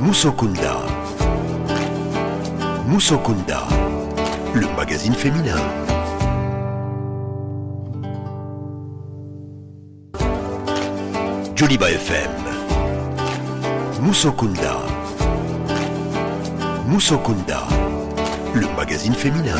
Musokunda. Musokunda, le magazine féminin. Joliba FM. Musokunda. Musokunda, le magazine féminin.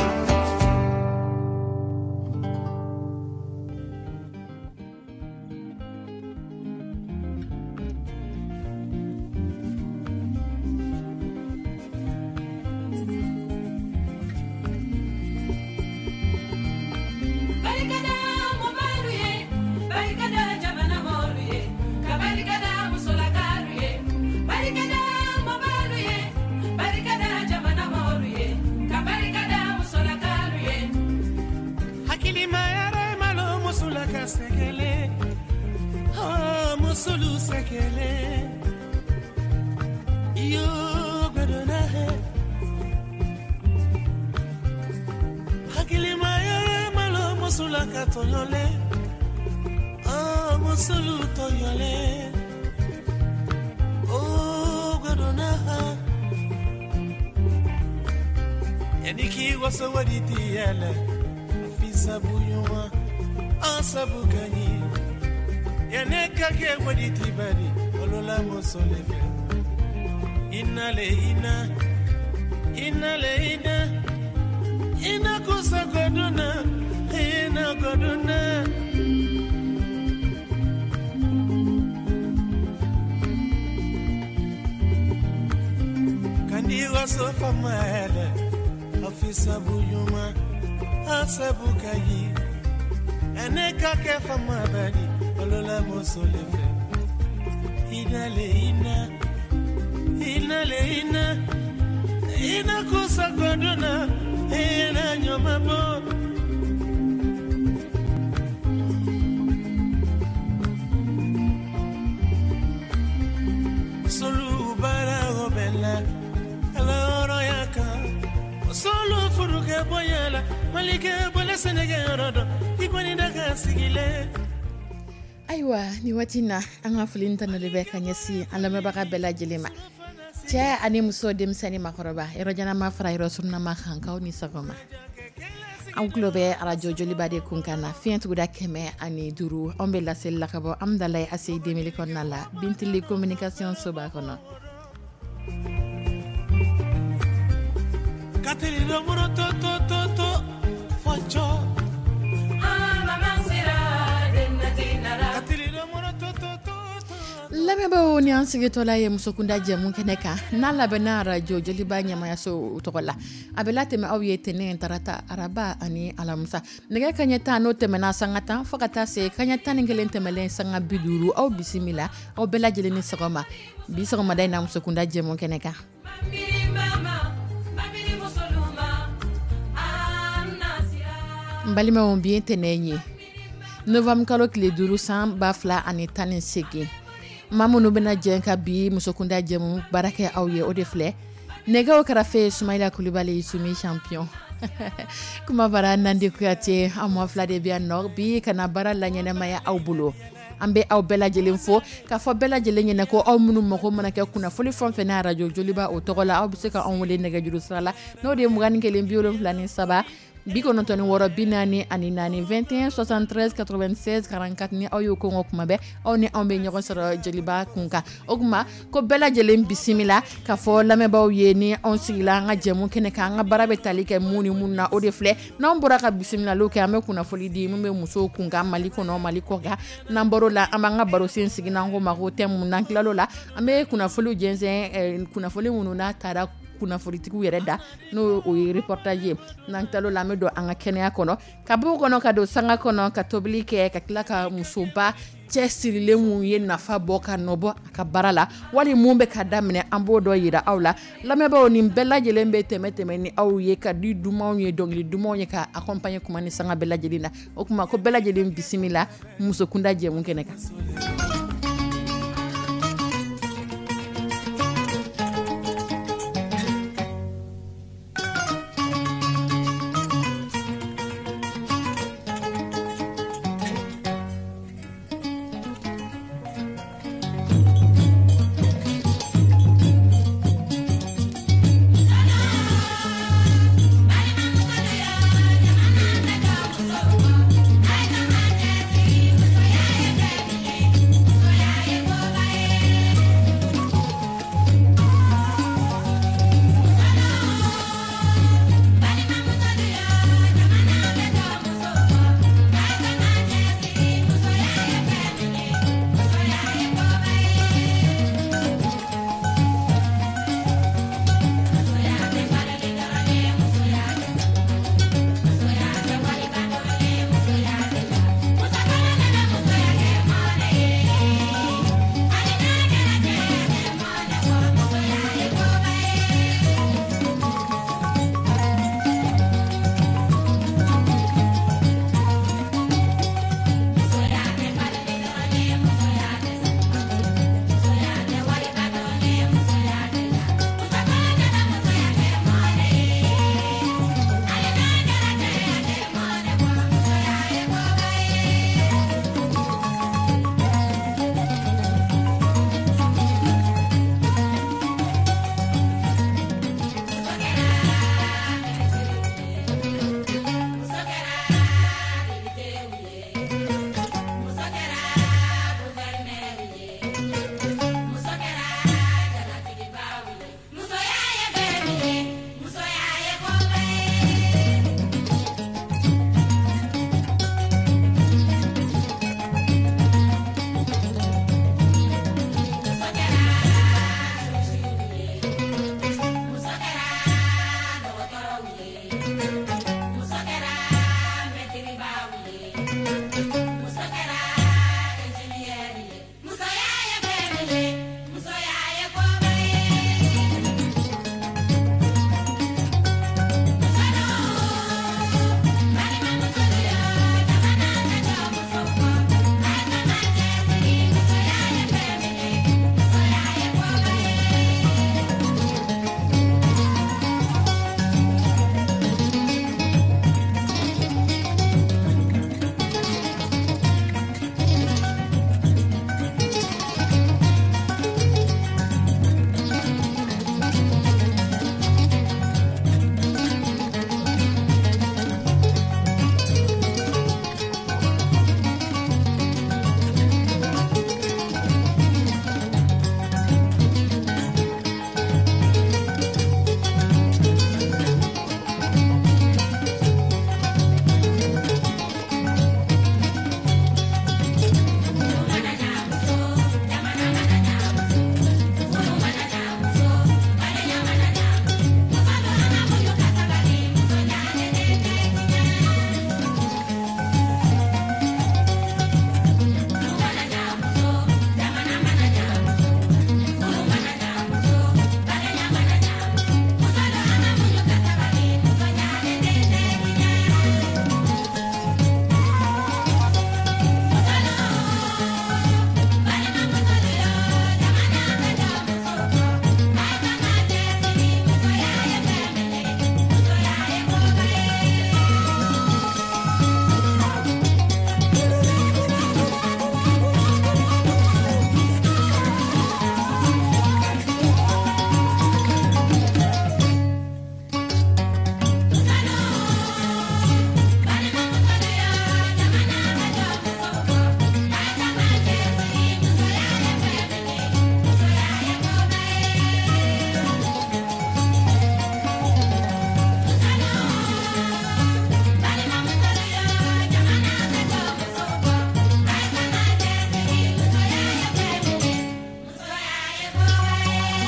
Ayiwa ni waati na an ka foli ta de bɛ ka ɲɛsin an lamɛnbaga bɛɛ lajɛlen ma, cɛ ani muso, denmisɛnnin, makɔrɔba, yɔrɔjanma fara yɔrɔ surunma kankaw ni sɔgɔma. An tulo bɛ arajo Joliba de kun kan na, fiɲɛ tuguda 105. Anw bɛ laseli la ka bɔ Amidalayi ACI 2000 kɔnɔna la, Bintili communication soba kɔnɔ. Lamɛnbaaw, ni an sigitɔla ye musokunda jɛmu kɛnɛ kan n'a labɛnna arajo Joliba ɲɛmayaso tɔgɔ la, a bɛ latɛmɛ aw ye tɛnɛn, tarata, araba ani alamisa, nɛgɛ kaɲɛ 10 n'o tɛmɛna sanga 10 fo ka taa se kaɲɛ 11 tɛmɛlen sanga 50. Aw bisimila, aw bɛɛ lajɛlen ni sɔgɔma bi sɔgɔmada in na musokunda jɛmu kɛnɛ kan. N balimaw, bi ye tɛnɛn ye, novembre kalo tile 5, san 2018. Maa minnu bɛna jɛ ka bi musokunda jɛmu baara kɛ aw ye, o de filɛ: nɛgɛw kɛrɛfɛ, Sumayila Kulibali, Sumi champion, kuma bara Nandi Kuyate. An ma fila de bɛ yan nɔ bi ka na baara la ɲɛnɛmaya aw bolo. An bɛ aw bɛɛ lajɛlen fo k'a fɔ bɛɛ lajɛlen ɲɛna ko aw minnu mago mana kɛ kunnafoni fɛn fɛn n'a arajo Joliba o tɔgɔ la, aw bɛ se ka anw wele nɛgɛjuru sira la, n'o de ye 21 73 96 44, 21 73 96 44. Ni aw y'o kɔngɔ kuma bɛɛ, aw ni anw bɛ ɲɔgɔn sɔrɔ Joliba kun kan. O tuma ko bɛɛ lajɛlen bisimila k'a fɔ lamɛnbaaw ye, ni anw sigila an ka jɛmu kɛnɛ kan, an ka baara bɛ tali kɛ mun ni mun na, o de filɛ. N'anw bɔra ka bisimilaliw kɛ, an bɛ kunnafoni di min bɛ musow kun kan, Mali kɔnɔ, Mali kɔ kan. N'an bɔr'o la, an b'an ka barosen sigi n'an ko ma ko thème. N'an tilal'o la, an bɛ kunnafoniw jɛnsɛn, kunnafoni minnu n'a taara kunnafonitigiw yɛrɛ da, n'o o ye reportage ye. N'an tilal'o la, an bɛ don an ka kɛnɛya kɔnɔ, ka b'o kɔnɔ ka don sanga kɔnɔ, ka tobili kɛ, ka tila ka musoba cɛsirilen mun ye nafa bɔ ka nɔ bɔ a ka baara la, wali mun bɛ ka daminɛ, an b'o dɔ yira aw la. Lamɛnbaaw, nin bɛɛ lajɛlen bɛ tɛmɛ tɛmɛ ni aw ye ka di dumanw ye, dɔnkili dumanw ye ka accompagner kuma ni sanga bɛɛ lajɛlen na. O tuma ko bɛɛ lajɛlen bisimila musokunda jɛmu kɛnɛ kan.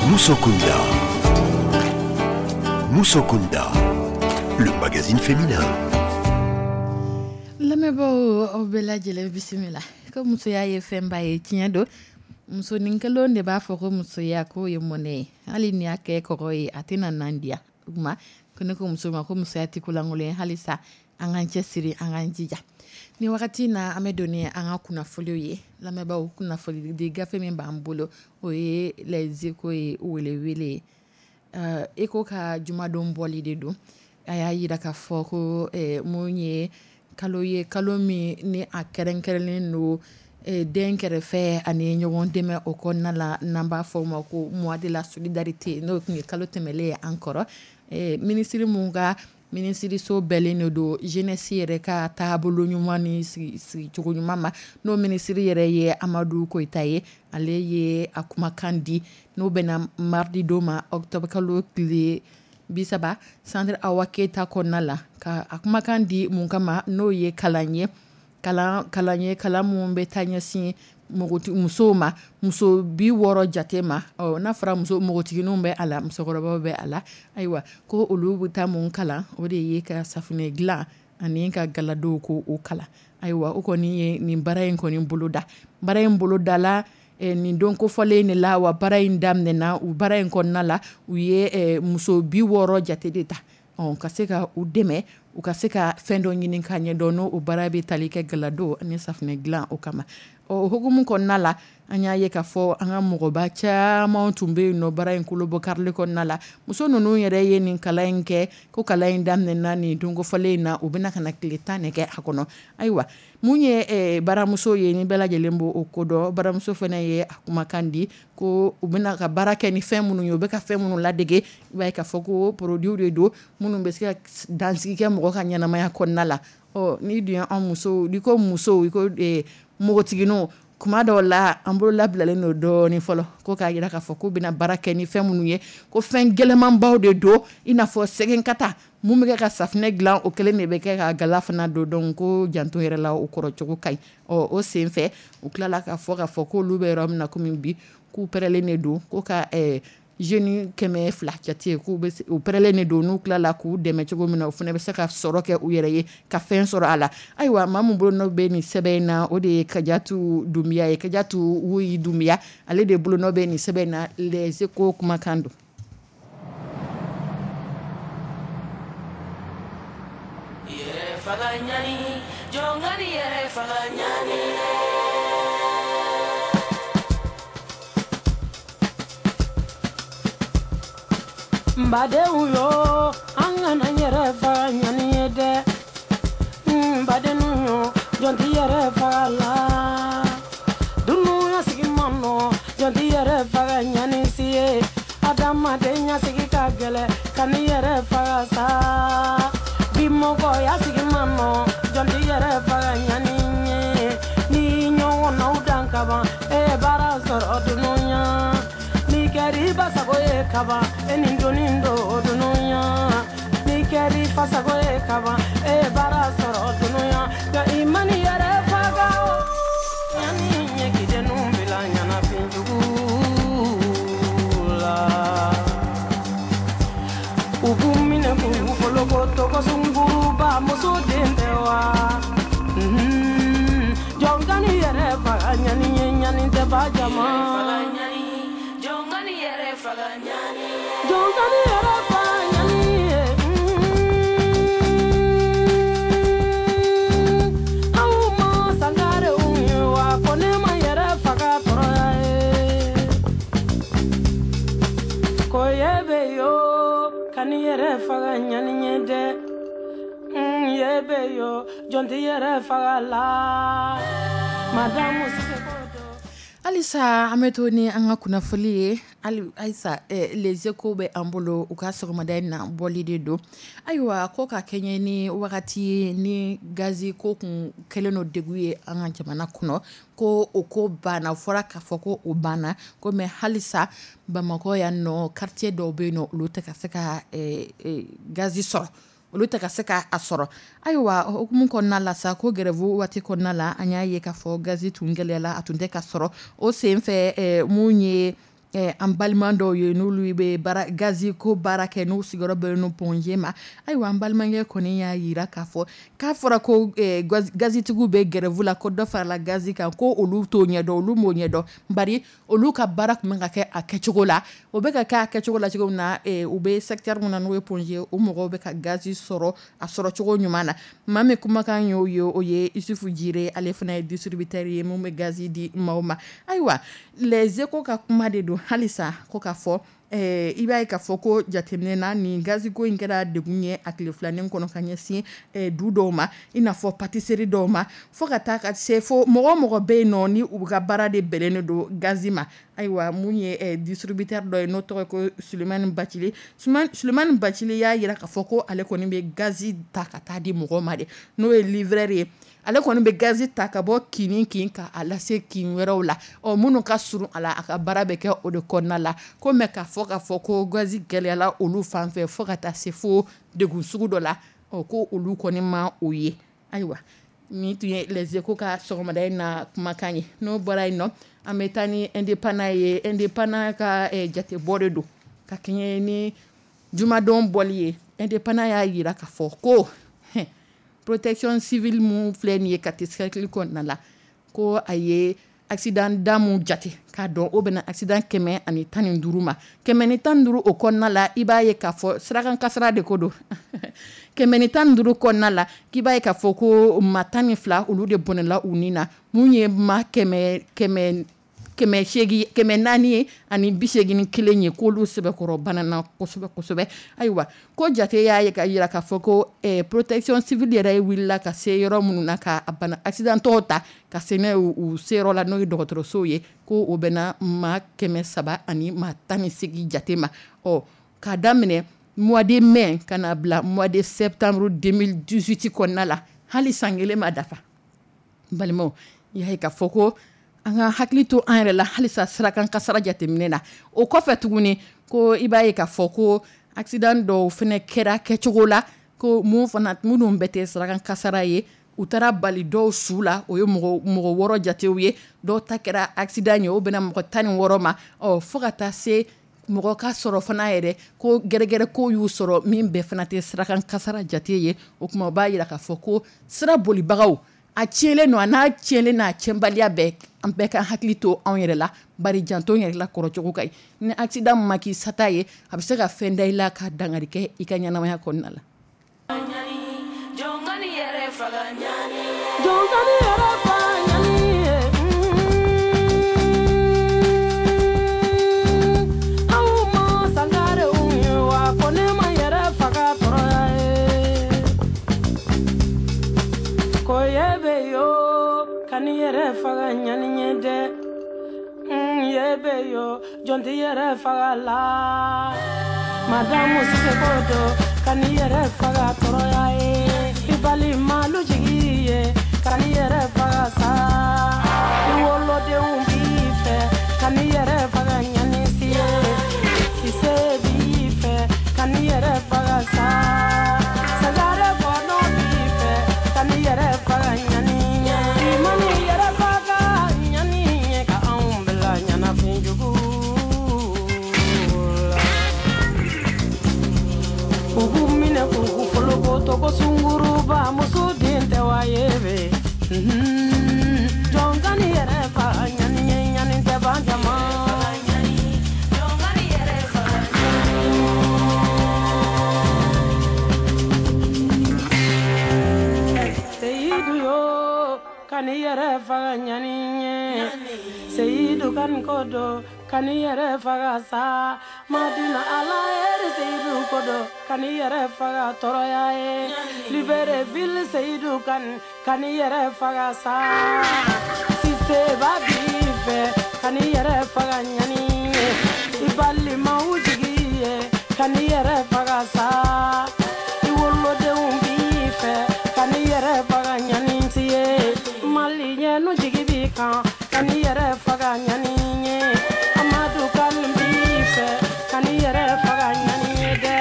Musokunda. Musokunda, le magazine féminin. Lamɛnbaaw, aw bɛɛ lajɛlen bisimila. Ko musoya ye fɛnba ye, tiɲɛ don. Musonin kelen de b'a fɔ ko musoya k'o ye mɔnɛ ye. Hali ni y'a kɛ kɔgɔ ye, a tɛna nan diya. O tuma ko ne ko muso ma ko musoya tɛ ko lankolon ye, halisa an k'an cɛsiri, an k'an jija. Ni wagati na, an bɛ don ni an ka kunnafoniw ye. Lamɛnbaaw, kunnafoni di gafe min b'an bolo, o ye Les Échos ye, welewele ye. Eko ka jumadon bɔli de don. A y'a yira k'a fɔ ko mun ye kalo ye, kalo min ni a kɛrɛnkɛrɛnnen don den kɛrɛfɛ ani ɲɔgɔn dɛmɛ o kɔnɔna la, n'an b'a fɔ o ma ko mois de la solidarité, n'o tun ye kalo tɛmɛlen ye an kɔrɔ. Minisiri mun ka minisiriso bɛɛlen de don jeunesse yɛrɛ ka taabolo ɲuman ni sigicogo ɲuman ma, n'o minisiri yɛrɛ ye Amadu Koyita ye, ale ye a kumakan di n'o bɛna mardi don ma, octobre kalo tile 30, centre Awa Keyita kɔnɔna la, ka a kumakan di mun kama, n'o ye kalan ye, kalan ye, kalan mun bɛ taa ɲɛsin musow ma, muso 60 jate ma. Ɔ, n'a fɔra muso, npogotigininw bɛ a la, musokɔrɔbaw bɛ a la. Ayiwa, ko olu bɛ taa mun kalan, o de ye ka safunɛ dilan ani ka galadow ko o kalan. Ayiwa, o kɔni ye nin baara in kɔni boloda. Baara in bolodala nin don kofɔlen de la. Wa baara in daminɛna, u baara in kɔnɔna la, u ye muso 60 jate de ta, ɔ, ka se ka u dɛmɛ u ka se ka fɛn dɔ ɲini k'a ɲɛdɔn, n'o o baara bɛ tali kɛ galado ani safunɛ dilan o kama. Ɔ, o hukumu kɔnɔna la, an y'a ye k'a fɔ an ka mɔgɔba caman tun bɛ yen nɔ baara in kolobɔ karili kɔnɔna la. Muso ninnu yɛrɛ ye nin kalan in kɛ, ko kalan in daminɛna nin don kofɔlen in na, u bɛna ka na tile 10 de kɛ a kɔnɔ. Ayiwa, mun ye baramuso ye, ni bɛɛ lajɛlen b'o ko dɔn, baramuso fana ye a kumakan di ko u bɛna ka baara kɛ ni fɛn minnu ye, u bɛ ka fɛn minnu ladege, i b'a ye k'a fɔ ko produit de don minnu bɛ se ka dansigi kɛ mɔgɔ ka ɲɛnamaya kɔnɔna la. Ɔ, n'i dun ye an musow, n'i ko musow, i ko npogotigininw, kuma dɔw la an bolo labilalen don dɔɔnin fɔlɔ, ko k'a jira k'a fɔ k'u bɛna baara kɛ ni fɛn minnu ye, ko fɛn gɛlɛnmanbaw de don, i n'a fɔ sɛgɛnkata mun bɛ kɛ ka safunɛ dilan, o kelen de bɛ kɛ ka gala fana don. Donc ko janto yɛrɛ la, o kɔrɔ cogo ka ɲi. Ɔ, o sen fɛ, u tilala k'a fɔ k'a fɔ k'olu bɛ yɔrɔ min na komi bi, k'u pɛrɛlen de don ko ka jeunes 200 jate, k'u bɛ u pɛrɛlen de don, n'u tilala k'u dɛmɛ cogo min na, u fana bɛ se ka sɔrɔ kɛ u yɛrɛ ye, ka fɛn sɔrɔ a la. Ayiwa, maa min bolonɔ bɛ nin sɛbɛn in na, o de ye Kajatu Dunbiya ye, Kajatu Wuyi Dunbiya, ale de bolonɔ bɛ nin sɛbɛn in na. Les Échos kumakan don. Yɛrɛ faga ɲani, jɔn yɛrɛ faga ɲani. N badenw yo, an kana yɛrɛ faga ɲani ye dɛ. N badenw yo, jɔn tɛ yɛrɛ faga la. Dunuya sigi man nɔ, jɔn tɛ yɛrɛ faga ɲani si ye. Adamaden ɲasigi ka gɛlɛn, ka n'i yɛrɛ faga sa. Bi mɔgɔya sigi man nɔ, jɔn tɛ yɛrɛ faga ɲani ye. N'i ɲɔgɔnnaw dan kaban, e ye baara sɔrɔ dunuya. N'i kɛra i ba sago ye kaban, e ni doni don dunuya. N'i kɛra i fa sago ye kaban, e ye baara sɔrɔ dunuya. Nka i ma n'i yɛrɛ faga o, ɲani ɲɛ k'i denw bila ɲɛnafin jugu la. U b'u minɛ k'u foloko tɔgɔ sunkuruba, muso den tɛ wa. Jɔn ka n'i yɛrɛ faga ɲani ye, ɲani tɛ ba jama. Jɔn ka n'i yɛrɛ faga ɲani ye. Jɔn ka n'i yɛrɛ faga ɲani ye. Aw ma sangarew ye wa, ko ne ma yɛrɛ faga tɔɔrɔya ye. Ko ye bɛ yo, ka n'i yɛrɛ faga ɲani ye dɛ. Ye bɛ yo, jɔn tɛ yɛrɛ faga la. Madamu Sise ko don. Halisa an bɛ to ni an ka kunnafoli ye. Halisa Les Échos bɛ an bolo, u ka sɔgɔmada in na bɔli de don. Ayiwa, ko ka kɛɲɛ ni wagati ye ni gazi ko kun kɛlen don degun ye an ka jamana kɔnɔ, ko o ko banna, fɔra k'a fɔ ko o banna ko, mais halisa Bamakɔ yan nɔ, quartier dɔw bɛ yen nɔ, olu tɛ ka se ka gazi sɔrɔ, olu tɛ ka se ka a sɔrɔ. Ayiwa, o hukumu kɔnɔna la sa, ko grève waati kɔnɔna la, an y'a ye k'a fɔ gazi tun gɛlɛyala, a tun tɛ ka sɔrɔ. O sen fɛ, mun ye An balima dɔw ye, n'olu bɛ baara gazi ko baara kɛ, n'u sigiyɔrɔ bɛnnen don Point G ma. Ayiwa, an balimakɛ kɔni y'a jira k'a fɔ k'a fɔra ko gazitigiw bɛ grève la, ko dɔ farala gazi kan, ko olu t'o ɲɛdɔn, olu m'o ɲɛdɔn, bari olu ka baara tun bɛ ka kɛ a kɛcogo la. O bɛ ka kɛ a kɛcogo la cogo min na, u bɛ secteur min na, n'o ye Point G, o mɔgɔw bɛ ka gazi sɔrɔ a sɔrɔ cogo ɲuman na. Maa min kumakan y'o ye, o ye Isufu Jire, ale fana ye distributeur ye mun bɛ gazi di maaw ma. Ayiwa, Les Échos ka kuma de don halisa, ko k'a fɔ i b'a ye k'a fɔ ko jateminɛ na, nin gaziko in kɛra degun ye a tile filanin kɔnɔ ka ɲɛsin du dɔw ma, i n'a fɔ pâtisserie dɔw ma, fo ka taa ka se fo mɔgɔ mɔgɔ bɛ yen nɔ ni u ka baara de bɛnnen don gazi ma. Ayiwa, mun ye distributeur dɔ ye, n'o tɔgɔ ko Sulemani Bacili, Sulemani Bacili y'a jira k'a fɔ ko ale kɔni bɛ gazi ta ka taa di mɔgɔw ma de, n'o ye livreur ye. Ale kɔni bɛ gazi ta ka bɔ kin ni kin ka a lase kin wɛrɛw la, ɔ minnu ka surun a la, a ka baara bɛ kɛ o de kɔnɔna la. Ko mɛ k'a fɔ ko gazi gɛlɛyala olu fan fɛ fo ka taa se fo degun sugu dɔ la, ɔ ko olu kɔni ma o ye. Ayiwa, nin tun ye Les Échos ka sɔgɔmada in na kumakan ye. N'o bɔra yen nɔ, an bɛ taa ni Indépendant ye. Indépendant ka jatebɔ de don ka kɛɲɛ ni jumadon bɔli ye. Indépendant y'a jira k'a fɔ ko protection civile mun filɛ nin ye Kati cercle kɔnɔna la, ko a ye accident da mun jate k'a dɔn, o bɛna accident 115 ma. 115 o kɔnɔna la, i b'a ye k'a fɔ sirakan kasara de ko don. 115 kɔnɔna la, k'i b'a ye k'a fɔ ko maa 12, olu de bɔnɛla u ni na. Mun ye maa kɛmɛ kɛmɛ 800, 481 ye, k'olu sɛbɛkɔrɔ banana kosɛbɛ kosɛbɛ. Ayiwa, ko jate y'a ye ka jira k'a fɔ ko protection civile yɛrɛ wulila ka se yɔrɔ minnu na ka bana accident tɔw ta ka se n'a ye u seyɔrɔ la, n'o ye dɔgɔtɔrɔsow ye, ko o bɛna maa 318 jate ma. Ɔ k'a daminɛ mois de mai ka na bila mois de septembre 2018 kɔnɔna la, hali san kelen ma dafa. N balimaw, i y'a ye k'a fɔ ko an ka hakili to an yɛrɛ la halisa sirakan kasara jateminɛ na. O kɔfɛ tuguni, ko i b'a ye k'a fɔ ko accident dɔw fana kɛra kɛcogo la, ko mun fana minnu bɛɛ tɛ sirakan kasara ye, u taara bali dɔw su la, o ye mɔgɔ 6 jatew ye. Dɔw ta kɛra accident ye, o bɛna mɔgɔ 16 ma. Ɔ fo ka taa se mɔgɔ ka sɔrɔ fana yɛrɛ ko gɛrɛgɛrɛ ko y'u sɔrɔ, min bɛɛ fana tɛ sirakan kasara jate ye. O tuma, o b'a jira k'a fɔ ko sira bolibagaw, a tiɲɛlen don, a n'a tiɲɛlen n'a tiɲɛbaliya bɛɛ, an bɛɛ ka hakili to anw yɛrɛ la, bari janto yɛrɛ la kɔrɔcogo ka ɲi. Ni accident ma k'i sata ye, a bɛ se ka fɛn da i la ka dankari kɛ i ka ɲɛnamaya kɔnɔna la. Yɛrɛ faga ɲani ye dɛ, ye bɛ yo, jɔn tɛ yɛrɛ faga la. Madamu Sise ko do ka n'i yɛrɛ faga tɔɔrɔya ye, i balimalu jigi ye, ka n'i yɛrɛ faga sa, i wolodenw b'i fɛ, ka n'i yɛrɛ faga ɲani si ye, Sise b'i fɛ, ka n'i yɛrɛ faga sa, Sagare bɔnɔ b'i fɛ, ka n'i yɛrɛ faga ɲani ye, i man'i yɛrɛ faga ɲani ye, ka anw bila ɲɛnafin jugu la. U b'u minɛ k'u foloko tɔgɔ sunguruba, muso den tɛ wa ye bɛ jɔn ka n'i yɛrɛ faga ɲani ye, ɲani tɛ ban jama. Seyidu yo, ka n'i yɛrɛ faga ɲani ye, Seyidu ka nin ko do, ka n'i yɛrɛ faga sa, Madina Ala yɛrɛ, Seyidu ko do, ka n'i yɛrɛ faga tɔɔrɔya ye, Libreville Seyidu kan, ka n'i yɛrɛ faga sa, Siseba b'i fɛ, ka n'i yɛrɛ faga ɲani ye, i balimaw jigi ye, ka n'i yɛrɛ faga sa, i wolodenw b'i fɛ, ka n'i yɛrɛ faga ɲani si ye, Maliyɛnnu jigi b'i kan, ka n'i yɛrɛ faga ɲani ye, Amadu kan b'i fɛ, ka n'i yɛrɛ faga ɲani ye dɛ.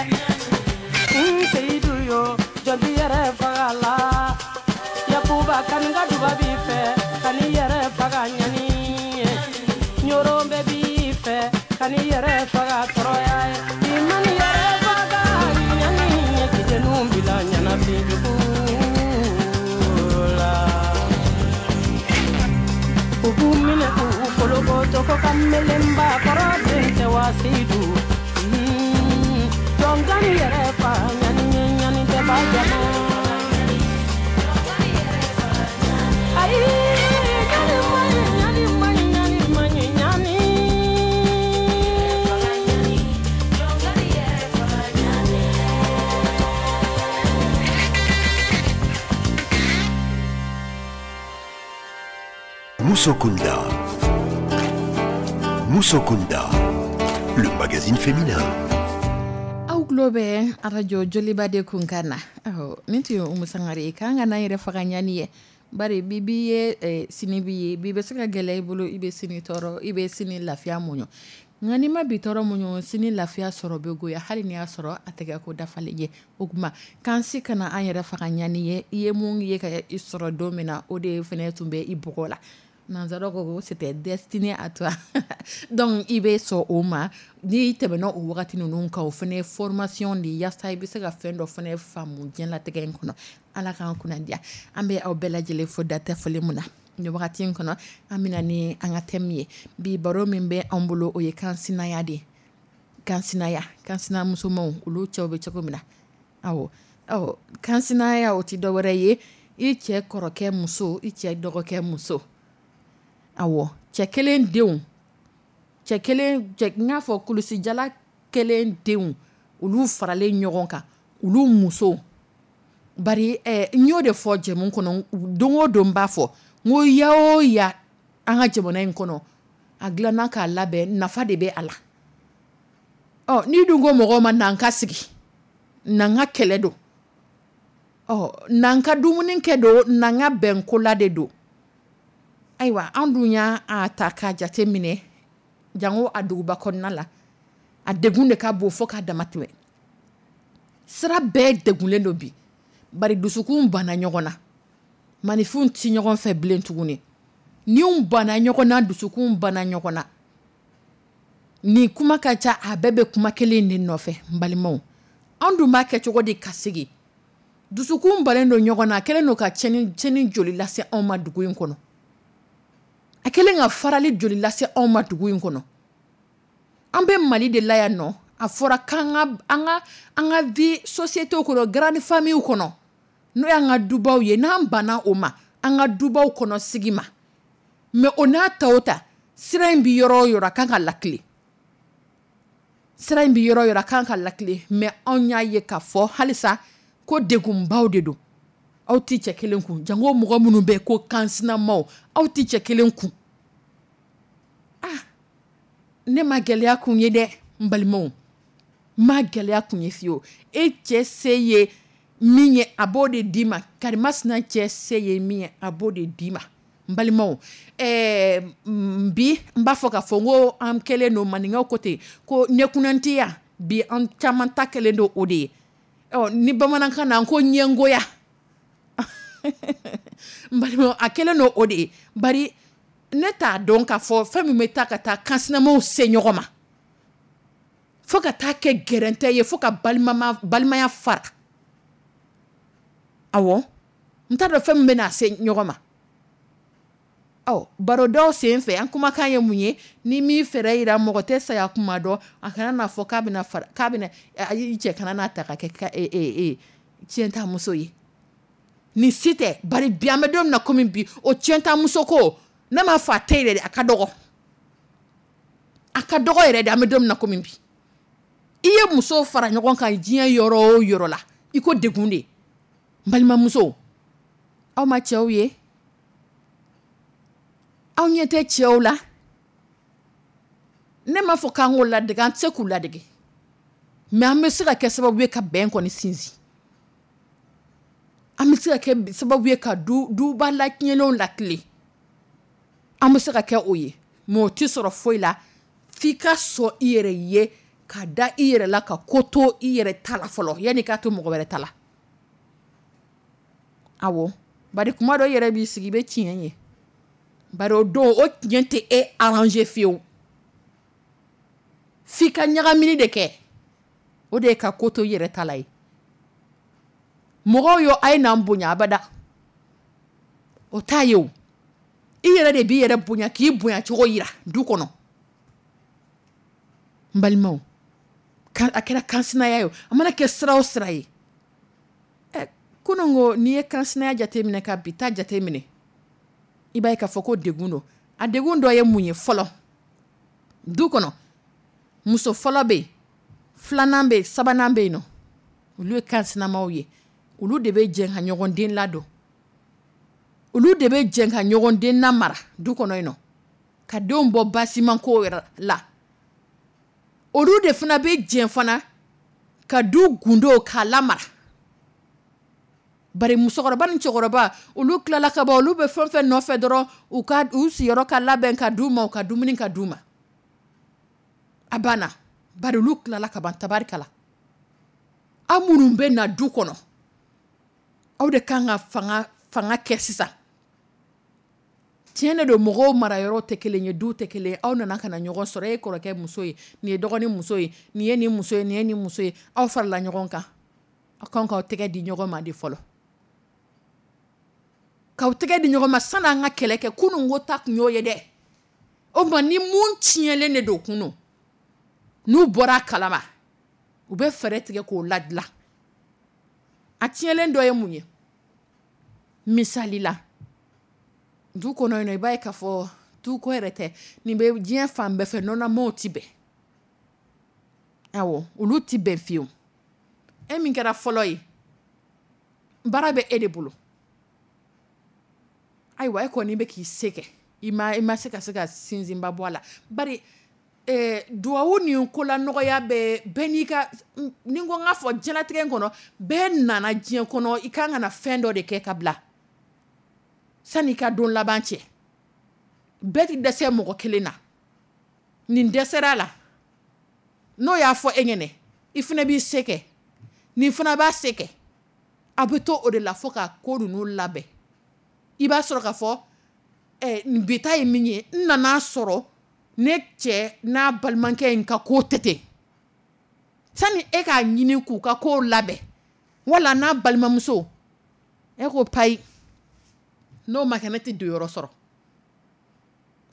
Seyidu yo, jɔn t'i yɛrɛ faga la, Yakuba kan ka duba b'i fɛ, ka n'i yɛrɛ faga ɲani ye, Ɲoro bɛɛ b'i fɛ, ka Musokunda. Musokunda, le magazine féminin. Aw tulo bɛ arajo Joliba de kunkan na. Awɔ, nin tun ye Umu Sangare ye. K'an kana an yɛrɛ faga ɲani ye. Bari bi b'i ye sini b'i ye. Bi bɛ se ka gɛlɛya i bolo, i bɛ sini tɔɔrɔ, i bɛ sini lafiya muɲu. Nka n'i ma bi tɔɔrɔ muɲu, sini lafiya sɔrɔ bɛ goya hali n'i y'a sɔrɔ a tɛ kɛ ko dafalen ye. O tuma k'an si kana an yɛrɛ faga ɲani ye. I ye mun ye ka i sɔrɔ don min na, o de fana tun bɛ i bɔgɔ la. Nanzaraw ko c'était destiné à toi. Donc i bɛ sɔn o ma. N'i tɛmɛna o wagati ninnu kan, o fana ye formation de ye yaasa i bɛ se ka fɛn dɔ fana faamu diɲɛlatigɛ in kɔnɔ. Ala k'an kunna diya. An bɛ aw bɛɛ lajɛlen fo datɛ foli mun na. Nin wagati in kɔnɔ, an bɛna ni an ka thème ye. Bi baro min bɛ an bolo, o ye kansinaya de ye. Kansinaya, kansinamusomaw, olu cɛw bɛ cogo min na. Awɔ, ɔ kansinaya o tɛ dɔwɛrɛ ye, i cɛ kɔrɔkɛ muso, i cɛ dɔgɔkɛ muso. Awɔ, cɛ kelen denw, cɛ kelen cɛ n k'a fɔ kulusijala kelen denw, olu faralen ɲɔgɔn kan, olu musow. Bari n y'o de fɔ jɛmu kɔnɔ, don o don n b'a fɔ, n ko ya o ya an ka jamana in kɔnɔ, a dilanna k'a labɛn, nafa de bɛ a la. Ɔ n'i dun ko mɔgɔw ma na n ka sigi, na n ka kɛlɛ don, ɔ na n ka dumuni kɛ don, na n ka bɛnkola de don. Ayiwa, an dun y'a ta k'a jate minɛ, jango a duguba kɔnɔna la, a degun de ka bon fo k'a dama tɛmɛ. Sira bɛɛ degunlen don bi. Bari dusukun banna ɲɔgɔn na. Maninfinw tɛ ɲɔgɔn fɛ bilen tuguni. Niw banna ɲɔgɔn na, dusukun banna ɲɔgɔn na. Nin kuma ka ca, a bɛɛ bɛ kuma kelen de nɔfɛ, n balimaw. An dun b'a kɛ cogo di ka sigi? Dusukun bannen don ɲɔgɔn na, a kɛlen don ka tiɲɛni joli lase anw ma dugu in kɔnɔ. A kɛlen ka farali joli lase anw ma dugu in kɔnɔ. An bɛ Mali de la yan nɔ. A fɔra k'an ka an ka vie société kɔnɔ, grande famille kɔnɔ, n'o y'an ka dubaw ye, n'an banna o ma, an ka dubaw kɔnɔ sigi ma. Mais o n'a ta o ta, sira in bɛ yɔrɔ o yɔrɔ, a kan ka lakile. Sira in bɛ yɔrɔ o yɔrɔ, a kan ka lakile. Mais anw y'a ye k'a fɔ halisa ko degunbaw de don. Aw tɛ cɛ kelen kun. Jango mɔgɔ minnu bɛ ko kansinamaw, aw tɛ cɛ kelen kun. Ah, ne ma gɛlɛya kun ye dɛ, n balimaw. N ma gɛlɛya kun ye fiyewu. E cɛ se ye min ye, a b'o de d'i ma. Karimasina cɛ se ye min ye, a b'o de d'i ma. N balimaw, bi n b'a fɔ k'a fɔ n ko an kɛlen don maninkaw ko ten ko ɲɛkunnantiya, bi an caman ta kɛlen don o de ye. Ɔ ni bamanankan na ko ɲɛngoya. N balimaw, a kɛlen don o de ye. Bari ne t'a dɔn k'a fɔ fɛn min bɛ taa ka taa kansinamaw se ɲɔgɔn ma. Fo ka taa kɛ gɛrɛntɛ ye, fo ka balimaya fara. Awɔ, n t'a dɔn fɛn min bɛ n'a se ɲɔgɔn ma. Ɔ barodaw sen fɛ, an kumakan ye mun ye? Ni min fɛɛrɛ yira mɔgɔ tɛ saya kuma dɔn, a kana n'a fɔ k'a bɛna fara, k'a bɛna i cɛ kana n'a ta ka kɛ tiɲɛtamuso ye. Nin si tɛ. Bari bi an bɛ don min na komi bi, o tiɲɛtamuso ko, ne m'a fɔ a tɛ yen dɛ, a ka dɔgɔ. A ka dɔgɔ yɛrɛ de, an bɛ don min na komi bi. I ye muso fara ɲɔgɔn kan diɲɛ yɔrɔ o yɔrɔ la, i ko degun de. N balimamuso, aw ma cɛw ye? Aw ɲɛ tɛ cɛw la? Ne m'a fɔ k'an k'o ladege, an tɛ se k'u ladege. Mais an bɛ se ka kɛ sababu ye ka bɛn kɔni sinsin. An bɛ se ka kɛ sababu ye ka duba latiɲɛnenw lakile. An bɛ se ka kɛ o ye. Mais o tɛ sɔrɔ foyi la f'i ka sɔn i yɛrɛ ye, ka da i yɛrɛ la, ka ko to i yɛrɛ ta la fɔlɔ, yanni k'a to mɔgɔ wɛrɛ ta la. Awɔ, bari kuma dɔ i yɛrɛ b'i sigi i bɛ tiɲɛ ye. Bari o don o tiɲɛ tɛ e arranger fiyewu. F'i ka ɲagamini de kɛ. O de ye ka ko to i yɛrɛ ta la ye. Mɔgɔw yo a ye n'an bonya abada. O t'a ye o. I yɛrɛ de b'i yɛrɛ bonya k'i bonya cogo yira du kɔnɔ. N balimaw, a kɛra kansinaya ye o, a mana kɛ sira o sira ye. Kunun ko n'i ye kansinaya jateminɛ ka bi ta jateminɛ, i b'a ye k'a fɔ ko degun don. A degun dɔ ye mun ye fɔlɔ? Du kɔnɔ, muso fɔlɔ bɛ yen, filanan bɛ yen, sabanan bɛ yen nɔ. Olu ye kansinamaw ye. Olu de bɛ jɛ ka ɲɔgɔn den ladon. Olu de bɛ jɛ ka ɲɔgɔn den mara du kɔnɔ yen nɔ, ka denw bɔ basiman ko yɛrɛ la. Olu de fana bɛ jɛ fana ka du gundo k'a lamara. Bari musokɔrɔba ni cɛkɔrɔba, olu tilala ka ban, olu bɛ fɛn fɛn nɔfɛ dɔrɔn, u ka u sigiyɔrɔ ka labɛn ka d'u ma, u ka dumuni ka d'u ma, a banna. Bari olu tilala ka ban, tabarikala. Aw minnu bɛ na du kɔnɔ, aw de kan ka fanga kɛ sisan. Tiɲɛ de don, mɔgɔw mara yɔrɔ tɛ kelen ye, du tɛ kelen ye. Aw nana ka na ɲɔgɔn sɔrɔ, e ye kɔrɔkɛ muso ye, nin ye dɔgɔnin muso ye, nin ye nin muso ye, nin ye nin muso ye. Aw farala ɲɔgɔn kan, aw kan k'aw tɛgɛ di ɲɔgɔn ma de fɔlɔ, k'aw tɛgɛ di ɲɔgɔn ma sanni an ka kɛlɛ kɛ. Kunun ko ta tun y'o ye dɛ. O tuma ni mun tiɲɛlen de don kunun, n'u bɔra a kalama, u bɛ fɛɛrɛ tigɛ k'o ladilan. A tiɲɛlen dɔ ye mun ye? Misali la, du kɔnɔ yen nɔ, i b'a ye k'a fɔ du ko yɛrɛ tɛ, nin bɛ diɲɛ fan bɛɛ fɛ, nɔnɔmaw ti bɛn. Awɔ, olu ti bɛn fiyewu. E min kɛra fɔlɔ ye, baara bɛ e de bolo. Ayiwa, e kɔni bɛ k'i se kɛ, i ma se ka sinsinba bɔ a la. Bari duwawu ni ko la nɔgɔya bɛ bɛɛ n'i ka, ni n ko n k'a fɔ diɲɛlatigɛ in kɔnɔ, bɛɛ nana diɲɛ kɔnɔ, i kan ka na fɛn dɔ de kɛ ka bila sani i ka don laban cɛ. Bɛɛ ti dɛsɛ mɔgɔ kelen na. Nin dɛsɛra la, n'o y'a fɔ e ɲɛnɛ, i fana b'i se kɛ, nin fana b'a se kɛ. A bɛ to o de la fo ka ko ninnu labɛn. I b'a sɔrɔ k'a fɔ bi ta ye min ye, n nana sɔrɔ ne cɛ n'a balimakɛ in ka ko tɛ ten. Sani e k'a ɲini k'u ka ko labɛn, wala n'a balimamuso, e ko payi, n'o ma kɛ ne tɛ don yɔrɔ sɔrɔ.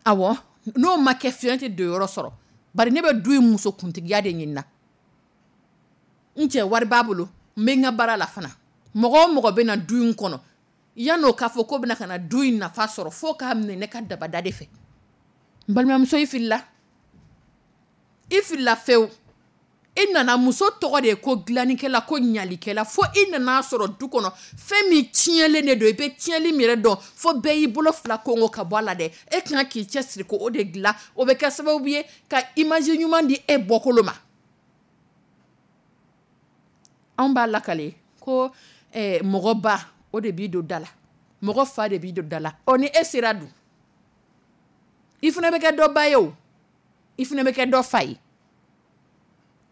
Awɔ, n'o ma kɛ fiyewu, ne tɛ don yɔrɔ sɔrɔ. Bari ne bɛ du in muso kuntigiya de ɲini na. N cɛ wari b'a bolo, n bɛ n ka baara la fana. Mɔgɔ o mɔgɔ bɛ na du in kɔnɔ, yan'o k'a fɔ k'o bɛna ka na du in nafa sɔrɔ, fo k'a minɛ ne ka dabada de fɛ. N balimamuso, i filila, i filila fewu. I nana, muso tɔgɔ de ye ko dilannikɛla, ko ɲalikɛla, fo i nana sɔrɔ du kɔnɔ fɛn min tiɲɛlen de don. I bɛ tiɲɛli min yɛrɛ dɔn, fo bɛɛ y'i bolo fila kongo ka bɔ a la dɛ. E kan k'i cɛsiri ko o de dilan, o bɛ kɛ sababu ye ka image ɲuman di e bɔkolo ma. Anw b'a lakale ko mɔgɔ ba, o de b'i don da la, mɔgɔ fa de b'i don da la. Ɔ ni e sera dun, i fana bɛ kɛ dɔ ba ye o, i fana bɛ kɛ dɔ fa ye.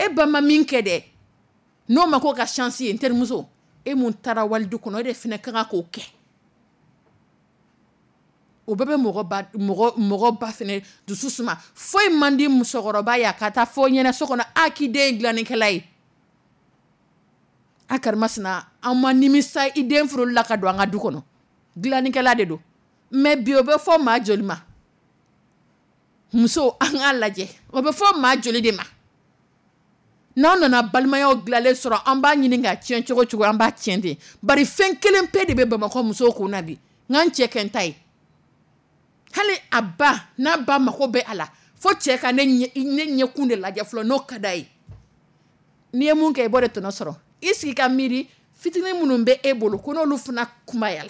E ba ma min kɛ dɛ, n'o ma ko ka chance ye, n terimuso, e mun taara walidu kɔnɔ, e de fana ka kan k'o kɛ. O bɛɛ bɛ mɔgɔ ba fana dusu suma. Foyi man di musokɔrɔba ye a ka taa fɔ ɲɛna so kɔnɔ, a k'i den ye dilannikɛla ye. A karimasina, an ma nimisa i den furuli la ka don an ka du kɔnɔ, dilannikɛla de don. Mais bi o bɛ fɔ maa joli ma? Muso, an k'a lajɛ, o bɛ fɔ maa joli de ma? N'an nana balimayaw dilanlen sɔrɔ, an b'a ɲini ka tiɲɛ cogo cogo, an b'a tiɲɛ ten. Bari fɛn kelen pe de bɛ Bamakɔ musow kun na bi, n ka n cɛ kɛ n ta ye. Hali a ba, n'a ba mako bɛ a la, fo cɛ ka ne ɲɛkun de lajɛ fɔlɔ, n'o ka d'a ye. N'i ye mun kɛ, i b'o de tɔnɔ sɔrɔ. I sigi ka miiri fitinin minnu bɛ e bolo, ko n'olu fana kunbayala,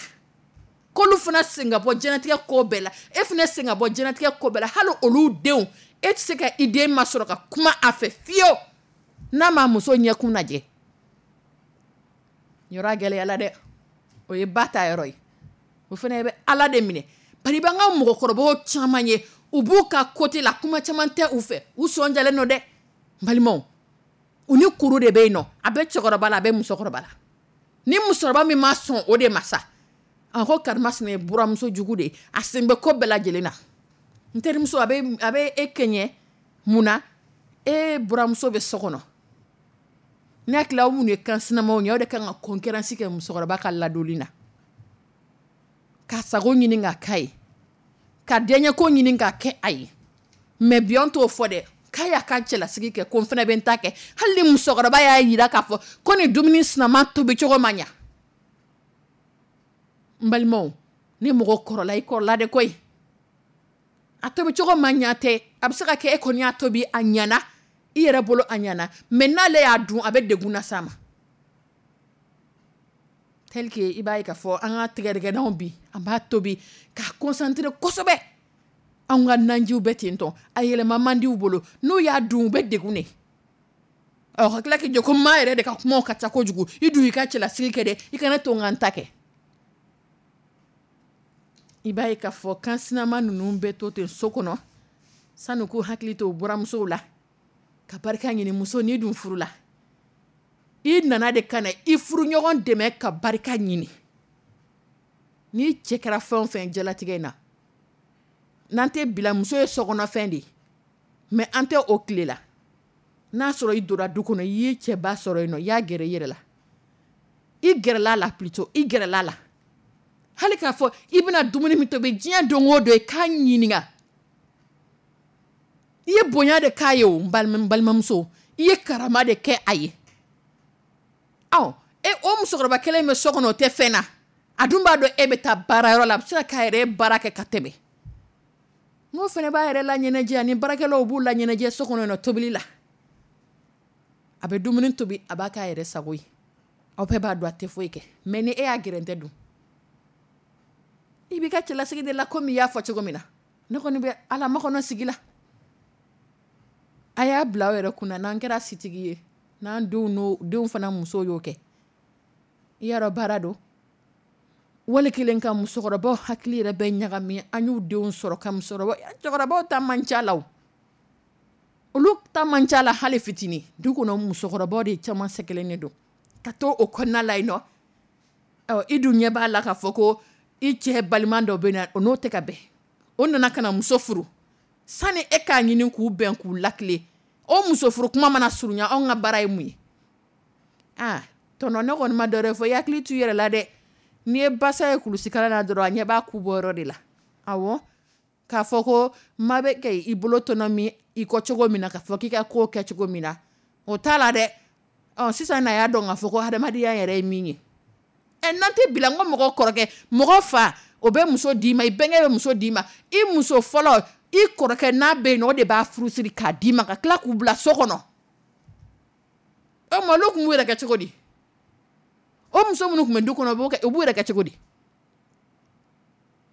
k'olu fana sen ka bɔ diɲɛlatigɛ ko bɛɛ la, e fana sen ka bɔ diɲɛlatigɛ ko bɛɛ la, hali olu denw, e tɛ se ka i den masɔrɔ ka kuma a fɛ fiyewu n'a ma muso ɲɛkun lajɛ. Yɔrɔ gɛlɛyala dɛ, o ye ba ta yɔrɔ ye. O fana bɛ Ala de minɛ. Bari b'an ka mɔgɔkɔrɔbaw caman ye, u b'u ka côté la, kuma caman tɛ u fɛ, u sɔn jalen don dɛ. Balimaw, u ni kuru de bɛ yen nɔ, a bɛ cɛkɔrɔba la, a bɛ musokɔrɔba la. Ni musokɔrɔba min ma sɔn o de ma sa, a ko karimasina ye buramuso jugu de ye, a sen bɛ ko bɛɛ lajɛlen na. N terimuso, a bɛ e kɛɲɛ mun na? E buramuso bɛ so kɔnɔ. Ne hakili aw minnu ye kan sinamaw ye, aw de kan ka concurrence kɛ musokɔrɔba ka ladonni na, ka sago ɲini ka k'a ye, ka diyaɲɛko ɲini ka kɛ a ye. Mais bi an t'o fɔ dɛ, k'a y'a ka cɛlasigi kɛ, ko n fana bɛ n ta kɛ. Hali ni musokɔrɔba y'a jira k'a fɔ ko nin dumuni sinama tobi cogo ma ɲa. N balimaw, ni mɔgɔ kɔrɔla, i kɔrɔla de koyi. A tobi cogo ma ɲa tɛ, a bɛ se ka kɛ e kɔni y'a tobi a ɲana, i yɛrɛ bolo a ɲana, mais n'ale y'a dun, a bɛ degun las'a ma. Tel que i b'a ye k'a fɔ an ka tigɛdɛgɛnaw bi, an b'a tobi k'a concentré kosɛbɛ. Anw ka nanjiw bɛ ten tɔ, a yɛlɛma man di u bolo. N'u y'a dun, u bɛ degun de. Ɔ, ka tila k'i jɔ ko maa yɛrɛ de ka kumaw ka ca kojugu. I dun y'i ka cɛlasigi kɛ dɛ, i kana to n ka n ta kɛ. I b'a ye k'a fɔ kan sinama ninnu bɛ to ten so kɔnɔ sanu k'u hakili to u buramusow la ka barika ɲini. Muso, n'i dun furu la, i nana de ka na i furuɲɔgɔn dɛmɛ ka barika ɲini. N'i cɛ kɛra fɛn o fɛn jalatigɛ in na, n'an tɛ bila muso ye sokɔnɔfɛn de ye, mais an tɛ o tile la. N'a sɔrɔ i donna du kɔnɔ, i y'i cɛba sɔrɔ yen nɔ, i y'a gɛrɛ i yɛrɛ la, i gɛrɛla la plutôt, i gɛrɛla la, hali k'a fɔ i bɛna dumuni min tobi diɲɛ don o don, i k'a ɲininka. I ye bonya de k'a ye o, n balimamuso, i ye karama de kɛ a ye. Ɔ, e o musokɔrɔba kelen bɛ so kɔnɔ, o tɛ fɛn na, a dun b'a dɔn e bɛ taa baarayɔrɔ la, a bɛ se ka k'a yɛrɛ baara kɛ ka tɛmɛ. N'o fana b'a yɛrɛ la ɲɛnajɛ, ani baarakɛlaw b'u la ɲɛnajɛ so kɔnɔ tobili la, a bɛ dumuni tobi, a b'a k'a yɛrɛ sago ye. Aw bɛɛ b'a dɔn a tɛ foyi kɛ, mais ni e y'a gɛrɛntɛ dun, i b'i ka cɛlasigi de la komi i y'a fɔ cogo min na. Ne kɔni bɛ ala makɔnɔ sigi la. A y'a bila aw yɛrɛ kunna, n'an kɛra sitigi ye, n'an denw n'o denw fana musow y'o kɛ, i y'a dɔn baara don. Wali kelen ka musokɔrɔbaw hakili yɛrɛ bɛ ɲagami. An y'u denw sɔrɔ ka musokɔrɔba, cɛkɔrɔbaw ta man ca la, o olu ta man ca la hali fitinin. Du kɔnɔ, musokɔrɔbaw de caman sɛgɛnnen don ka to o kɔnɔna la yen nɔ. Ɔ, i dun ɲɛ b'a la k'a fɔ ko i cɛ balima dɔ bɛ na, o n'o tɛ ka bɛn, o nana ka na muso furu. Sani e k'a ɲini k'u bɛn k'u lakile, o muso furu kuma mana surunya, anw ka baara ye mun ye? Aa tɔnɔ, ne kɔni ma dɔwɛrɛ fɔ, i hakili t'u yɛrɛ la dɛ. N'i ye basa ye kulusikala la dɔrɔn, a ɲɛ b'a ku bɔ yɔrɔ de la. Awɔ, k'a fɔ ko maa bɛ kɛ i bolo tɔnɔ min i kɔ cogo min na, k'a fɔ k'i ka ko kɛ cogo min na, o t'a la dɛ. Ɔ, sisan na y'a dɔn k'a fɔ ko hadamadenya yɛrɛ ye min ye. Ɛ, n'an tɛ bila n ko mɔgɔ kɔrɔkɛ, mɔgɔ fa, o bɛ muso d'i ma, i bɛnkɛ bɛ muso d'i ma, i muso fɔlɔ, i kɔrɔkɛ n'a bɛ yen nɔ, o de b'a furusiri k'a d'i ma, ka tila k'u bila so kɔnɔ. O ma, olu tun b'u yɛrɛ kɛ cogo di? O muso minnu tun bɛ du kɔnɔ, u b'u yɛrɛ kɛ cogo di?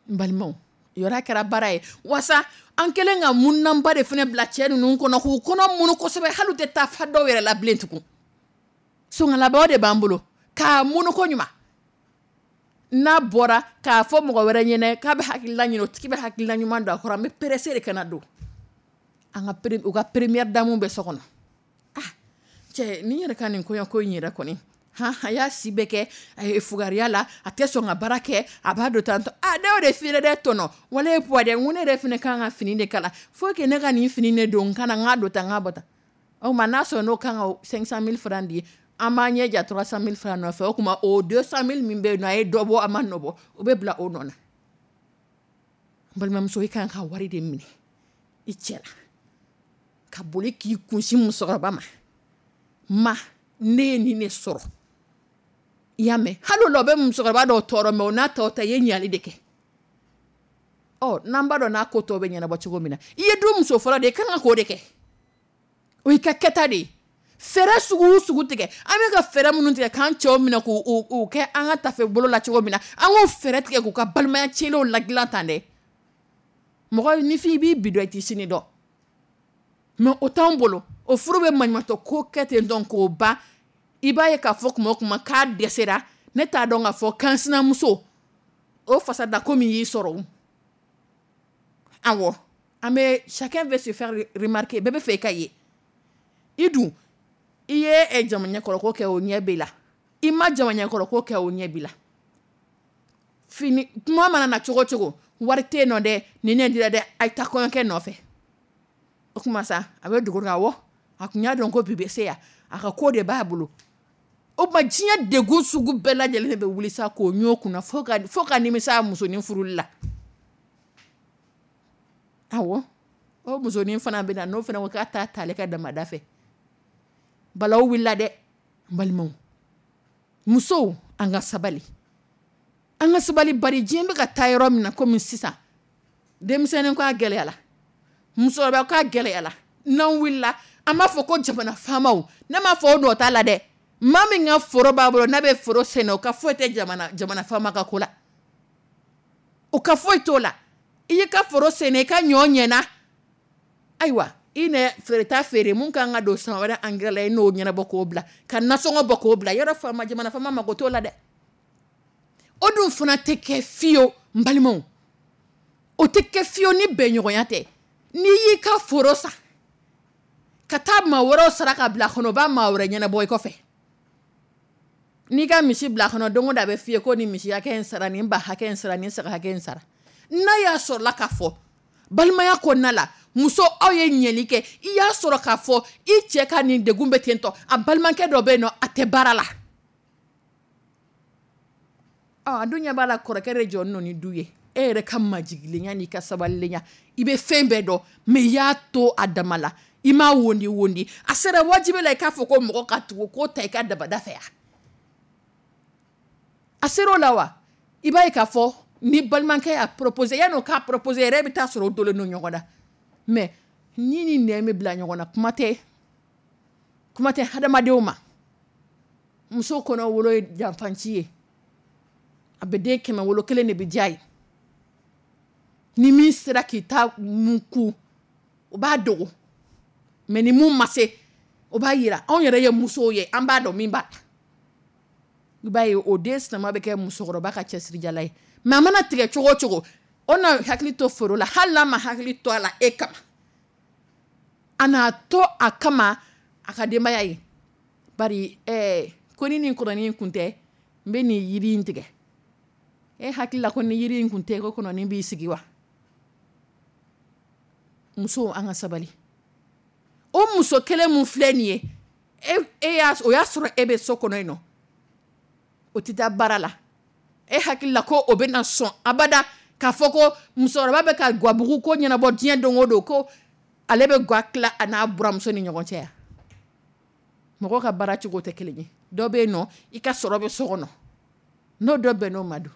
N balimaw, yɔrɔ kɛra baara ye wasa an kɛlen ka munnanba de fana bila cɛ ninnu kɔnɔ, k'u kɔnɔ munu kosɛbɛ, hali u tɛ taa fa dɔw yɛrɛ la bilen tugun. Songalabaw de b'an bolo k'a munu ko ɲuman. N'a bɔra k'a fɔ mɔgɔ wɛrɛ ɲɛnɛ k'a bɛ hakilila ɲini, o tigi bɛ hakilila ɲuman don a kɔrɔ. An bɛ pressé de ka na don an ka u ka première dame bɛ so kɔnɔ. Ah cɛ, nin yɛrɛ ka nin kɔɲɔko in yɛrɛ kɔni, han, a y'a si bɛɛ kɛ a ye fugariya la, a tɛ sɔn ka baara kɛ, a b'a don tantɔ. Ah, ne y'o de f'i ye dɛ tɔnɔ, wala ye puwa dɛ, n ko ne yɛrɛ fana kan ka fini de kala, faut que ne ka nin fini de don n kana n k'a don tan, n k'a bɔ tan. O tuma n'a sɔrɔ n'o kan ka 500 000 francs di, an b'an ɲɛ ja 300 000 francs nɔfɛ. O tuma o 200 000 min bɛ yen nɔ, a ye dɔ bɔ, a ma nɔ bɔ, o bɛ bila o nɔ na. N balimamuso, i kan ka wari de minɛ i cɛ la ka boli k'i kunsin musokɔrɔba ma. Ma, ne ye nin de sɔrɔ, i y'a mɛn? Hali o la, o bɛ musokɔrɔba dɔw tɔɔrɔ, mais o n'a tɔw ta, i ye ɲali de kɛ. Ɔ, n'an b'a dɔn n'a ko tɔ bɛ ɲɛnabɔ cogo min na, i ye du muso fɔlɔ de ye, i kan ka k'o de kɛ, o y'i ka kɛta de ye. Fɛɛrɛ sugu o sugu tigɛ, an bɛ ka fɛɛrɛ minnu tigɛ k'an cɛw minɛ k'u kɛ an ka tafe bolo la cogo min na, an k'o fɛɛrɛ tigɛ k'u ka balimaya tiɲɛnenw ladilan tan dɛ. Mɔgɔ nifin, i b'i bi dɔn, i t'i sini dɔn, mais o t'anw bolo. O furu bɛ maɲumatɔ ko kɛ ten dɔn k'o ban. I b'a ye k'a fɔ kuma o kuma k'a dɛsɛra, ne t'a dɔn k'a fɔ kan sinamuso o fasa da ko min y'i sɔrɔ o. Awɔ, an bɛ chacun veut se faire remarquer, bɛɛ bɛ fɛ i ka ye. I dun i ye jama ɲɛkɔrɔ ko kɛ, o ɲɛ b'i la. I ma jama ɲɛkɔrɔ ko kɛ, o ɲɛ b'i la. Fini kuma mana na cogo o cogo, wari tɛ yen nɔ dɛ, nin ne dira dɛ, a ye taa kɔɲɔkɛ nɔfɛ. O kuma sa, a bɛ dogo awɔ, a tun y'a dɔn ko bi bɛ se yan, a ka ko de b'a bolo. O tuma diɲɛ degun sugu bɛɛ lajɛlen de bɛ wuli sa k'o ɲɔ kunna fo ka nimisa musonin furuli la. Awɔ, o musonin fana bɛ na, n'o fana ko k'a t'a ta ale ka damada fɛ, balawu wulila dɛ. N balimaw, musow, an ka sabali, an ka sabali, bari diɲɛ bɛ ka taa yɔrɔ min na komi sisan, denmisɛnnin ko a gɛlɛyala, musokɔrɔba ko a gɛlɛyala. N'an wulila, an b'a fɔ ko jamana faamaw, ne m'a fɔ o nɔ t'a la dɛ. Maa min ka foro b'a bolo, n'a bɛ foro sɛnɛ, o ka foyi tɛ jamana faama ka ko la, o ka foyi t'o la. I y'i ka foro sɛnɛ, i ka ɲɔ ɲɛna, ayiwa, i nɛ feereta feere mun kan ka don san wɛrɛ engrais la, i n'o ɲɛnabɔ k'o bila, ka nasɔngɔ bɔ k'o bila yɔrɔ. Faama, jamana faama mako t'o la dɛ. O dun fana tɛ kɛ fiyewu, n balimaw, o tɛ kɛ fiyewu ni bɛnɲɔgɔnya tɛ. N'i y'i ka foro san ka taa maa wɛrɛw sara ka bila a kɔnɔ, o b'a maa wɛrɛ ɲɛnabɔ i kɔfɛ. N'i ka misi bila a kɔnɔ, don o don a bɛ f'i ye ko nin misi hakɛ in sara, nin ba hakɛ in sara, nin saga hakɛ in sara. N'a y'a sɔrɔla k'a fɔ balimaya kɔnɔna la, muso, aw ye ɲɛli kɛ, i y'a sɔrɔ k'a fɔ i cɛ ka nin degun bɛ ten tɔ, a balimakɛ dɔ bɛ yen nɔ, a tɛ baara la, a dun ɲɛ b'a la, kɔrɔkɛ de jɔ nɔ ni du ye. E yɛrɛ ka majigilenya n'i ka sabalilenya, i bɛ fɛn bɛɛ dɔn, mais i y'a to a dama la, i m'a wondi wondi. A sera wajibi la i k'a fɔ ko mɔgɔ ka tugu k'o ta i ka dabada fɛ yan. A sera o la wa, i b'a ye k'a fɔ ni balimakɛ y'a proposé, yanni o k'a proposé yɛrɛ, e bɛ taa sɔrɔ o donnen don ɲɔgɔn na. Mais ni nɛn bɛ bila ɲɔgɔn na, kuma tɛ hadamadenw ma. Muso kɔnɔ wolo ye janfanci ye, a bɛ den 100 wolo, kelen de bɛ diya ye. Ni min sera k'i ta mun ku, o b'a dogo, mais ni mun ma se, o b'a yira. Anw yɛrɛ ye musow ye, an b'a dɔn min b'a la. I b'a ye o den sinama bɛ kɛ musokɔrɔba ka cɛsirijala ye. Mais a mana tigɛ cogo o cogo, o na hakili to foro la. Hali n'a ma hakili to a la e kama, a n'a to a kama a ka denbaya ye. Bari ko ni nin kɔnɔnin kun tɛ, n bɛ nin yiri in tigɛ. E hakili la ko ni yiri in kun tɛ, ko kɔnɔnin b'i sigi wa? Musow, an ka sabali. O muso kelen mun filɛ nin ye, e y'a o y'a sɔrɔ e bɛ so kɔnɔ yen nɔ, o tɛ taa baara la. E hakili la ko o bɛna sɔn abada k'a fɔ ko musokɔrɔba bɛ ka gabugu ko ɲɛnabɔ diɲɛ don o don, ko ale bɛ ga tila a n'a buramuso ni ɲɔgɔn cɛ yan? Mɔgɔ ka baara cogo tɛ kelen ye. Dɔ bɛ yen nɔ, i ka sɔrɔ bɛ so kɔnɔ, n'o dɔ bɛn n'o ma don,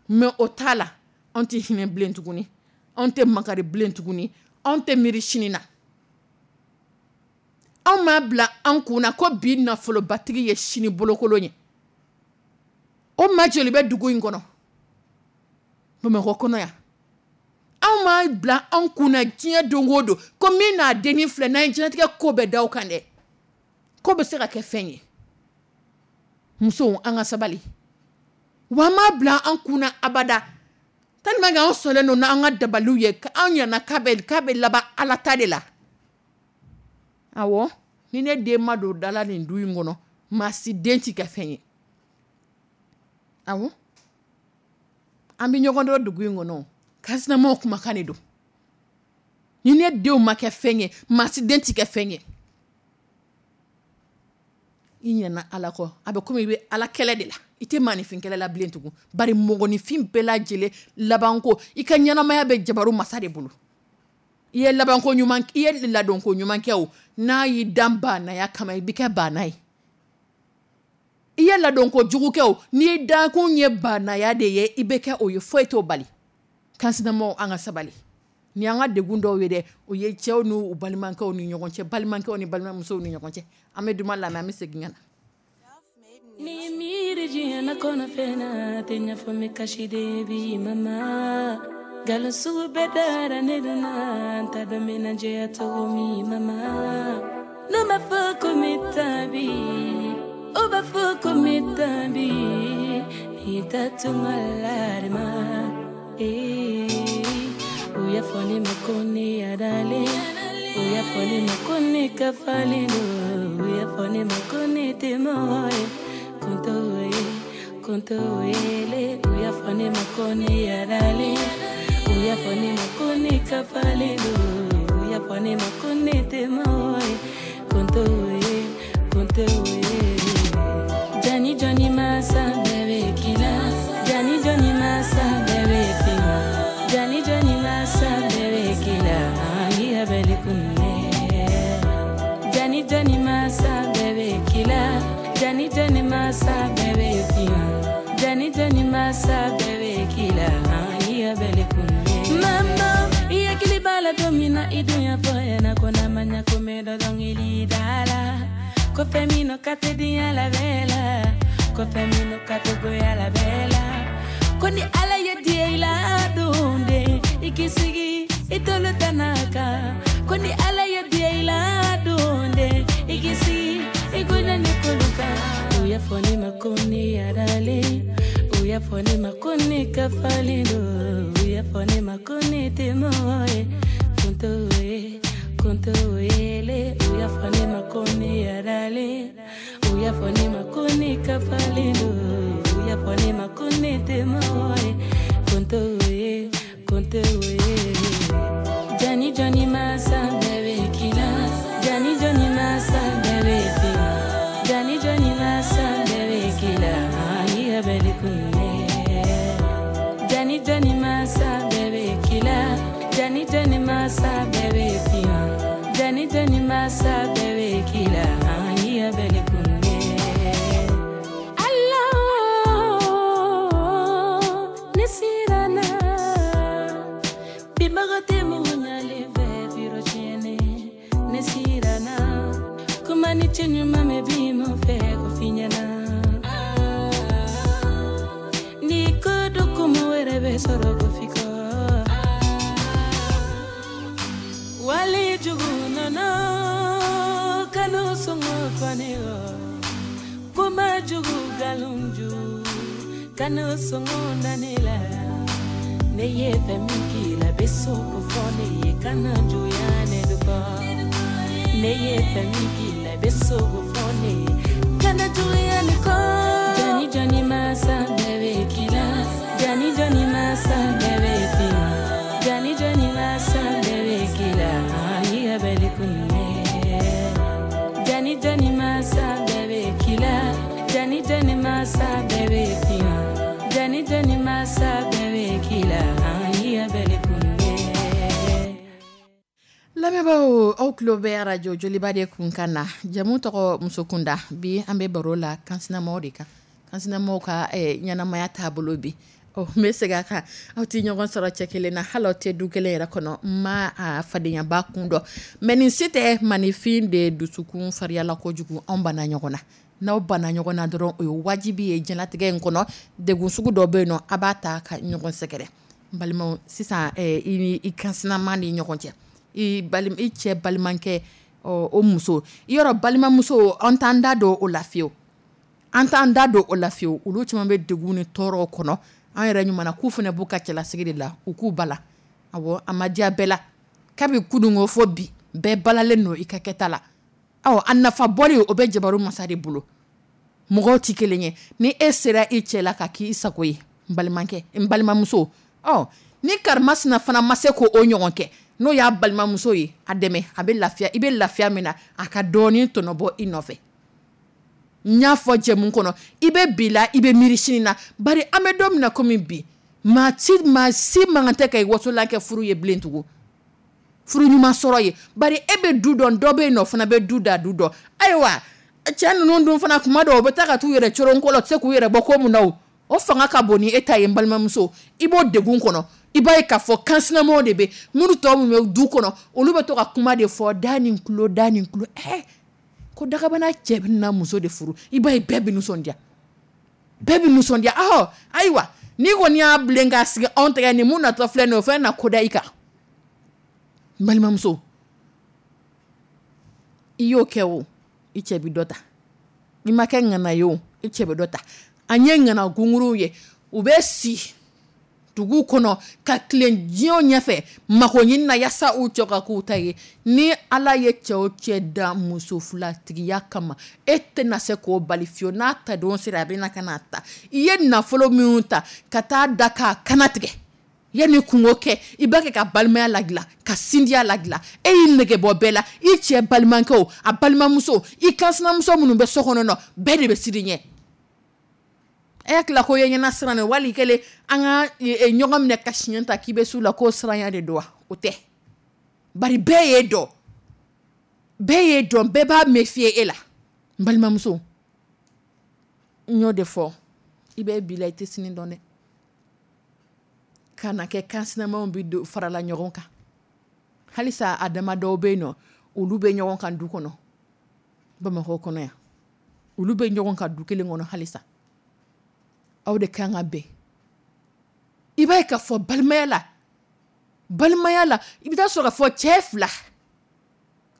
mais o t'a la. Anw tɛ hinɛ bilen tuguni, anw tɛ makari bilen tuguni, anw tɛ miiri sini na. Anw m'a bila an kun na ko bi nafolobatigi ye sini bolokolon ye. O maa joli bɛ dugu in kɔnɔ, Bamakɔ kɔnɔ yan? Anw m'a bila an kun na diɲɛ don o don ko min n'a dennin filɛ, n'an ye diɲɛlatigɛ ko bɛɛ da o kan dɛ, ko bɛ se ka kɛ fɛn ye. Musow, an ka sabali. Wa an m'a bila an kun na abada, tellement que anw sɔnnen don n'an ka dabaliw ye, anw ɲana k'a bɛ laban Ala ta de la. Awɔ, ni ne den ma don da la nin du in kɔnɔ, maa si den ti kɛ fɛn ye. Awɔ, an bɛ ɲɔgɔn dɔn dugu in kɔnɔ, kansinamaw kumakan de don. Ni ne denw ma kɛ fɛn ye, maa si den ti kɛ fɛn ye. I ɲinɛna Ala kɔ, a bɛ komi i bɛ Ala kɛlɛ de la, i tɛ maaninfin kɛlɛ la bilen tugun. Bari mɔgɔninfin bɛɛ lajɛlen labanko, i ka ɲɛnamaya bɛ jabaru masa de bolo. I ye labanko ɲuman, i ye ladonko ɲuman kɛ o, n'a y'i dan baanaya kama, i bɛ kɛ baana ye. I ye ladonko jugu kɛ o, n'i dankun ye baanaya de ye, i bɛ kɛ o ye, foyi t'o bali. Kansinamaw, an ka sabali. Ni an ka degun dɔw ye dɛ, o ye cɛw n'u balimakɛw ni ɲɔgɔn cɛ, balimakɛw ni balimamusow ni ɲɔgɔn cɛ. An bɛ duman lamɛn, an bɛ segin ka na. Ni miiri diɲɛ na kɔnɔ fɛn na tɛ ɲɛfɔ min kasi de bi mama nkalon sugu bɛɛ dara ne dun na n t'a dɔn n bɛna jɛya cogo min mama. N'o ma fɔ ko n bɛ taa bi, o b'a fɔ ko n bɛ taa bi, n'i taa tunga la de ma. Ee, u y'a fɔ ne ma ko ne yadalen, u y'a fɔ ne ma ko ne kafalen don, u y'a fɔ ne ma ko ne tɛ mɔgɔ ye. Kunto ye, kunto yele, u y'a fɔ ne ma ko ne yadalen, u y'a fɔ ne ma ko ne kafalen don, u y'a fɔ ne ma ko ne tɛ mɔgɔ ye. Kunto ye, kunto ye. Jani jɔni masa bɛɛ bɛ k'i la, jani jɔni masa bɛɛ bɛ finma, jani jɔni masa bɛɛ bɛ k'i la, i bɛli kunne. Jani jɔni masa bɛɛ bɛ k'i la, jani jɔni masa bɛɛ bɛ finma, jani jɔni masa bɛɛ bɛ k'i la, i bɛli kunne. Mama, i hakili b'a la don min na i dun y'a fɔ ɲɛna ko n'a ma ɲɛ ko n bɛ dɔ dɔnkili da la. Ko fɛn min ka tɛ diɲɛ la bɛɛ la, ko fɛn min ka tɛ goya la bɛɛ la, ko ni Ala ye diɲɛ i la don den, i k'i sigi i tolo tana kan. Ko ni Ala ye diɲɛ i la don den, i k'i sigi i kunna ni kolo kan. U y'a fɔ ne ma ko ne yaralen, u y'a fɔ ne ma ko ne kafalen don, u y'a fɔ ne ma ko ne tɛ mɔgɔ ye. Kunto ye, kunto yele, u y'a fɔ ne ma ko ne yaralen, u y'a fɔ ne ma ko ne kafalen don, u y'a fɔ ne ma ko ne tɛ mɔgɔ ye. Kunto ye, kunto ye. Jani jɔni masa bɛɛ bɛ k'i la, jani jɔni masa bɛɛ bɛ finna, jani jɔni masa bɛɛ bɛ k'i la, i ya bɛɛ kunne. Jani jɔni masa bɛɛ bɛ k'i la, jani jɔni masa bɛɛ bɛ finna, jani jɔni masa bɛɛ bɛ k'i la, i ya bɛɛ kunne. Allah, ne siranna bibaga tɛ mɔgɔ ɲalen fɛ biro tiɲɛnen. Ne siranna kuma ni cɛ ɲuman mɛn bi mɔ fɛ ko f'i ɲɛna, ni ko dɔ kuma wɛrɛ bɛ sɔrɔ ko f'i kɔ. Wali jugu nana kanu sɔngɔ fani o, kuma jugu nkalon ju kanu sɔngɔ nani la. Ne ye fɛn min k'i la bɛ so ko fɔ ne ye, kana juguya ne kɔ. Ne ye fɛn min k'i la bɛ so ko fɔ ne ye, kana juguya ne kɔ. Jani jɔni masa bɛɛ bɛ k'i la, jani jɔni masa bɛɛ bɛ finna, jani jɔni masa bɛɛ bɛ k'i la, i ya bɛɛ kunne. Jani jɔni masa bɛɛ bɛ k'i la, jani jɔni masa bɛɛ bɛ finna, jani jɔni masa bɛɛ bɛ k'i la, i ya bɛɛ kunne. Lamɛnbaaw, aw tulo bɛ arajo Joliba de kun kan na. Jamu tɔgɔ Musokunda. Bi an bɛ baro la kansinamaw de kan, kansinamaw ka ɲɛnamaya taabolo bi. Ɔ, n bɛ segin a kan, aw tɛ ɲɔgɔn sɔrɔ cɛ kelen na, hali aw tɛ du kelen yɛrɛ kɔnɔ. N ma a fadenyaba kun dɔn, mais nin si tɛ maninfin de dusukun fariyala kojugu. Anw banna ɲɔgɔn na, n'aw banna ɲɔgɔn na dɔrɔn, o ye wajibi ye diɲɛlatigɛ in kɔnɔ. Degun sugu dɔ bɛ yen nɔ, a b'a ta ka ɲɔgɔn sɛgɛrɛ. N balimaw, sisan i ni i kansinama ni ɲɔgɔn cɛ, i i cɛ balimakɛ, o muso i yɔrɔ balimamuso, an t'an da don o la fiyewu, an t'an da don o la fiyewu. Olu caman bɛ degun ni tɔɔrɔw kɔnɔ. An yɛrɛ ɲuman na k'u fana b'u ka cɛlasigi de la, u k'u bala. Awɔ, a ma diya bɛɛ la kabi kununko fɔ bi, bɛɛ balalen don i ka kɛta la. Ɔ, a nafa bɔli o bɛ jabaru masa de bolo. Mɔgɔw tɛ kelen ye. Ni e sera i cɛ la ka k'i sago ye, n balimakɛ, n balimamuso, ɔ ni karimasina fana ma se k'o ɲɔgɔn kɛ, n'o y'a balimamuso ye, a dɛmɛ, a bɛ lafiya. I bɛ lafiya min na, a ka dɔɔnin tɔnɔbɔ i nɔfɛ. N y'a fɔ jɛmu kɔnɔ, i bɛ bi la, i bɛ miiri sini na. Bari an bɛ don min na komi bi, maa si man kan tɛ ka i wasola kɛ furu ye bilen tugun, furu ɲuman sɔrɔ ye. Bari e bɛ du dɔn, dɔ bɛ yen nɔ fana bɛ du da du dɔn. Ayiwa, cɛ ninnu dun fana, kuma dɔw u bɛ taa ka t'u yɛrɛ coron ko la, u tɛ se k'u yɛrɛ bɔ ko mun na, o fanga ka bon ni e ta ye. N balimamuso, i b'o degun kɔnɔ. I b'a ye k'a fɔ kansinamaw de bɛ minnu tɔ minnu bɛ du kɔnɔ, olu bɛ to ka kuma de fɔ da ni tulo, da ni tulo. Ko dagabana cɛ bɛ na muso de furu, i b'a ye bɛɛ bɛ nisɔndiya, bɛɛ bɛ nisɔndiya. Ahɔ, ayiwa, n'i kɔni y'a bilen k'a sigi anw tɛgɛ ni mun natɔ filɛ nin ye, o fana na ko da i kan. N balimamuso, i y'o kɛ o, i cɛ bɛ dɔ ta. I ma kɛ ŋana ye o, i cɛ bɛ dɔ ta. An ye ŋana gunguruw ye, u bɛ si dugu kɔnɔ ka tilen diɲɛ ɲɛfɛ mako ɲini na yaasa u cɛ ka k'u ta ye. Ni Ala ye cɛ o cɛ da muso filatigiya kama, e tɛna se k'o bali fiyewu. N'a ta don sera, a bɛ na ka n'a ta. I ye nafolo minnu ta ka taa da k'a kana tigɛ, yanni kungo kɛ, i b'a kɛ ka balimaya ladilan, ka sindiya ladilan. E y'i nege bɔ bɛɛ la, i cɛ balimakɛw, a balimamuso, i kansinamuso minnu bɛ so kɔnɔ nɔ, bɛɛ de bɛ siran i ɲɛ. E hakili ko ye ɲɛna siran de, wali kelen an ka ɲɔgɔn minɛ ka siɲɛ ta k'i bɛ s'u la, k'o siranya de don wa? O tɛ. Bari bɛɛ y'e dɔn, bɛɛ y'e dɔn, bɛɛ b'a méfier e la. N balimamuso, n y'o de fɔ, i bɛ bi la, i tɛ sini dɔn dɛ. Kana kɛ kansinamaw bɛ don farala ɲɔgɔn kan. Halisa a dama dɔw bɛ yen nɔ, olu bɛ ɲɔgɔn kan du kɔnɔ. Bamakɔ kɔnɔ yan, olu bɛ ɲɔgɔn kan du kelen kɔnɔ halisa. Aw de kan ka bɛn. I b'a ye ka fɔ balimaya la, balimaya la, i bɛ taa sɔrɔ ka fɔ cɛ fila,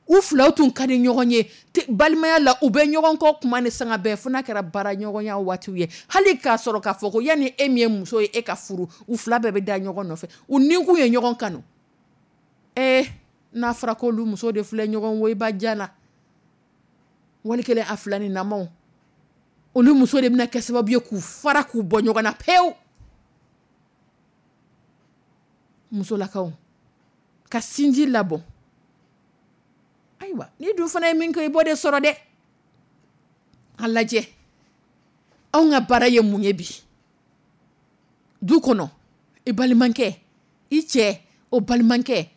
u filaw tun ka di ɲɔgɔn ye balimaya la, u bɛ ɲɔgɔn kɔ kuma ni sanga bɛɛ, fo n'a kɛra baara ɲɔgɔnya waatiw ye. Hali k'a sɔrɔ k'a fɔ ko yanni e min ye muso ye e ka furu, u fila bɛɛ bɛ da ɲɔgɔn nɔfɛ, u nikun ye ɲɔgɔn kanu. N'a fɔra ko olu muso de filɛ ɲɔgɔn woyiba jan na, wali kelen a fila ni namaw, olu muso de bɛna kɛ sababu ye k'u fara k'u bɔ ɲɔgɔn na pewu. Musolakaw ka sinji labɔ. Ayiwa, ni dun fana ye min kɛ, i b'o de sɔrɔ dɛ. A lajɛ, anw ka baara ye mun ye bi du kɔnɔ? I balimakɛ, i cɛ o balimakɛ,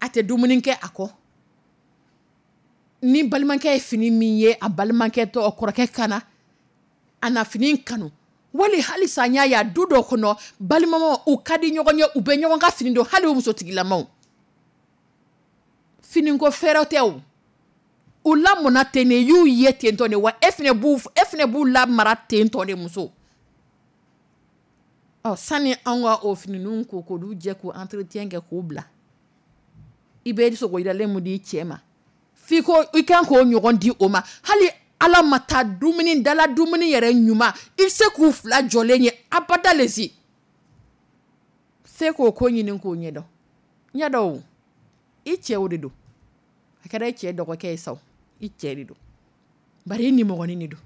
a tɛ dumuni kɛ a kɔ. Ni balimakɛ ye fini min ye a balimakɛ tɔ kɔrɔkɛ kana a na fini kanu, wali halisa n y'a ye a du dɔ kɔnɔ, balimamaw u ka di ɲɔgɔn ye, u bɛ ɲɔgɔn ka fini don, hali u musotigilamaw. Finiko fɛɛrɛ tɛ o, u lamɔna ten de, y'u ye ten tɔ de, wa e fana b'u lamara ten tɔ de muso. Ɔ, sani anw ka o finininw ko k'olu jɛ k'u entretien kɛ k'u bila, i bɛ sogo yiralen mun di cɛ ma, f'i ko i kan k'o ɲɔgɔn di o ma. Hali ala ma taa dumuni dala dumuni yɛrɛ ɲuman, i bɛ se k'u fila jɔlen ye abada lesi. Se k'o ko ɲini k'o ɲɛdɔn. Ɲɛdɔn o, i cɛw de don, a kɛra i cɛ dɔgɔkɛ ye sa o, i cɛ de don, bari i nimɔgɔnin de don.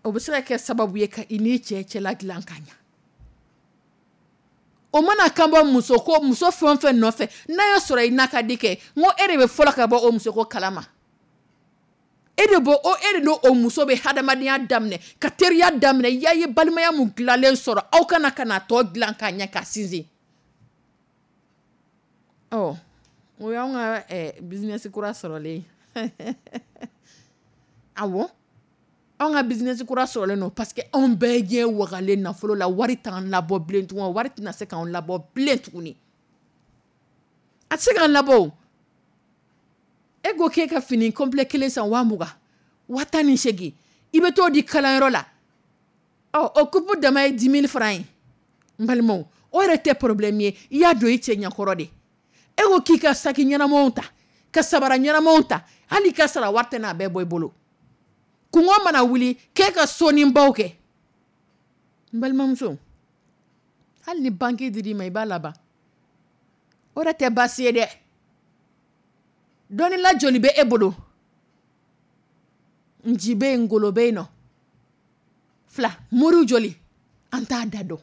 O bɛ se ka kɛ sababu ye ka i n'i cɛ cɛla dilan ka ɲɛ. O mana kan bɔ muso ko muso fɛn o fɛn nɔfɛ, n'a y'a sɔrɔ i n'a ka di kɛ, n ko e de bɛ fɔlɔ ka bɔ o muso ko kalama. E de bɔ o, e de n'o muso bɛ hadamadenya daminɛ, ka teriya daminɛ, i y'a ye balimaya mun dilanlen sɔrɔ, aw kana ka na tɔ dilan k'a ɲɛ k'a sinsin. Ɔ, o y'anw ka business kura sɔrɔlen ye. Awɔ, anw ka business kura sɔrɔlen don parce que anw bɛɛ ɲɛ wagalen nafolo la, wari t'an labɔ bilen tugun, wari tɛna se k'anw labɔ bilen tuguni. A tɛ se k'an labɔ o. E ko k'e ka fini complet kelen san 20,000, 18,000, i bɛ t'o di kalanyɔrɔ la. Ɔ, o coupe dama ye 10 000 francs ye. N balimaw, o yɛrɛ tɛ problème ye, i y'a don i cɛ ɲɛkɔrɔ de. E ko k'i ka saki ɲɛnamaw ta, ka sabara ɲɛnamaw ta, hali ka sara wari tɛ n'a bɛɛ bɔ i bolo. Kungo mana wuli k'e ka sonibaw kɛ. N balimamuso, hali ni banque dir'i ma i b'a laban. O yɛrɛ tɛ baasi ye dɛ. Dɔnnila joli bɛ e bolo? Nci bɛ yen, ngolo bɛ yen nɔ. Fila, moriw joli? An t'a da dɔn.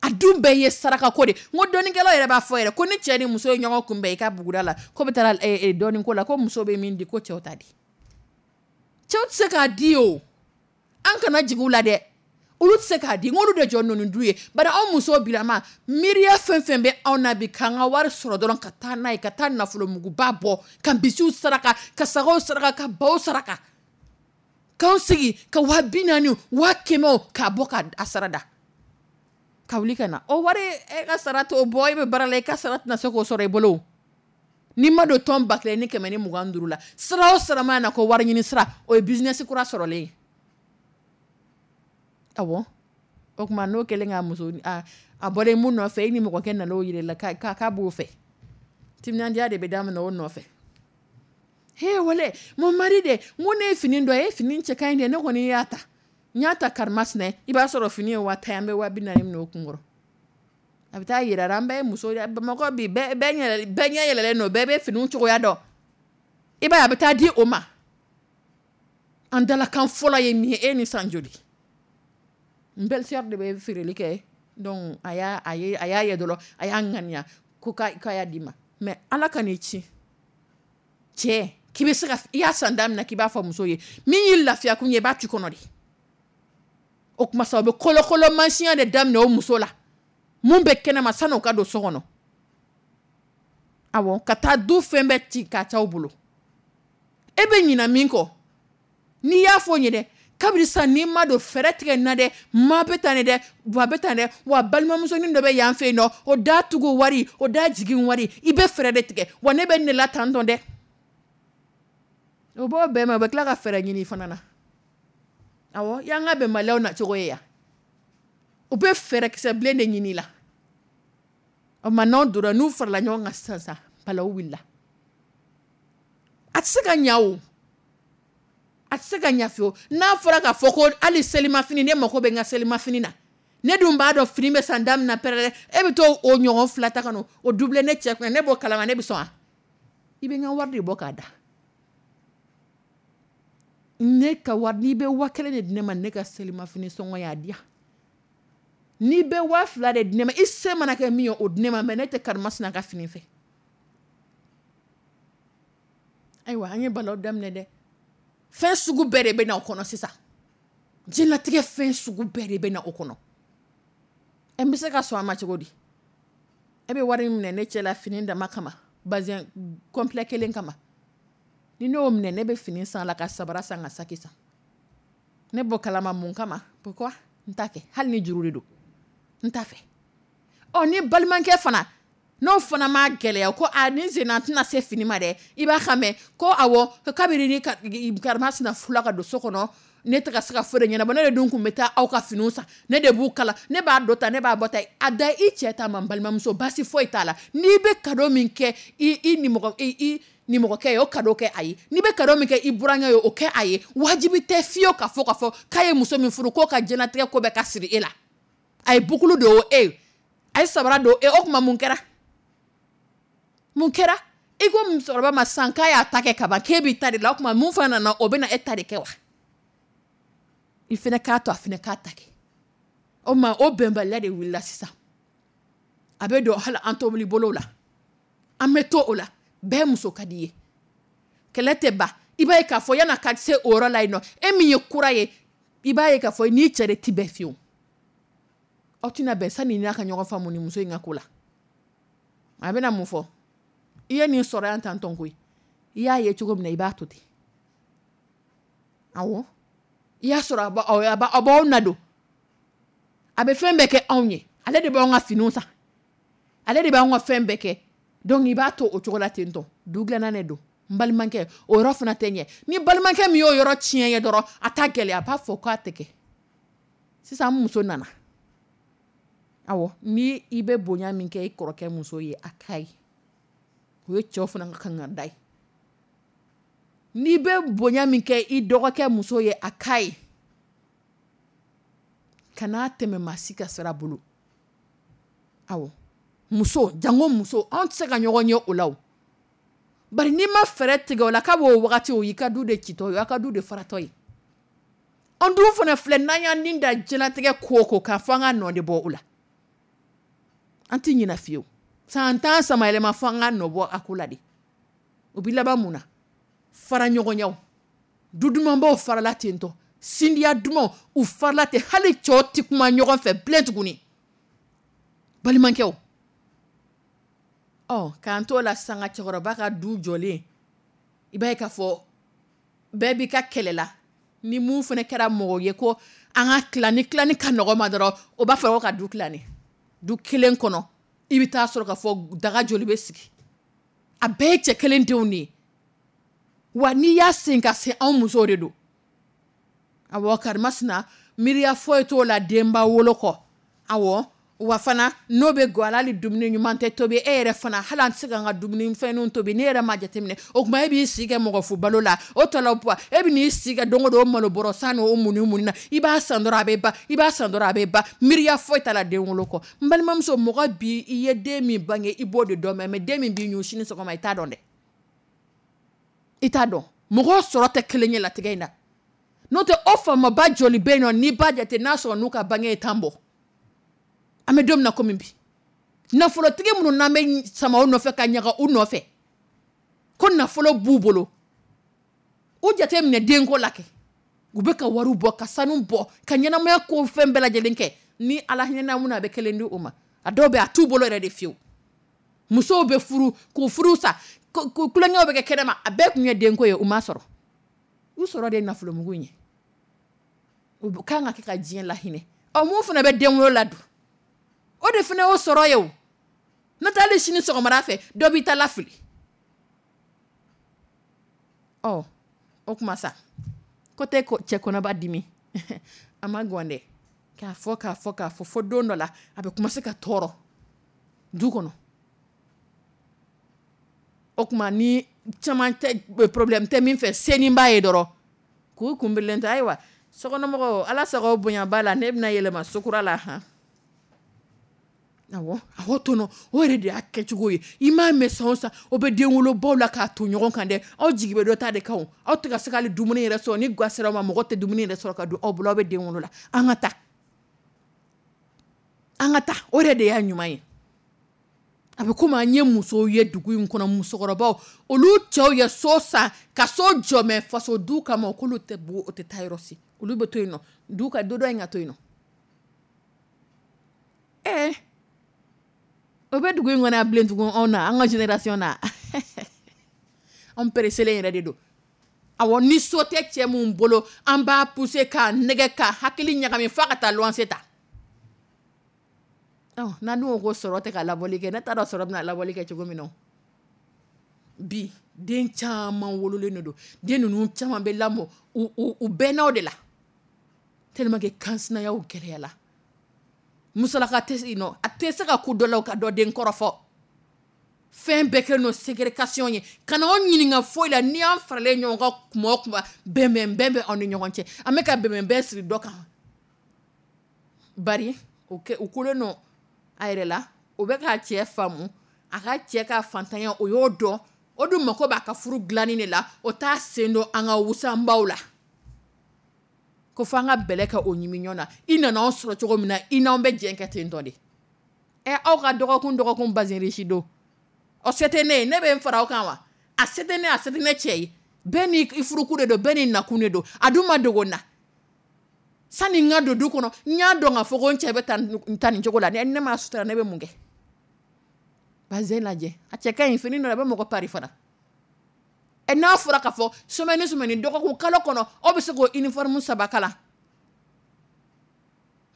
A dun bɛɛ ye saraka ko de. N ko dɔnnikɛlaw yɛrɛ b'a fɔ yɛrɛ ko ni cɛ ni muso ye ɲɔgɔn kunbɛn i ka buguda la, ko bɛ taa dɔnniko la, ko muso bɛ min di, ko cɛw t'a di. Cɛw tɛ se k'a di o. An kana jigin u la dɛ. Olu tɛ se k'a di, n ko olu de jɔ ninnu du ye. Bari anw musow bilama, miiriya fɛn fɛn bɛ anw na bi, k'an ka wari sɔrɔ dɔrɔn ka taa n'a ye, ka taa nafolomuguba bɔ, ka misiw saraka, ka sagaw saraka, ka baw saraka. K'anw sigi ka 40,000, 100,000 k'a bɔ k'a sara da. Ka wuli ka na. O wari e ka sara t'o bɔ, e bɛ baara la, i ka sara tɛna se k'o sɔrɔ i bolo. N'i ma don tɔn 1125 la, sira o sira mana na ko wari ɲini sira, o ye business kura sɔrɔlen ye. Awɔ. O tuma n'o kɛlen ka muso, a bɔlen mun nɔfɛ, e ni mɔgɔkɛ nana o yir'i la k'a b'o fɛ. Timinandiya de bɛ daminɛ o nɔfɛ. He wale, mon mari de, n ko ne ye fini dɔ ye, fini cɛ ka ɲi dɛ, ne kɔni y'a ta. N y'a ta karimasina, i b'a sɔrɔ fini ye 50,000 ye, an bɛ 40,000 minɛ o kunkɔrɔ. A bɛ taa yira an bɛɛ ye muso ye, Bamakɔ bi bɛɛ ɲɛ yɛlɛlen don, bɛɛ bɛ finiw cogoya dɔn. I b'a ye a bɛ taa di o ma. An dalakan fɔlɔ ye min ye, e ni san joli? N belle-sœur de bɛ feereli kɛ, donc a y'a ye dɔrɔn, a y'a ŋaniya ko k'a y'a di ma. Mais ala ka n'i ci. Cɛ, k'i bɛ se ka i y'a san da min na k'i b'a fɔ muso ye, min y'i lafiya kun ye, i b'a tu kɔnɔ de. O tuma sa, o bɛ kolokolo mansiya de daminɛ o muso la. Mun bɛ kɛnɛma san'o ka don so kɔnɔ. Awɔ, ka taa du fɛn bɛɛ ci k'a t'aw bolo. E bɛ ɲina min kɔ, n'i y'a fɔ o ye dɛ, kabini sisan n'i ma don fɛɛrɛ tigɛ n na dɛ, ma bɛ tan dɛ, ba bɛ tan dɛ, wa balimamusonin dɔ bɛ yan fɛ yen nɔ, o da tugu wari, o da jigin wari, i bɛ fɛɛrɛ de tigɛ, wa ne bɛ ne la tan tɔ dɛ. O b'o bɛɛ ma, o bɛ tila ka fɛɛrɛ ɲini fana na. Awɔ, y'an ka bɛnbaliyaw na cogo ye yan, u bɛ fɛɛrɛkisɛ bilen de ɲini la. O ma, n'aw donna, n'u farala ɲɔgɔn kan sisan sisan, balawu wulila. A tɛ se ka ɲa o, a tɛ se ka ɲa fiyewu. N'a fɔra k'a fɔ ko hali selimafini, ne mako bɛ n ka selimafini na, ne dun b'a dɔn fini bɛ san da min na pɛrɛrɛ, e bɛ t'o o ɲɔgɔn fila ta ka na o doubler ne cɛ kunna, ne b'o kalama, ne bɛ sɔn wa? I bɛ n ka wari de bɔ k'a da ne ka wari. N'i bɛ 5000 de di ne ma, ne ka selimafini sɔngɔ y'a di yan. N'i bɛ 2000 de di ne ma, i se mana kɛ min ye, o di ne ma, mais ne tɛ karimasina ka fini fɛ. Ayiwa, an ye balawu daminɛ dɛ. Fɛn sugu bɛɛ de bɛ na o kɔnɔ sisan. Diɲɛlatigɛ fɛn sugu bɛɛ de bɛ na o kɔnɔ. Ɛ, n bɛ se ka sɔn a ma cogo di? E bɛ wari minɛ ne cɛ la fini dama kama, bazin complet kelen kama. Ni ne y'o minɛ, ne bɛ fini san la, ka sabara san, ka saki san. Ne bɔ kalama mun kama? Pourquoi n t'a kɛ? Hali ni juru de don, n t'a fɛ. Ɔ, ni balimakɛ fana, n'o fana ma gɛlɛya ko a ni senna tɛna se fini ma dɛ, i b'a kan mɛn ko awɔ, ko kabini ni karimasina furula ka don so kɔnɔ, ne tɛ ka se ka foyi de ɲɛnabɔ. Ne de dun tun bɛ taa aw ka finiw san, ne de b'u kala, ne b'a dɔ ta, ne b'a bɔ ta. A da i cɛ ta ma, n balimamuso, baasi foyi t'a la. N'i bɛ cadeau min kɛ i nimɔgɔkɛ ye, o cadeau kɛ a ye. N'i bɛ cadeau min kɛ i burankɛ ye, o kɛ a ye. Wajibi tɛ fiyewu ka fɔ k'a fɔ k'a ye muso min furu, k'o ka diɲɛlatigɛ ko bɛɛ ka siri e la. A ye boucle don o, e a ye sabara don e, o tuma mun kɛra? Mun kɛra? I ko musokɔrɔba ma sisan k'a y'a ta kɛ kaban, k'e b'i ta de la. O tuma mun fana nana, o bɛna e ta de kɛ wa? I fana k'a to a fana k'a ta kɛ. O ma, o bɛnbaliya de wulila sisan. A bɛ don hali an tobili bolo la, an bɛ to o la. Bɛɛ muso ka di ye, kɛlɛ tɛ ban. I b'a ye k'a fɔ yan'a ka se o yɔrɔ la yen nɔ, e min ye kura ye, i b'a ye k'a fɔ n'i cɛ de ti bɛn fiyewu, aw tɛna bɛn sani n'a ka ɲɔgɔn faamu ni muso in ka ko la. A bɛna mun fɔ? I ye nin sɔrɔ yan tantɔn koyi, i y'a ye cogo min na, i b'a to ten. Awɔ, i y'a sɔrɔ a b'aw na don, a bɛ fɛn bɛɛ kɛ anw ye, ale de b'anw ka finiw san, ale de b'anw ka fɛn bɛɛ kɛ, donc i b'a to o cogo la ten tɔ. Du dilanna de don, n balimakɛ, o yɔrɔ fana tɛ ɲɛ. Ni balimakɛ min y'o yɔrɔ tiɲɛ ye dɔrɔn, a t'a gɛlɛya, a b'a fɔ k'a tɛ kɛ. Sisan muso nana, awɔ, ni i bɛ bonya min kɛ i kɔrɔkɛ muso ye, a k'a ye, o ye cɛw fana ka kan ka da ye. N'i bɛ bonya min kɛ i dɔgɔkɛ muso ye, a k'a ye, kan'a tɛmɛ maa si ka sira bolo. Awɔ, muso, jango muso, anw tɛ se ka ɲɔgɔn ye o la o. Bari n'i ma fɛɛrɛ tigɛ o la, k'a b'o wagati, o y'i ka du de citɔ ye, o y'a ka du de faratɔ ye. An dun fana filɛ, n'an y'an nin da diɲɛlatigɛ ko o ko k'a fɔ an ka nɔ de bɔ o la, an tɛ ɲinɛ fiyewu. San 10 samayɛlɛma fɔ an ka nɔ bɔ a ko la de. O bɛ laban mun na? Fara ɲɔgɔnyaw, du dumanbaw farala ten tɔ, sindiya dumanw u farala ten, hali cɛw tɛ kuma ɲɔgɔn fɛ bilen tuguni, balimakɛw. Ɔ, k'an t'o la sisan, ka cɛkɔrɔba ka du jɔlen, i b'a ye k'a fɔ bɛɛ b'i ka kɛlɛ la. Ni mun fana kɛra mɔgɔ ye ko an ka tila, ni tilani ka nɔgɔ ma dɔrɔn, o b'a fɔ ko ka du tilani. Du kelen kɔnɔ, i bɛ taa sɔrɔ k'a fɔ daga joli bɛ sigi, a bɛɛ ye cɛ kelen denw de ye. Wa n'i y'a sen ka se, anw musow de don. Awɔ, karimasina miiriya foyi t'o la denba wolo kɔ. Awɔ, wa fana n'o bɛ gɔ hali dumuni ɲuman tɛ tobi e yɛrɛ fana, hali an tɛ se k'an ka dumuni fɛnninw tobi ne yɛrɛ ma jateminɛ. O tuma e b'i si kɛ mɔgɔ fu balo la, o tɔ la e bɛ n'i si kɛ don o don o malo bɔrɔ san n'o munni munni na, i b'a san dɔrɔn a bɛ ban, i b'a san dɔrɔn a bɛ ban. Miiriya foyi t'a la den wolo kɔ. N balimamuso, mɔgɔ bi i ye den min bange, i b'o de dɔn, mais den min b'i ɲun sini sɔgɔma, i t'a dɔn dɛ, i t'a dɔn. Mɔgɔ sɔrɔ tɛ kelen ye latigɛ in na. N'o tɛ, o faamaba joli bɛ yen nɔ, n'i b'a jate n'a sɔrɔ n'u ka bange ye 10 bɔ, an bɛ don min na komi bi, nafolotigi minnu n'an bɛ sama u nɔfɛ ka ɲaga u nɔfɛ ko nafolo b'u bolo, u jate minɛ denko la kɛ, u bɛ ka wariw bɔ, ka sanu bɔ, ka ɲɛnamaya ko fɛn bɛɛ lajɛlen kɛ. Ni Ala hinɛna mun na, a bɛ kelen di u ma. A dɔw bɛ a t'u bolo yɛrɛ de fiyewu. Musow bɛ furu k'u furu sa, kulonkɛw bɛ kɛ kɛnɛma, a bɛɛ tun ye denko ye, u ma sɔrɔ. U sɔrɔ de ye nafolomugu in ye. U kan ka kɛ ka diɲɛ lahinɛ. Ɔ, mun fana bɛ den wolo la dun, o de fana y'o sɔrɔ ye o. N'o tɛ, hali sini sɔgɔmada fɛ, dɔ b'i ta lafili. Ɔ, O kuma sa ko tɛ cɛ kɔnɔba dimi a ma gan dɛ, k'a fɔ k'a fɔ k'a fɔ fo don dɔ la a bɛ commencer ka tɔɔrɔ du kɔnɔ. O tuma ni caman tɛ, problème tɛ min fɛ, senin b'a ye dɔrɔn k'u kunbɛnlen tɛ. Ayiwa, sokɔnɔmɔgɔw, ala sago bonya b'a la, ne bɛna yɛlɛma sokura la han. Awɔ awɔ, tɔnɔ o yɛrɛ de y'a kɛcogo ye. I m'a mɛn san o san o bɛ den wolobaw la k'a to ɲɔgɔn kan dɛ. Aw jigi bɛ dɔ ta de kan, aw tɛ ka se ka hali dumuni yɛrɛ sɔrɔ. Ni ga sera aw ma, mɔgɔ tɛ dumuni yɛrɛ sɔrɔ ka don aw bolo, aw bɛ den wolo la. An ka taa, an ka taa, o yɛrɛ de y'a ɲuman ye. A bɛ komi an ye musow ye dugu in kɔnɔ, musokɔrɔbaw, olu cɛw ye so san ka so jɔ, mɛ faso du kama k'olu tɛ bɔ, o tɛ taa yɔrɔ si, olu bɛ to yen nɔ, du ka du dɔ in ka to yen nɔ. Ɛɛ, o bɛ dugu in kɔnɔ yan bilen tugun? Anw na, an ka génération na, anw pereselen yɛrɛ de don. Awɔ, ni so tɛ cɛ mun bolo, an b'a pousser k'a nɛgɛ k'a hakili ɲagami f'a ka taa luwanse ta. N'an dun ko ko sɔrɔ tɛ ka labɔli kɛ, ne t'a dɔn sɔrɔ bɛna labɔli kɛ cogo min na. Bi den caman wololen de don, den ninnu caman bɛ lamɔ u bɛnnaw de la, tellement que kansinayaw gɛlɛyala. Musolaka tɛ yen nɔ, a tɛ se ka ko dɔ la ka dɔ den kɔrɔfɔ. Fɛn bɛɛ kɛlen don ségrégation ye. Kana anw ɲininka foyi la. N'i y'an faralen ɲɔgɔn kan kuma o kuma, bɛnbɛn bɛ anw ni ɲɔgɔn cɛ. An bɛ ka bɛnbɛn siri dɔ kan, bari o kolen don a yɛrɛ la, o bɛ k'a cɛ faamu, a ka cɛ ka fantanya o y'o dɔn, o dun mako b'a ka furu dilanni de la. O t'a sen don an ka wusanbaw la ko fo an ka bɛlɛ kɛ o ɲimi ɲɔgɔn na. I nana anw sɔrɔ cogo min na, i n'anw bɛ jɛn kɛ ten tɔ de. Ɛ, aw ka dɔgɔkun dɔgɔkun bazin riche don, o se tɛ ne ye, ne bɛ n fara aw kan wa? A se tɛ ne, a se tɛ ne cɛ ye. Bɛɛ n'i furukun de don, bɛɛ n'i nakun de don. A dun ma dogo n na. Sani n ka don du kɔnɔ, n y'a dɔn k'a fɔ ko n cɛ bɛ taa nin cogo la. Ne m'a sutura, ne bɛ mun kɛ? Bazin lajɛ, a cɛ ka ɲi, fini dɔ a bɛ mɔgɔ pari fana. Ɛ, n'a fɔra k'a fɔ semaine semaine, dɔgɔkun kalo kɔnɔ, aw bɛ se k'o uniforme 3 kala.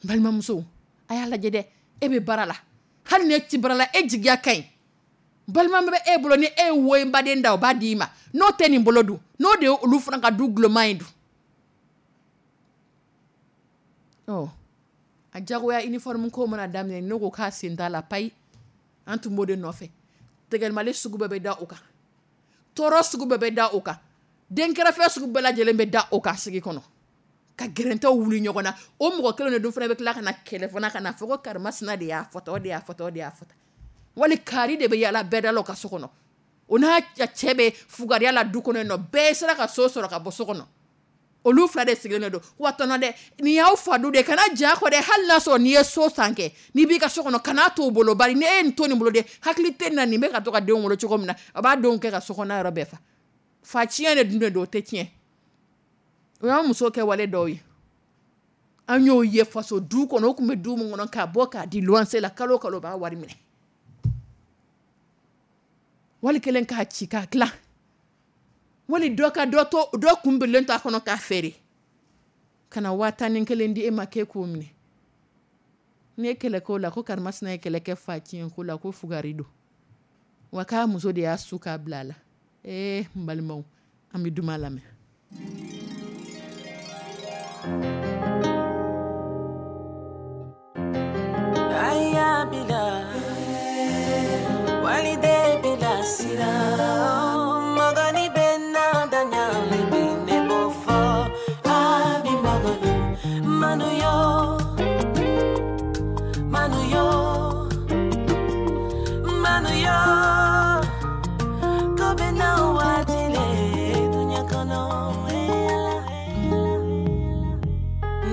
N balimamuso, a y'a lajɛ dɛ, e bɛ baara la, hali ni e ti baara la, e jigiya ka ɲi, balima bɛ e bolo, ni e ye woyinbaden da, o b'a di i ma. N'o tɛ nin bolo dun, n'o de ye olu fana ka du guloma ye dun? Ɔ, a jagoya uniforme ko mana daminɛ, ne ko k'a sen t'a la payi. An tun b'o de nɔfɛ. Tɛgɛlimali sugu bɛɛ bɛ da o kan, tɔɔrɔ sugu bɛɛ bɛ da o kan, denkɛrɛfɛ sugu bɛɛ lajɛlen bɛ da o kan sigi kɔnɔ, ka gɛrɛntɛw wuli ɲɔgɔn na. O mɔgɔ kelen de dun fana bɛ tila ka na kɛlɛ fana, ka na fɔ ko karimasina de y'a fɔta, o de y'a fɔta, o de y'a fɔta. Wali kari de bɛ yaala bɛɛ da la o ka so kɔnɔ, o n'a cɛ bɛ fugariya la du kɔnɔ yen nɔ, bɛɛ sera ka so sɔrɔ ka bɔ so kɔnɔ. Olu fila de sigilen don. Wa tɔnɔ dɛ, nin y'aw fa du de, kana ja kɔ dɛ. Hali n'a sɔrɔ n'i ye so san kɛ, n'i b'i ka so kɔnɔ, kana t'o bolo, bari ni e ye nin to nin bolo dɛ, hakili tɛ nin na, nin bɛ ka to ka denw wolo cogo min na, a b'a denw kɛ ka so kɔnɔ yɔrɔ bɛɛ fa. Fa tiɲɛ de dun de don, o tɛ tiɲɛ. O y'an muso kɛ wale dɔw ye, an y'o ye faso du kɔnɔ. O tun bɛ du min kɔnɔ, k'a bɔ k'a di luwanse la, kalo kalo b'a wari minɛ, wali kelen k'a ci k'a tila, wali dɔ ka dɔ to, dɔ kun birilen to a kɔnɔ k'a feere ka na 11,000 di e ma k'e k'o minɛ. N'i ye kɛlɛ k'o la, ko karimasina ye kɛlɛ kɛ fa tiɲɛ ko la, ko fugari don, wa k'a muso de y'a su k'a bila a la. Ee, n balimaw, an bɛ duman lamɛn. Aya bila walide bila sira magani bena danya ne bofo abi magani manuyo manuyo manuyo kobe na watile dunya kono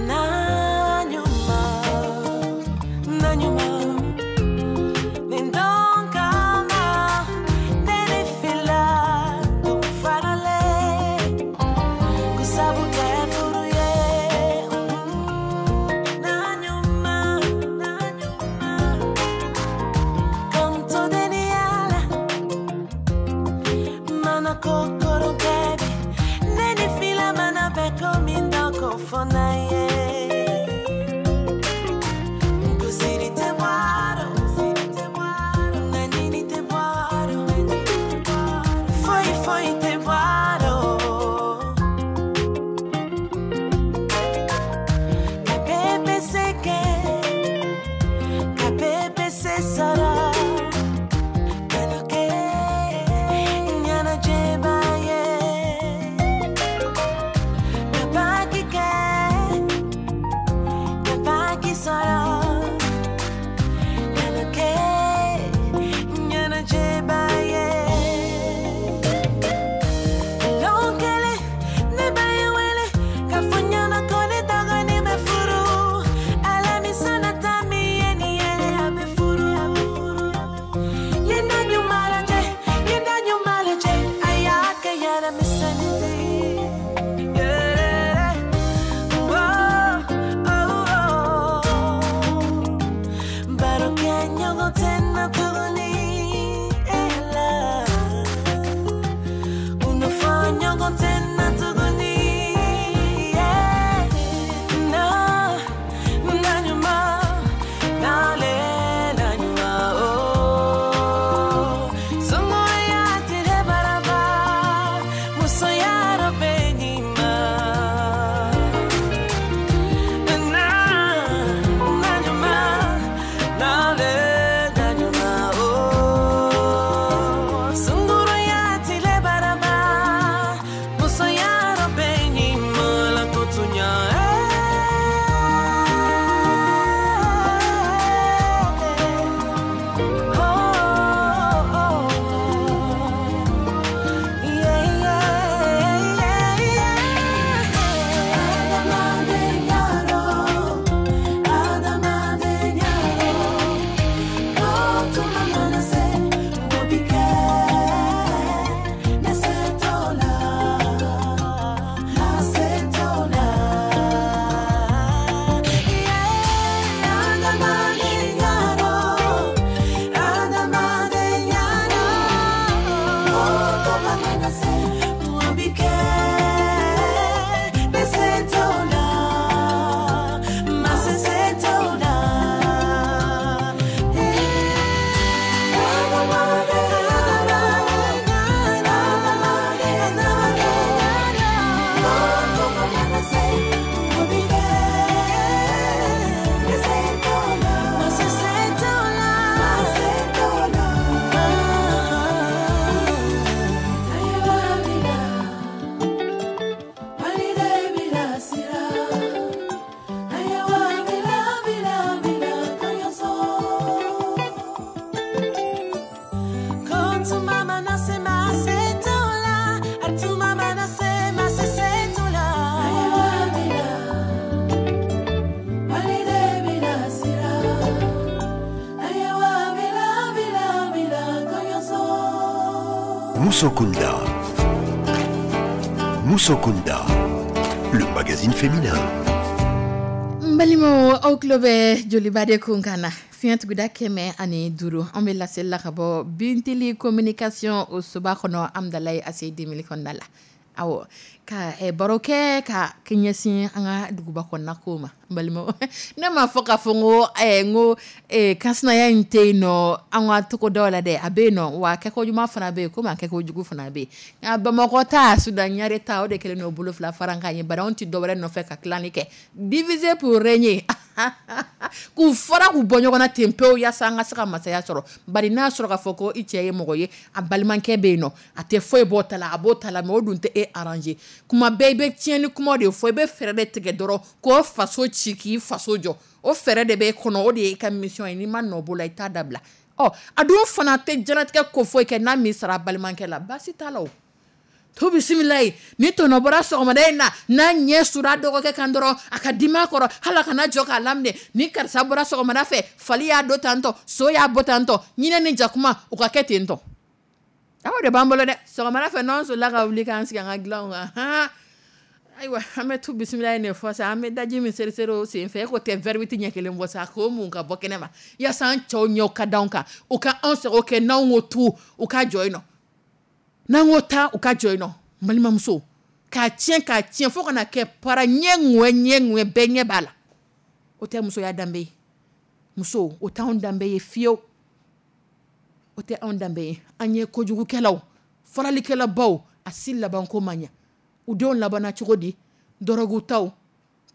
na nyuma na nyuma. Musokunda. Musokunda, le magazine féminin. N balimaw, aw tulo bɛ Joliba de kun kan na, fiɲɛ tuguda 105. An bɛ laseli la ka bɔ Bintili Communication, o soba kɔnɔ, Amudalayi ACI 2000 kɔnɔna la. Awɔ, ka baro kɛ ka ɲɛsin an ka duguba kɔnɔna kow ma. N balimaw, ne m'a fɔ k'a fɔ n ko kansinaya in tɛ yen nɔ an ka togodaw la dɛ. A bɛ yen nɔ wa, kɛko ɲuman fana bɛ yen, komi a kɛko jugu fana bɛ yen. Nka Bamakɔ ta, Sudan Ɲare ta, o de kɛlen don bolo fila fara kan ye. Bari anw tɛ dɔwɛrɛ nɔfɛ ka tilali kɛ, diviser pour régner, k'u fara k'u bɔ ɲɔgɔn na ten pewu, yaasa an ka se ka masaya sɔrɔ. Bari n'a sɔrɔ k'a fɔ ko i cɛ ye mɔgɔ ye, a balimakɛ bɛ yen nɔ, a tɛ foyi bɔ ta la, a b'o ta la, mais o dun tɛ e arranger. Kuma bɛɛ i bɛ tiɲɛni kuma de fɔ, i bɛ fɛɛrɛ de tigɛ dɔrɔn k'o faso ci, k'i faso jɔ. O fɛɛrɛ de b'e kɔnɔ, o de ye i ka mission ye. N'i ma nɔ b'o la, i t'a dabila. Ɔ, a dun fana tɛ diɲɛlatigɛ ko foyi kɛ n'a m'i sara a balimakɛ la. Baasi t'a la. O to bisimila ye ni tɔnɔ bɔra sɔgɔmada in na, n'a ɲɛ sura dɔgɔkɛ kan dɔrɔn, a ka dimi a kɔrɔ, hali a kana jɔ k'a laminɛ. Ni karisa bɔra sɔgɔmada fɛ, fali y'a don tantɔ, so y'a bɔ tantɔ, ɲinɛ ni jakuma u ka kɛ ten tɔ. Aw de b'an bolo dɛ. Sɔgɔmada fɛ, n'anw solila ka wuli k'an sigi an ka dilanw kan han, ayiwa, an bɛ tu bisimila in de fɔ sa. An bɛ daji min seri seri o sen fɛ, e ko tɛ verre ɲɛ kelen bɔ sa, k'o mun ka bɔ kɛnɛ ma, yaasa an cɛw ɲɛw ka d'anw kan, u ka anw sago kɛ. N'anw ko tu, u ka jɔ yen nɔ. N'an ko taa, u ka jɔ yen nɔ. N balimamuso, k'a tiɲɛ, k'a tiɲɛ, fo ka na kɛ para ɲɛ ŋwɛ ɲɛ ŋwɛ, bɛɛ ɲɛ b'a la. O tɛ musoya danbe ye. Muso, o t'anw danbe ye fiyewu, o tɛ anw danbe ye. An ye kojugukɛlaw, faralikɛlabaw, a si labanko man ɲɛ. U denw labanna cogo di? Dɔrɔgutaw,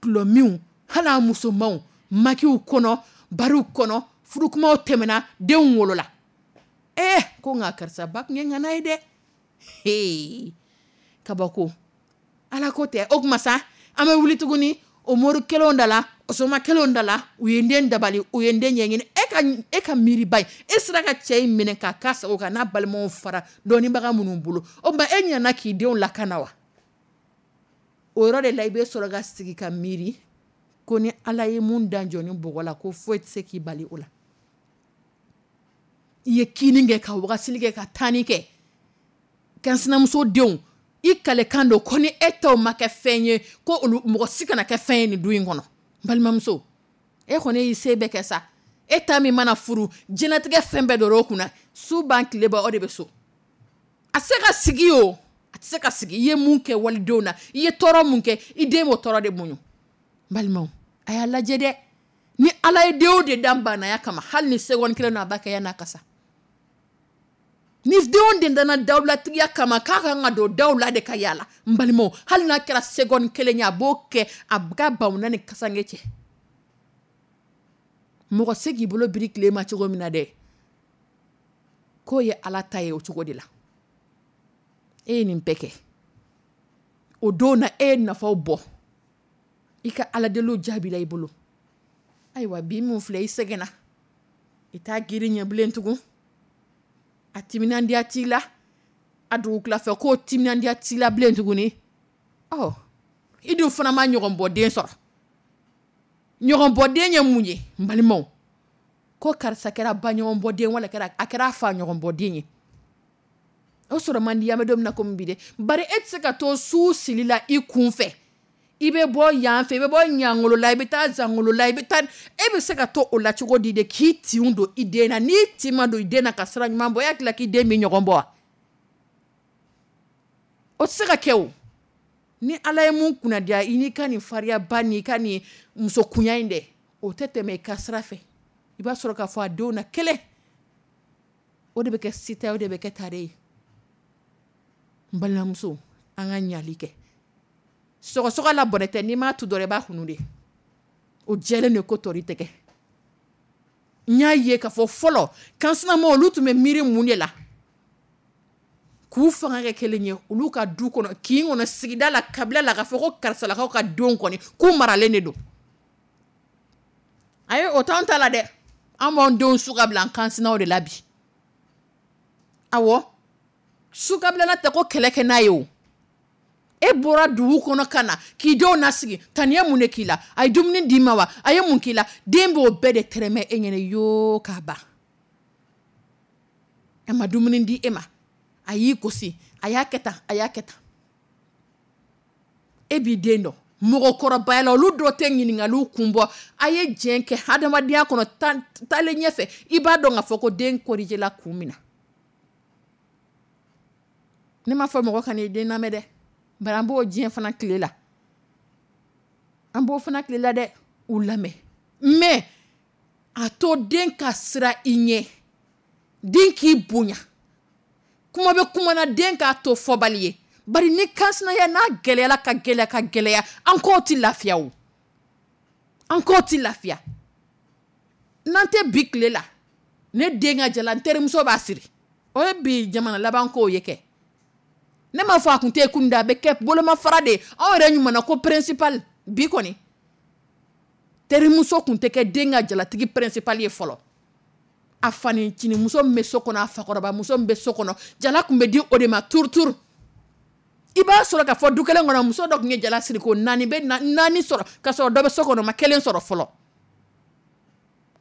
dɔlɔminw, hali a musomanw, makiw kɔnɔ, bariw kɔnɔ, furukumaw tɛmɛna, denw wolola. Ee, ko nka karisa ba tun ye ŋana ye dɛ. Hee, kabako, Ala ko tɛ. O tuma sa, an bɛ wuli tuguni o mori kelenw da la, o soma kelenw da la. U ye n den dabali, u ye n den ɲɛɲini. E ka miiriba ye, e sera ka cɛ in minɛ k'a ka sago kan n'a balimaw fara dɔnnibaga minnu bolo. O tuma, e ɲana k'i denw lakana wa? O yɔrɔ de la, i bɛ sɔrɔ ka sigi ka miiri ko ni Ala ye mun dan jɔ ni bɔgɔ la, ko foyi tɛ se k'i bali o la. I ye kini kɛ, ka wagasili kɛ, ka taani kɛ ka sinamuso denw i kalekan don ko ni e taw ma kɛ fɛn ye, ko olu mɔgɔ si kana kɛ fɛn ye nin du in kɔnɔ. N balimamuso, e kɔni y'i se bɛɛ kɛ sa. E ta min mana furu, diɲɛlatigɛ fɛn bɛɛ dɔrɔn o kunna, su ban tile ban, o de bɛ so. A tɛ se ka sigi o, a tɛ se ka sigi. I ye mun kɛ walidenw na, i ye tɔɔrɔ mun kɛ, i den b'o tɔɔrɔ de muɲu. N balimaw, a y'a lajɛ dɛ. Ni Ala ye denw de dan banaya kama, hali ni seconde kelen na, a b'a kɛ yan'a ka sa. Ni denw de danna dawulatigiya kama, k'a kan ka don daw la de ka yaala, n balimaw, hali n'a kɛra seconde kelen ye, a b'o kɛ a ka bamuna ni kasange cɛ. Mɔgɔ se k'i bolo biri tile ma cogo min na dɛ, k'o ye Ala ta ye o cogo de la. E ye nin bɛɛ kɛ o don na, e ye nafaw bɔ, i ka aladeliw jaabila i bolo. Ayiwa, bi min filɛ, i sɛgɛnna, i t'a girin ɲɛ bilen tugun. A timinandiya t'i la, a dugukilafɛ ko timinandiya t'i la bilen tuguni. Ɔ, i dun fana ma ɲɔgɔn bɔ den sɔrɔ. Ɲɔgɔn bɔ den ye mun ye? N balimaw, ko karisa kɛra ba ɲɔgɔn bɔ den, wala kɛra a kɛra fa ɲɔgɔn bɔ den ye, o sɔrɔ man di. An bɛ don min na komi bi dɛ, bari e tɛ se ka to su sili la i kun fɛ. I bɛ bɔ yan fɛ, i bɛ bɔ ɲangolo la, i bɛ taa zangolo la, i bɛ taa. E bɛ se ka to o la cogo di de k'i tinw don i den na? N'i tin ma don i den na ka sira ɲuman bɔ, e hakili la k'i den bɛ ɲɔgɔn bɔ wa? O tɛ se ka kɛ o. Ni Ala ye mun kunnadiya i n'i ka nin fariyaba n'i ka nin musokunya in dɛ, o tɛ tɛmɛ i ka sira fɛ. I b'a sɔrɔ k'a fɔ a denw na kelen, o de bɛ kɛ sita, o de bɛ kɛ tare ye. N balimamuso, an ka ɲali kɛ. Sɔgɔsɔgɔ la bɔrɛ tɛ. N'i m'a tu dɔrɔn, i b'a kunu de. O jɛlen de ko tɔri tɛgɛ. N y'a ye k'a fɔ fɔlɔ kansinamaw, olu tun bɛ miiri mun de la k'u fanga kɛ kelen ye olu ka du kɔnɔ, kin kɔnɔ, sigida la, kabila la, k'a fɔ ko karisalakaw ka denw kɔni, k'u maralen de don. Ayi, o t'anw ta la dɛ. An b'anw denw su ka bila an kansinaw de la bi. Awɔ, su ka bilala tɛ ko kɛlɛ kɛ n'a ye. O e bɔra dugu kɔnɔ ka na k'i denw nasigi, taniya mun de k'i la? A ye dumuni d'i ma wa? A ye mun k'i la? Den b'o bɛɛ de tɛrɛmɛ e ɲɛna yoo k'a ban. A ma dumuni di e ma. A y'i gosi, a y'a kɛ tan, a y'a kɛ tan. E b'i den dɔn, mɔgɔkɔrɔbaya la, olu dɔ tɛ ɲininkaliw kun bɔ. A ye diɲɛ kɛ hadamadenya kɔnɔ, taalen ɲɛfɛ, i b'a dɔn k'a fɔ ko den corrigé la kun min na. Ne m'a fɔ mɔgɔ kan'i den lamɛn dɛ, bari an b'o diɲɛ fana tile la, an b'o fana tile la dɛ. U lamɛn, mais a to den ka siran i ɲɛ, den k'i bonya. Kuma bɛ kuma na, den k'a to fɔbali ye. Bari ni kansinaya n'a gɛlɛyala ka gɛlɛya ka gɛlɛya, an kɔw tɛ lafiya o, an kɔw tɛ lafiya. N'an tɛ bi tile la, ne den ka jala, n terimuso b'a siri. O ye bi jamana laban kow ye kɛ. Ne m'a fɔ a kun tɛ kun da, a bɛ kɛ bolomafara de ye. Aw yɛrɛ ɲuman ko principal bi kɔni. Terimuso kun tɛ kɛ den ka jalatigi principal ye fɔlɔ. A fanicinimuso min bɛ so kɔnɔ, a fakɔrɔbamuso min bɛ so kɔnɔ, jala kun bɛ di o de ma turu turu. I b'a sɔrɔ k'a fɔ du kelen kɔnɔ, muso dɔ tun ye jala siri ko naani bɛ naani sɔrɔ, k'a sɔrɔ dɔ bɛ so kɔnɔ, ma kelen sɔrɔ fɔlɔ.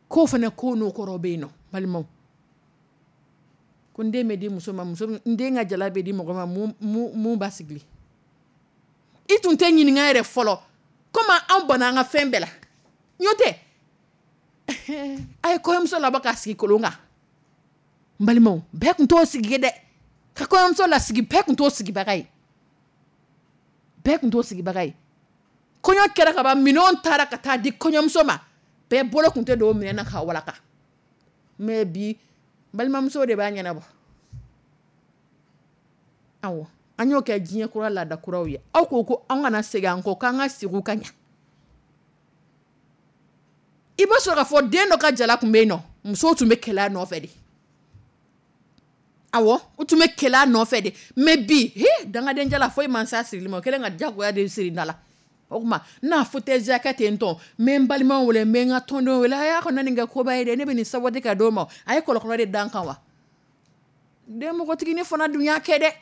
K'o fana ko n'o kɔrɔ bɛ yen nɔ, balimaw. Ko n den bɛ di muso ma, muso n den ka jala bɛ di mɔgɔ ma, mun b'a sigi. I tun tɛ ɲininka yɛrɛ fɔlɔ. Komi anw banna an ka fɛn bɛɛ la. N'o tɛ, a ye kɔɲɔmuso labɔ k'a sigi kolon kan. N balimaw, bɛɛ tun t'o sigi ye dɛ. Ka kɔɲɔmuso lasigi, bɛɛ tun t'o sigibaga ye. Bɛɛ tun t'o sigibaga ye. Kɔɲɔ kɛra ka ban, minɛnw taara ka taa di kɔɲɔmuso ma. Bɛɛ bolo tun tɛ don o minɛn na k'a walaka. Mais bi, balimamuso de b'a ɲɛnabɔ. Awɔ, an y'o kɛ diɲɛ kura laada kuraw ye. Aw ko ko an kana segin an kɔ, k'an ka segin ka ɲɛ. I b'a sɔrɔ k'a fɔ den dɔ ka jala tun bɛ yen nɔ, musow tun bɛ kɛlɛ a nɔfɛ de. Awɔ, u tun bɛ kɛlɛ a nɔfɛ de. Mais bi, he, dangaden jala foyi man s'a sirili ma, o kɛlen ka diyagoya de siri da la. O tuma, n n'a fauteuil kɛ ten tɔ, n bɛ n balimaw wele, n bɛ n ka tɔndenw wele, a y'a kana nin kɛ koba ye dɛ, ne bɛ nin saboter ka d'o ma. A ye kɔlɔkɔlɔ de da n kan wa. Den npogotiginin fana dun y'a kɛ dɛ.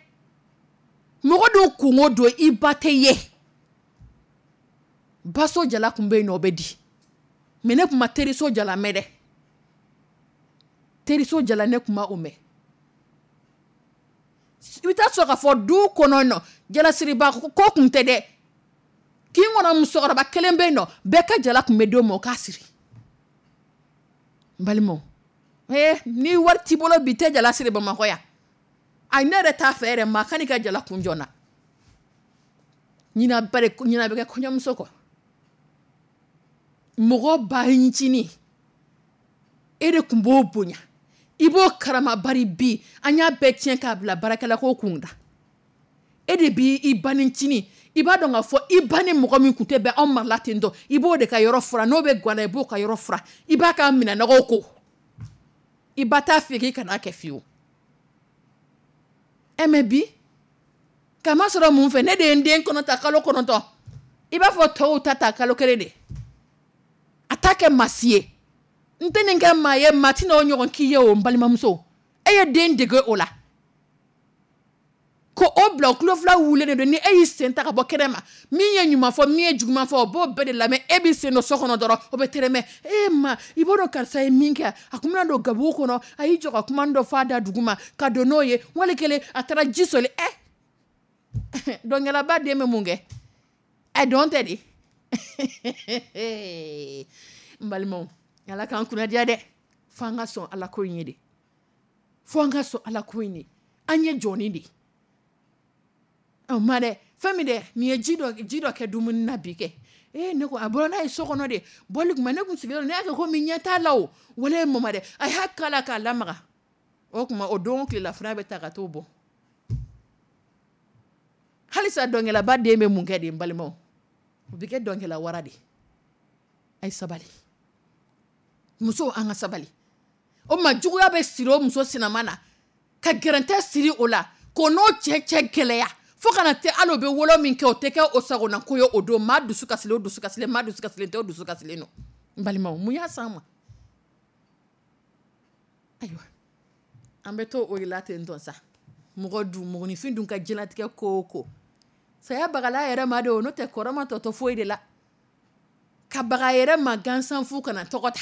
Mɔgɔ dun kunko don, i ba tɛ ye. Baso jala tun bɛ yen nɔ, o bɛ di. Mais ne tun ma teriso jala mɛn dɛ. Teriso jala ne tun ma o mɛn. I bɛ taa sɔrɔ k'a fɔ du kɔnɔ nɔ, jalasiriba ko tun tɛ dɛ. Kin kɔnɔ musokɔrɔba kelen bɛ yen nɔ, bɛɛ ka jala tun bɛ d'o ma o k'a siri. N balimaw, ni wari t'i bolo bi, tɛ jala siri Bamakɔ yan. Ayi, ne yɛrɛ t'a fɛ yɛrɛ, maa kan'i ka jala kun jɔ n na. Ɲina bɛ kɛ kɔɲɔmuso kɔ. Mɔgɔ ba ncinin, e de tun b'o bonya, i b'o karama. Bari bi an y'a bɛɛ tiɲɛ k'a bila baarakɛla ko kun da. E de b'i ba ncinin, i b'a dɔn k'a fɔ i ba ni mɔgɔ min tun tɛ bɛn anw marala ten tɔ, i b'o de ka yɔrɔ furan, n'o bɛ guwan na, i b'o ka yɔrɔ furan, i b'a ka minɛnɔgɔw ko. I ba t'a f'i ye k'i kan'a kɛ fiyewu. Mais bi, k'a ma sɔrɔ mun fɛ, ne de ye n den kɔnɔ ta kalo 9. I b'a fɔ tɔw ta ta kalo 1 de. A t'a kɛ maa si ye. N tɛ nin kɛ maa ye, maa tɛna o ɲɔgɔn k'i ye o, n balimamuso. E ye den dege o la. Ko o bila o tulo fila wulilen de don, ni e y'i sen ta ka bɔ kɛnɛ ma, min ye ɲuman fɔ, min ye juguman fɔ, o b'o bɛɛ de lamɛn. E b'i sen don so kɔnɔ dɔrɔn, o bɛ tɛrɛmɛ. E ma, i b'a dɔn karisa ye min kɛ, a kun bɛna don gabugu kɔnɔ, a y'i jɔ ka kuma dɔ fɔ a da dugu ma, ka don n'o ye, wali kelen a taara ji soli. Dɔnkɛlaba den bɛ mun kɛ? Dɔn tɛ de. N balimaw, Ala k'an kunna diya dɛ. F'an ka sɔn Ala ko in ye de. F'an ka sɔn Ala ko in ye. An ye jɔnni de ye. Ɔ ma dɛ, fɛn min dɛ, nin ye ji dɔ kɛ dumuni na bi kɛ. Ne ko a bɔra n'a ye so kɔnɔ de. Bɔli kuma ne kun sigilen don, ne y'a kɛ komi ɲɛ t'a la o. Wale mama dɛ, a y'a k'a la k'a lamaga. O tuma o don tilela fana bɛ ta ka t'o bɔ. Halisa dɔnkɛlaba den bɛ mun kɛ de, n balimaw? O bɛ kɛ dɔnkɛla wara de. A ye sabali. Musow, an ka sabali. O ma juguya bɛ siri o muso sinama na, ka gɛrɛntɛ siri o la, k'o n'o cɛ cɛ gɛlɛya. Fo kana tɛ hali o bɛ wolo min kɛ, o tɛ kɛ o sagona ko ye o don. Maa dusu kasilen, o dusu kasilen, maa dusu kasilen tɛ, o dusu kasilen don. N balimaw, mun y'a s'an ma? Ayiwa, an bɛ to o de la ten tɔ sa. Mɔgɔ dun, mɔgɔninfin dun ka diɲɛlatigɛ ko o ko. Saya bagala yɛrɛ ma de o, n'o tɛ kɔrɔ ma tɔ to foyi de la. Ka baga yɛrɛ ma gansan fu kana tɔgɔ ta.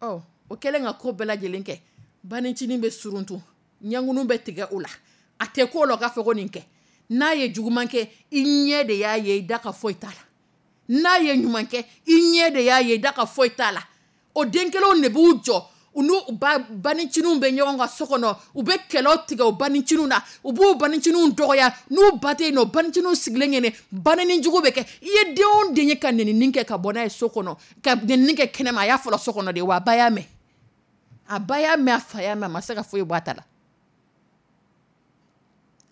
Ɔ, o kɛlen ka ko bɛɛ lajɛlen kɛ, banicinin bɛ suruntu. Ɲɛnkunu bɛ tigɛ o la, a tɛ ko la k'a fɔ ko nin kɛ. N'a ye juguman kɛ, i ɲɛ de y'a ye, i da ka foyi t'a la. N'a ye ɲuman kɛ, i ɲɛ de y'a ye, i da ka foyi t'a la. O den kelenw de b'u jɔ, u n'u banicinin bɛ ɲɔgɔn kan so kɔnɔ, u bɛ kɛlɛ tigɛ u banicinin na, u b'u banicinin dɔgɔya. N'u ba tɛ yen nɔ, banicinin sigilen ɲɛnɛ, banini jugu bɛ kɛ. I ye den o den ye ka nenini kɛ ka bɔ n'a ye so kɔnɔ, ka nenini kɛ kɛnɛma, a y'a fɔlɔ so kɔnɔ de wa, a ba y'a mɛn. A ba y'a mɛn, a fa y'a mɛn, a ma se ka foyi bɔ a ta la.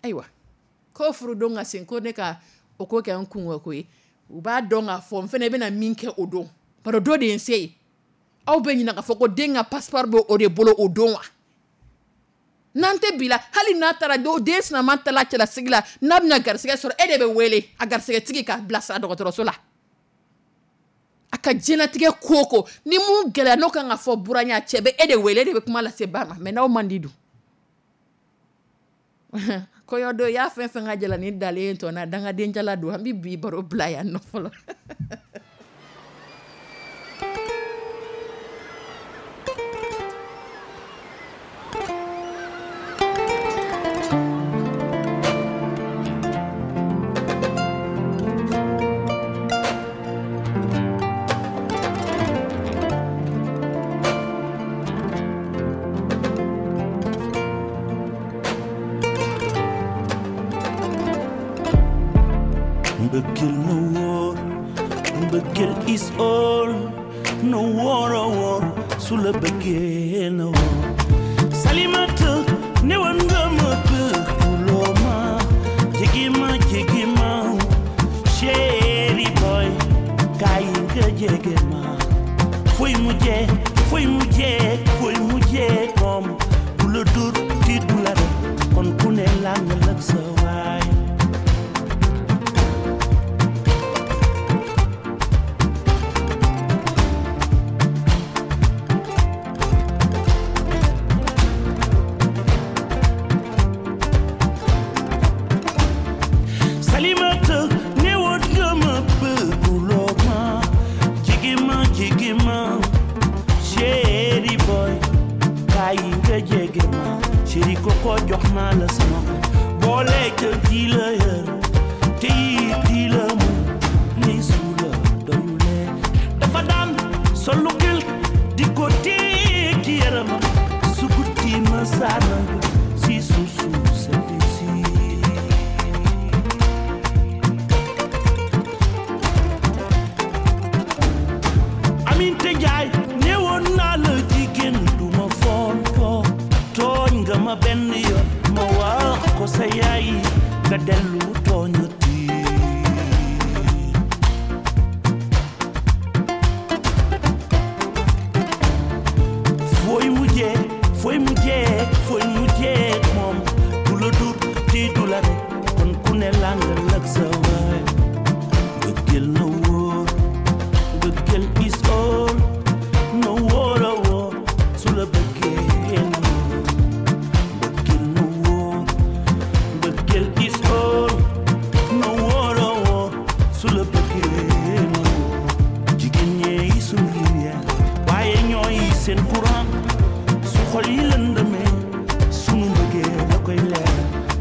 Ayiwa, ko furudon ka sen ko ne ka o ko kɛ n kungo ko ye. U b'a dɔn k'a fɔ n fana bɛna min kɛ o don, bari o don de ye n se ye. Aw bɛ ɲinɛ k'a fɔ ko den ka passeport bɛ o de bolo o don wa? N'an tɛ bi la, hali n'a taara den sinama taara cɛlasigi la, n'a bɛna garisɛgɛ sɔrɔ, e de bɛ wele a garisɛgɛtigi k'a bilasira dɔgɔtɔrɔso la. A ka diɲɛlatigɛ ko o ko, ni mun gɛlɛya n'o kan ka fɔ buran ye, a cɛ bɛ e de wele, e de bɛ kuma lase ba ma. Mais n'aw man di dun? Kɔɲɔ don, i y'a fɛn fɛn ka jalani dalen tɔ na, dangaden jala don. An bɛ bi baro bila yan nɔ fɔlɔ. Mbëggeel na wóor, mbëggeel is all, na wóor a wóor, su la bëggee na wóor. Salimata, newoon nga ma bëgguloo ma, jege ma, jege ma, chéri boy, kaay nga jege ma. Fooy mujjee, fooy mujjee, fooy mujjee moom, du la dur tiit du la rek, kon ku ne làngal ak sa waay. Salimata, newoon nga ma bëgguloo ma, jege ma, jege ma, chéri boy, kaay nga jege ma, chéri koko jox naa la sama xol, boole ca di la yër, te it di la mu, li su la doyulee. Dafa daan solu gël di ko téye ci yaramam, su guddi ma saana si suuf suuf sedd si. Aminte Njaay, newoon naa la jigéen du ma fontoo, tooñ nga ma benn yoon, ma wax ko sa yaay, nga dellu tooñati. Fooy mujjee, fooy mujjee, fooy mujjee moom, du la dur ti du la rek, kon ku ne làngal ak sa waay. Mbëggeel na wóor, mbëggeel is all, na wóor a wóor, su la bëggee na wóor. Mbëggeel na wóor, mbëggeel is all, na wóor a wóor, su la bëggee na wóor. Jigéen ñee sunu lumière, waaye ñooy seen courant, su xol yi lëndëmee, sunu mbëggeel da koy leer.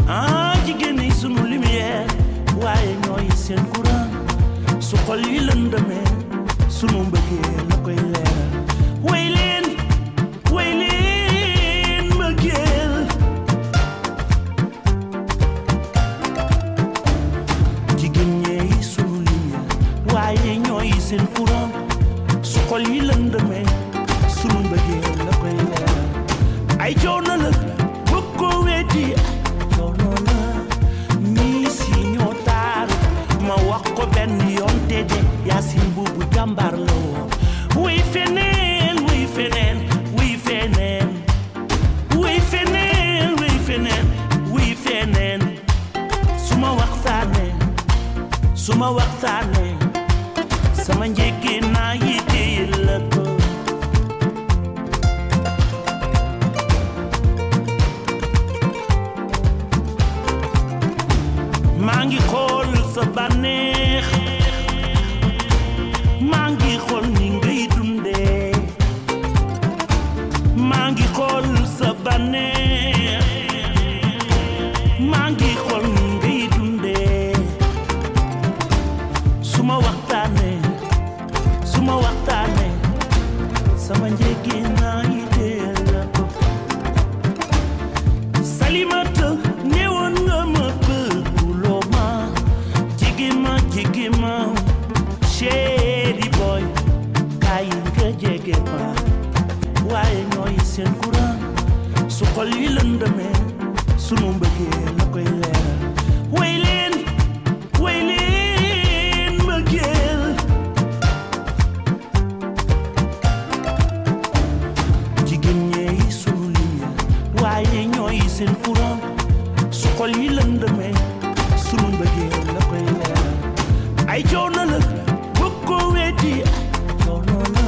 Ah, jigéen ñi sunu lumière, waaye ñooy seen courant, su xol yi lëndëmee, sunu mbëggeel la koy leer. Wey leen, wey leen mbëggeel. Jigéen ñee sunu lumière, waaye ñooy seen courant, su xol yi lëndëmee, sunu mbëggeel la koy leer. Ay coono la, bëgg ko weddi, ay coono la, ñii si ñoo taar, ma wax ko benn yoon te de Yaasin buubu jàmbaar la woon. Wuy feneen, wuy feneen, wuy feneen, wuy feneen, wuy feneen, wuy feneen, su ma waxtaanee, su ma waxtaanee, sama njëkkee naa yi téye la ko. Maa ngi xool sa bànneex, maa ngi xool ni ngay dundee, maa ngi xool sa bànneex, Suma waxtaanee, suma waxtaanee, sama njëgi naa yi teel la ko. Salimata, newoon nga ma bëgguloo ma, jege ma, jege ma, chéri boy, kaay nga jege ma, waaye ñooy seen courant, su xol yi lëndëmee, sunu mbëggeel la koy leeral. Way leen, way leen mbëggeel. Jigéen ñeey sunu lumière, waaye ñooy seen courant, su xol yi lëndëmee, sunu mbëggeel la koy leeral. Ay coono la, bëgg ko weddi, ay coono la,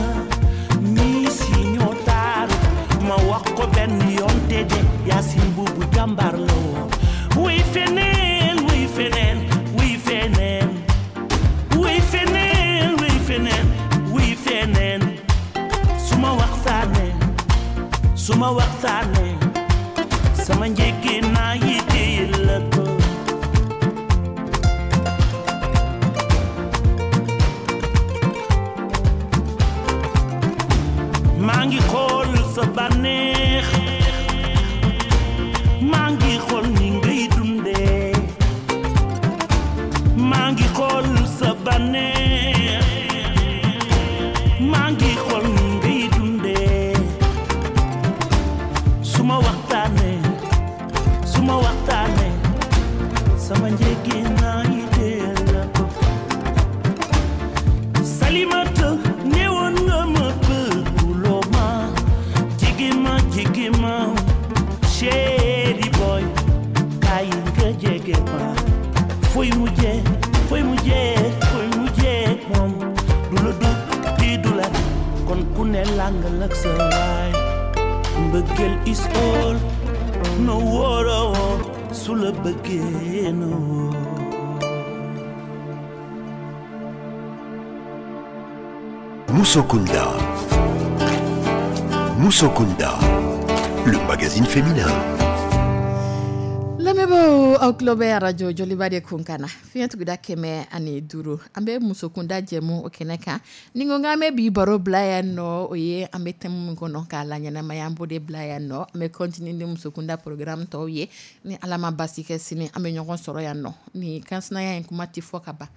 miis yi ñoo taaru, ma wax ko benn yoon te de Yaasin buubu jàmbaar la woon. Wuy feneen, wuy feneen, wuy feneen, wuy feneen, wuy feneen, wuy feneen. Suma waxtaanee, suma waxtaanee, sama njëkki naa yi téye la ko. Maa ngi xool sa bànneex, maa ngi xool ni ngay dundee, maa ngi xool sa bànneex, maa ngi xool ni ngay dundee. Suma waxtaanee, suma waxtaanee, sama njëgi naa yi teel la ko. Salimata, newoon nga ma bëgguloo ma, jege ma, jege ma, chéri boy, kaay nga jege ma. Fooy mujjee, fooy mujjee, fooy mujjee moom, du la dugg di du la, kon ku ne làngal ak sa waay. Mbëggeel is all, no wóoroo, su la bëggee no wóor. Moussokunda. Moussokunda, le magazine féminin. Lamɛnbaaw, aw tulo bɛ radio Joliba de kun kan na, fiɲɛ tuguda 105, an bɛ musokunda jɛmu o kɛnɛ kan. Ni ko k'an bɛ bi baro bila yan nɔ, o ye an bɛ thème min kɔnɔ k'a la ɲɛnamaya, an b'o de bila yan nɔ. An bɛ continuer ni musokunda programme tɔw ye. Ni Ala ma basi kɛ, sini an bɛ ɲɔgɔn sɔrɔ yan nɔ. Ni kansinaya in kuma tɛ fɔ ka ban.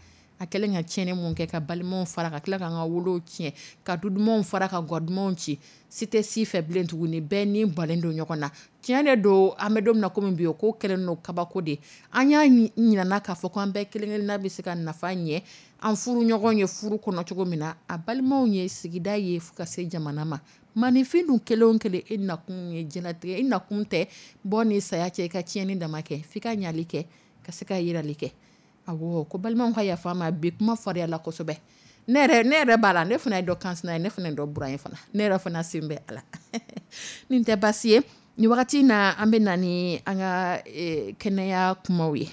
A kɛlen ka tiɲɛni mun kɛ, ka balimaw fara, ka tila k'an ka wolow tiɲɛ, ka du dumanw fara, ka gwa dumanw ci, si tɛ si fɛ bilen tuguni, bɛɛ ni balen don ɲɔgɔn na. Tiɲɛ de don, an bɛ don min na komi bi, o ko kɛlen don kabako de. An y'a ɲinana k'a fɔ ko an bɛɛ kelen kelenna bɛ se ka nafa ɲɛ an furu ɲɔgɔn ye furu kɔnɔ cogo min na, a balimaw ye, sigida ye, fo ka se jamana ma. Maninfin dun kelen o kelen, e nakun ye diɲɛlatigɛ, e nakun tɛ bɔ ni saya cɛ, i ka tiɲɛni dama kɛ, f'i ka ɲali kɛ ka se ka yirali kɛ. Awɔ, ko balimaw ka yafa ma, bi kuma fariyala kosɛbɛ. Ne yɛrɛ b'a la, ne fana ye dɔ kansina ye, ne fana ye dɔ buran ye fana, ne yɛrɛ fana sen bɛ a la. Nin tɛ baasi ye. Nin wagati na, an bɛ na ni an ka kɛnɛya kumaw ye,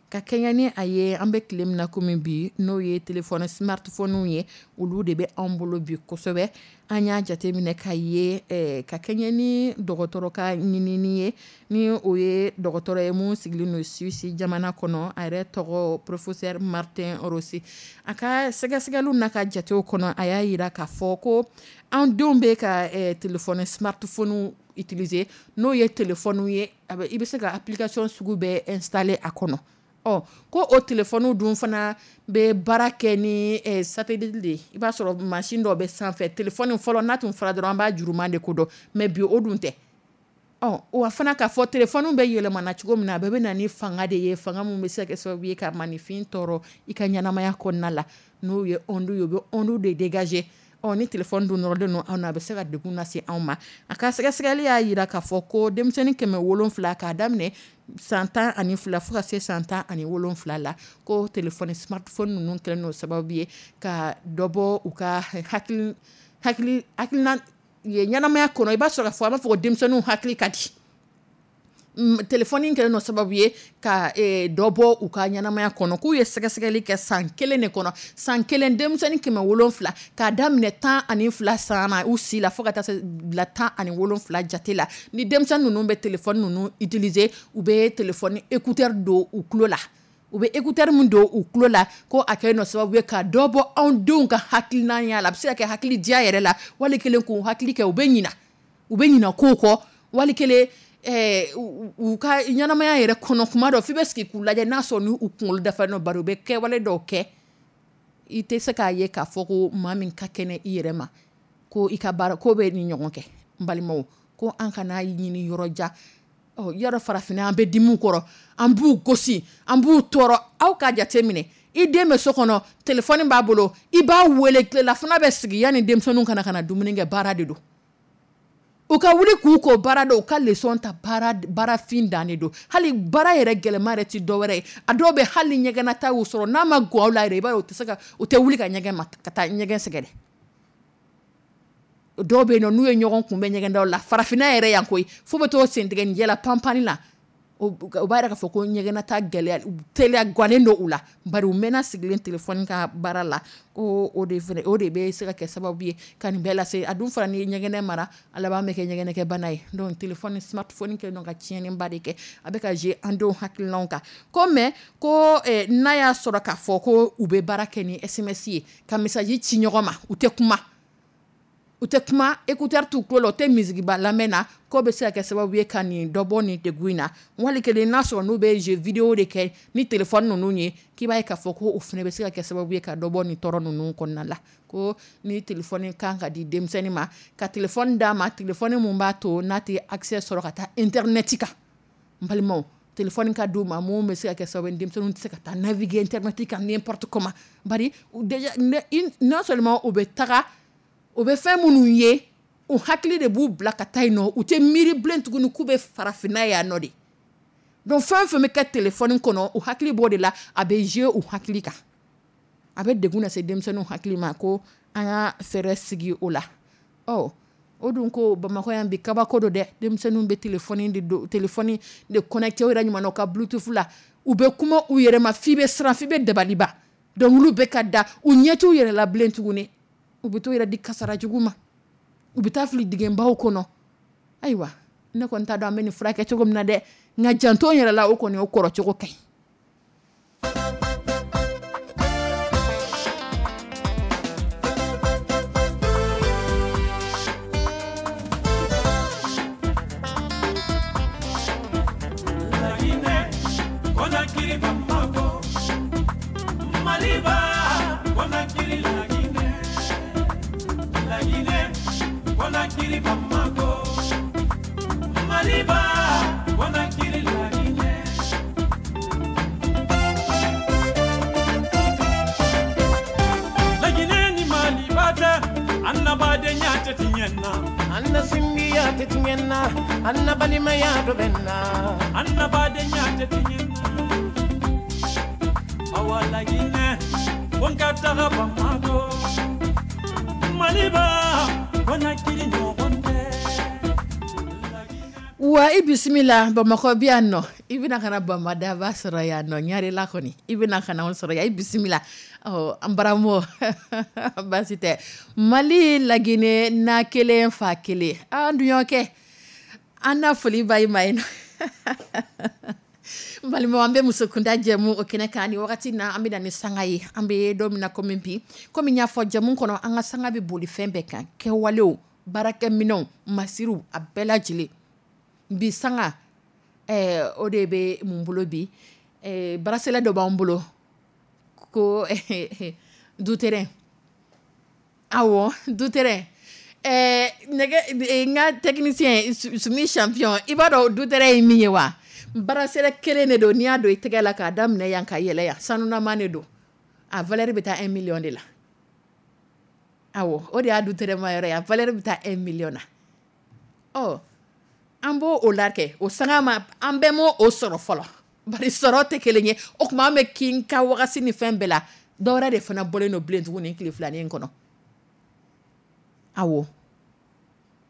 ka kɛɲɛ ni a ye an bɛ tile min na komi bi, n'o ye téléphone smartphone ye, olu de bɛ anw bolo bi kosɛbɛ. An y'a jateminɛ ka ye, ka kɛɲɛ ni dɔgɔtɔrɔ ka ɲinini ye, ni o ye dɔgɔtɔrɔ ye mun sigilen don Suisse jamana kɔnɔ, a yɛrɛ tɔgɔ professeur Martin Rossi. A ka sɛgɛsɛgɛliw n'a ka jatew kɔnɔ, a y'a yira k'a fɔ ko an denw bɛ ka téléphone smartphone utiliser, n'o ye téléphone ye, i bɛ se ka application sugu bɛɛ installer a kɔnɔ. Ɔ ko o téléphone dun fana bɛ baara kɛ ni satellite de ye. I b'a sɔrɔ machine dɔ bɛ sanfɛ, téléphone fɔlɔ n'a tun fɔra dɔrɔn an b'a juruman de ko dɔn, mais bi o dun tɛ. Ɔ wa fana k'a fɔ téléphone bɛ yɛlɛmana cogo min na, a bɛɛ bɛ na ni fanga de ye, fanga min bɛ se ka kɛ sababu ye ka maninfin tɔɔrɔ i ka ɲɛnamaya kɔnɔna la, n'o ye onde ye, u bɛ onde de dégager. Ɔ ni téléphone dun nɔrɔlen don anw na, a bɛ se ka degun lase anw ma. A ka sɛgɛsɛgɛli y'a yira k'a fɔ ko denmisɛnnin 700 k'a daminɛ san 12 fo ka se san 17 la, ko téléphone smartphone ninnu kɛlen don sababu ye ka dɔ bɔ u ka hakilina ye ɲɛnamaya kɔnɔ. I b'a sɔrɔ k'a fɔ an b'a fɔ ko denmisɛnninw hakili ka di. Téléphone kɛlen don sababu ye ka dɔ bɔ u ka ɲɛnamaya kɔnɔ. K'u ye sɛgɛsɛgɛli kɛ san kelen de kɔnɔ, san kelen denmisɛnnin 700 k'a daminɛ 12 san na u si la fo ka taa se bila 17 jate la, ni denmisɛnnin ninnu bɛ téléphone ninnu utiliser, u bɛ téléphone écouteur don u tulo la. U bɛ écouteur min don u tulo la, ko a kɛ nɔ sababu ye ka dɔ bɔ anw denw ka hakilinaya la. A bɛ se ka kɛ hakili diya yɛrɛ la, wali kelen k'u hakili kɛ, u bɛ ɲina kow kɔ, wali kelen u ka ɲɛnamaya yɛrɛ kɔnɔ. Kuma dɔ f'i bɛ sigi k'u lajɛ, n'a sɔrɔ ni u kunkolo dafalen don, bari u bɛ kɛwale dɔw kɛ, i tɛ se k'a ye k'a fɔ ko maa min ka kɛnɛ i yɛrɛ ma, ko i ka baara ko bɛ ni ɲɔgɔn kɛ. N balimaw, ko an kana ɲini yɔrɔ jan. Ɔ yɔrɔ, farafinna, an bɛ dimi kɔrɔ, an b'u gosi, an b'u tɔɔrɔ. Aw ka jate minɛ, i den bɛ so kɔnɔ, téléphone b'a bolo, i b'a wele, tilelafana bɛ sigi, yanni denmisɛnninw kana dumuni kɛ, baara de don. U ka wuli k'u ko baara dɔn, u ka leçon ta, baara baarafin dan de don. Hali baara yɛrɛ gɛlɛma yɛrɛ ti dɔwɛrɛ ye. A dɔw bɛ, hali ɲɛgɛnnata y'u sɔrɔ, n'a ma gɔ aw la yɛrɛ, i b'a ye u tɛ se ka, u tɛ wuli ka ɲɛgɛn ma ka taa ɲɛgɛn sɛgɛrɛ. Dɔw bɛ yen nɔ, n'u ye ɲɔgɔn kunbɛn ɲɛgɛndaw la, farafinna yɛrɛ yan koyi, fo bɛ t'o sentigɛ la panpanni la, u b'a yɛrɛ k'a fɔ ko ɲɛgɛnnata gɛlɛya teliya gannen don u la, bari u mɛnna sigilen téléphone ka baara la. Ko o de fana, o de bɛ se ka kɛ sababu ye ka nin bɛɛ lase. A dun fana, ni ye ɲɛgɛnɛ mara, a laban bɛ kɛ ɲɛgɛnɛkɛbana ye. Donc téléphone, smartphone kɛlen don ka tiɲɛniba de kɛ, a bɛ ka jouer an denw hakilinaw kan ko. Mais ko n'a y'a sɔrɔ k'a fɔ ko u bɛ baara kɛ ni SMS ye, ka message ci ɲɔgɔn ma, u tɛ kuma, u tɛ kuma, écouteur t'u tulo la, u tɛ musique ba lamɛn na, k'o bɛ se ka kɛ sababu ye ka nin dɔ bɔ nin degun in na. Wali kelen, n'a sɔrɔ n'u bɛ jeu vidéo de kɛ ni téléphone ninnu ye, k'i b'a ye k'a fɔ ko o fana bɛ se ka kɛ sababu ye ka dɔ bɔ nin tɔɔrɔ ninnu kɔnɔna la. Ko ni téléphone kan ka di denmisɛnnin ma, ka téléphone d'a ma, téléphone mun b'a to n'a tɛ accès sɔrɔ ka taa internet kan. N balimaw, téléphone ka d'u ma mun bɛ se ka kɛ sababu ye denmisɛnninw tɛ se ka taa naviguer internet kan n'importe comment, bari déjà, non seulement u bɛ taga, u bɛ fɛn minnu ye, u hakili de b'u bila ka taa yen nɔ, u tɛ miiri bilen tuguni k'u bɛ farafinna yan nɔ de. Donc fɛn o fɛn bɛ kɛ téléphone kɔnɔ, u hakili b'o de la, a bɛ jouer u hakili kan, a bɛ degun lase denmisɛnninw hakili ma. Ko an ka fɛɛrɛ sigi o la. Ɔ o dun ko Bamakɔ yan bi, kabako don dɛ. Denmisɛnninw bɛ téléphone de don, téléphone de connecté u yɛrɛ ɲuman u ka bluetooth la, u bɛ kuma u yɛrɛ ma f'i bɛ siran, f'i bɛ dabaliba. Dɔnkiliw bɛ ka da, u ɲɛ t'u yɛrɛ la bilen tuguni, u bɛ t'u yɛrɛ di kasara jugu ma, u bɛ taa fili dingɛbaw kɔnɔ. Ayiwa, ne kɔni t'a dɔn an bɛ nin furakɛ cogo min na dɛ, nka janto n yɛrɛ la, o kɔni, o kɔrɔ cogo ka ɲi. Laginɛ, Conakry, Bamako, Maliba, Conakry, Laginɛ, Laginɛ, Conakry, Bamako, Maliba, Conakry, Laginɛ. Laginɛ ni Maliba tɛ, an na badenya tɛ tiɲɛ na. An na sindiya tɛ tiɲɛ na, an na balimaya dɔ bɛ na. An na badenya tɛ tiɲɛ na. Awa Laginɛ, fo n ka taga Bamako, Maliba, Conakry ɲɔgɔn tɛ. Wa i bisimila Bamakɔ bi yan nɔ, i bɛna ka na Bamadaba sɔrɔ yan nɔ, Ɲarela kɔni, i bɛna ka na anw sɔrɔ yan, i bisimila. Ɔ an baramɔ, baasi tɛ. Mali, Laginɛ, na kelen, fa kelen, an dun y'o kɛ, an na foli ba i ma yen nɔ. N balimaw, an bɛ musokunda jɛmu o kɛnɛ kan ni wagati na, an bɛ na ni sanga ye. An bɛ don min na komi bi, komi n y'a fɔ jɛmu kɔnɔ, an ka sanga bɛ boli fɛn bɛɛ kan: kɛwalew, baarakɛminɛnw, masiriw, a bɛɛ lajɛlen. Bi sanga o de bɛ mun bolo bi? Bracelet dɔ b'an bolo ko dutɛrɛn. Awɔ, dutɛrɛn. Nɛgɛ, n ka technicien Sumi champion, i b'a dɔn dutɛrɛn ye min ye wa? Bracelet kelen de don, n'i y'a don i tɛgɛ la k'a daminɛ yan ka yɛlɛ yan, sanunama de don, a valeur bɛ taa 1 million de la. Awɔ, o de y'a dutɛrɛn ma yɔrɔ ye, a valeur bɛ taa 1 million na. Ɔ an b'o o la kɛ o sanga ma, an bɛɛ m'o o sɔrɔ fɔlɔ, bari sɔrɔ tɛ kelen ye. O tuma an bɛ kin ka wagati ni fɛn bɛɛ la, dɔwɛrɛ de fana bɔlen don bilen tuguni tile filanin kɔnɔ. Awɔ,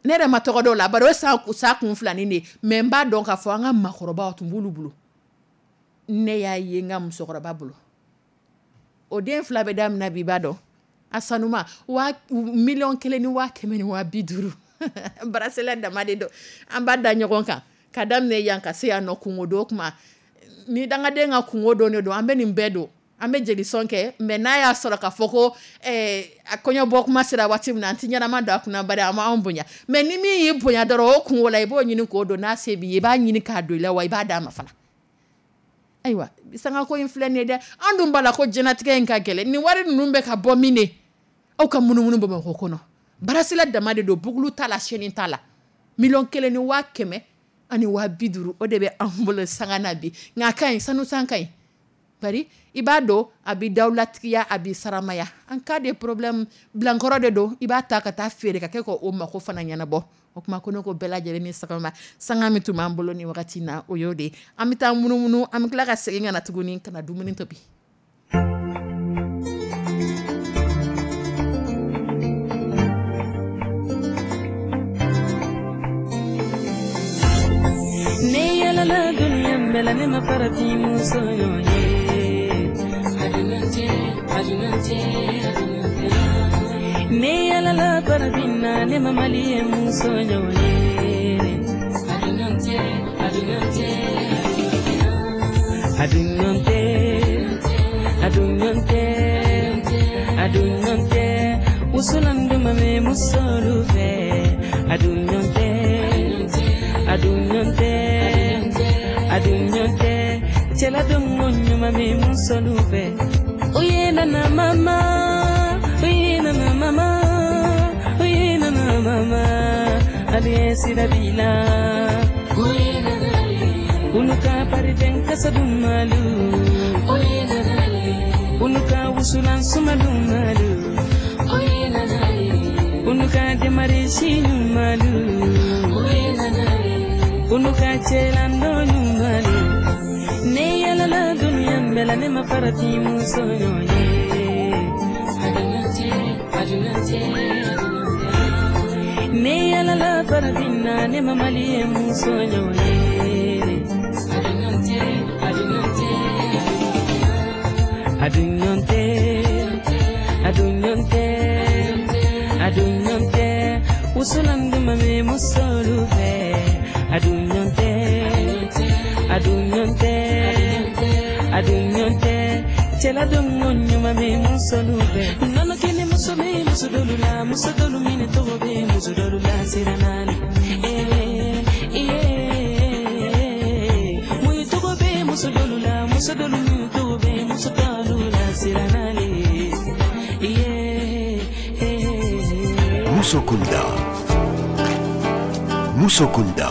ne yɛrɛ ma tɔgɔ dɔw la, bari o sa kun filanin de, mais n b'a dɔn k'a fɔ an ka maakɔrɔbaw tun b'olu bolo. Ne y'a ye n ka musokɔrɔba bolo, o den fila bɛ daminɛ bi, i b'a dɔn a sanuma waa 1,150 000. Bracelet dama de don, an b'a da ɲɔgɔn kan ka daminɛ yan ka se yan nɔ. Kungo do kuma Ni dangaden ka kunko don de don, an bɛ nin bɛɛ don, an bɛ jelisɔn kɛ, mais n'a y'a sɔrɔ k'a fɔ ko a kɔɲɔ bɔ kuma sera waati min na, an tɛ ɲɛnama don a kunna, bari a m'anw bonya. Mais ni min y'i bonya dɔrɔn, o kunko la, i b'o ɲini k'o don. N'a se b'i ye, i b'a ɲini k'a don i la, wa i b'a d'a ma fana. Ayiwa, sangako in filɛ nin ye dɛ. An dun b'a la ko diɲɛlatigɛ in ka gɛlɛn. Nin wari ninnu bɛ ka bɔ min de? Aw ka munumunu Bamakɔ kɔnɔ, bracelet dama de don, boucle t'a la, chaîne t'a la, 1 150 000, o de bɛ anw bolo sanga na bi. Nka a ka ɲi, sanu san ka ɲi, bari i b'a dɔn, a b'i dawulatigiya, a b'i saramaya. En cas de problème, bilankɔrɔ de don, i b'a ta ka taa feere ka kɛ k'o mako fana ɲɛnabɔ. O tuma ko ne ko bɛɛ lajɛlen ni sɔgɔma. Sanga min tun b'an bolo ni wagati na, o y'o de ye. An bɛ taa munumunu, an bɛ tila ka segin ka na tuguni ka na dumuni tobi. Ne yalala dunuya bɛɛ la, ne ma farafin muso ɲɔgɔn ye. Ne yalala farafinna, ne ma maliyɛn muso ɲɔgɔn ye. A dun ɲɔgɔn tɛ, a dun ɲɔgɔn tɛ, a dun ɲɔgɔn tɛ, wusulan duman bɛ musolu fɛ. A dun ɲɔgɔn tɛ, a dun ɲɔgɔn tɛ, a dun ɲɔgɔn tɛ, cɛladonko ɲuman bɛ musolu fɛ. Oye nana mama, oye nana mama, oye nana mama, ale sira b'i la. Olu ka parifɛn kasa dumanlu, olu ka wusulan suma dumanlu, olu ka demarisi ɲumanlu, olu ka cɛlandon ɲumanlu. Ne yalala dunuya bɛɛ la, ne ma farafin muso ɲɔgɔn ye. Ne yalala farafinna, ne ma maliyɛn muso ɲɔgɔn ye. A dun ɲɔgɔn tɛ, a dun ɲɔgɔn tɛ, a dun ɲɔgɔn tɛ, wusulan duman bɛ musolu fɛ. A dun ɲɔgɔn tɛ, a dun ɲɔgɔn tɛ, a dun ɲɔgɔn tɛ, cɛladonko ɲuman bɛ musolu fɛ. Nɔnɔ kɛnɛ muso bɛ muso dɔlu la, muso dɔlu minɛ tɔgɔ bɛ muso dɔlu la sira naani. Mun tɔgɔ bɛ muso dɔlu la, muso dɔlu min tɔgɔ bɛ muso dɔlu la sira naani. Musokunda. Musokunda,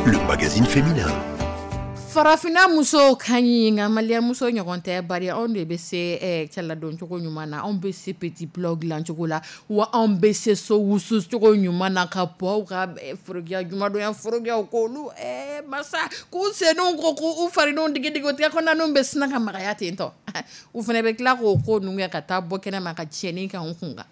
le magazine féminin. Farafinna musow ka ɲi, nka maliyɛn muso ɲɔgɔn tɛ, bari anw de bɛ se cɛladon cogo ɲuman na, anw bɛ se petit plat dilan cogo la, wa anw bɛ se so wusu cogo ɲuman na, ka pɔw ka forokiya jumadonya forokiyaw k'olu masa k'u senninw ko k'u farinw digi digi, o tɛgɛ kɔnɔnaninw bɛ sina ka magaya ten tɔ. U fana bɛ tila k'o ko ninnu kɛ ka taa bɔ kɛnɛ ma ka tiɲɛni kɛ anw kun kan.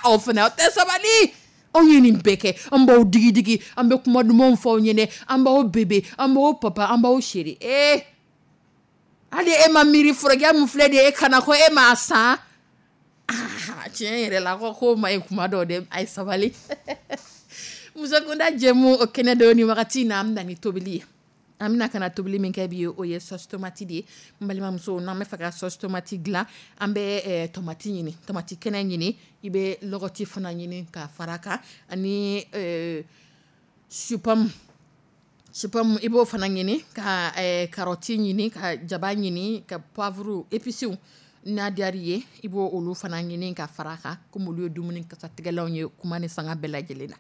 Aw fana, aw tɛ sabali. Anw ye nin bɛɛ kɛ, an b'aw digi digi, an bɛ kuma dumanw fɔ aw ɲɛnɛ, an b'aw bébé, an b'aw papa, an b'aw chéri. Hali e ma miiri forokiya min filɛ nin ye e kana ko e m'a san. Tiɲɛ yɛrɛ la, ko ma ɲi kuma dɔw dɛ, a ye sabali. Musokunda jɛmu o kɛnɛ don ni wagati in na, an bɛ na ni tobili ye. An bɛna ka na tobili min kɛ bi ye, o ye sauce tomate de ye. N balimamuso, n'an bɛ fɛ ka sauce tomate dilan, an bɛ tomate ɲini, tomate kɛnɛ ɲini, i bɛ lɔgɔti fana ɲini ka fara kan, ani chou-pomme. Chou-pomme i b'o fana ɲini, ka carotte ɲini, ka jaba ɲini, ka poivre, épices n'a diyar'i ye, i b'o olu fana ɲini ka fara kan, komi olu ye dumuni kasatigɛlanw ye kuma ni sanga bɛɛ lajɛlen na.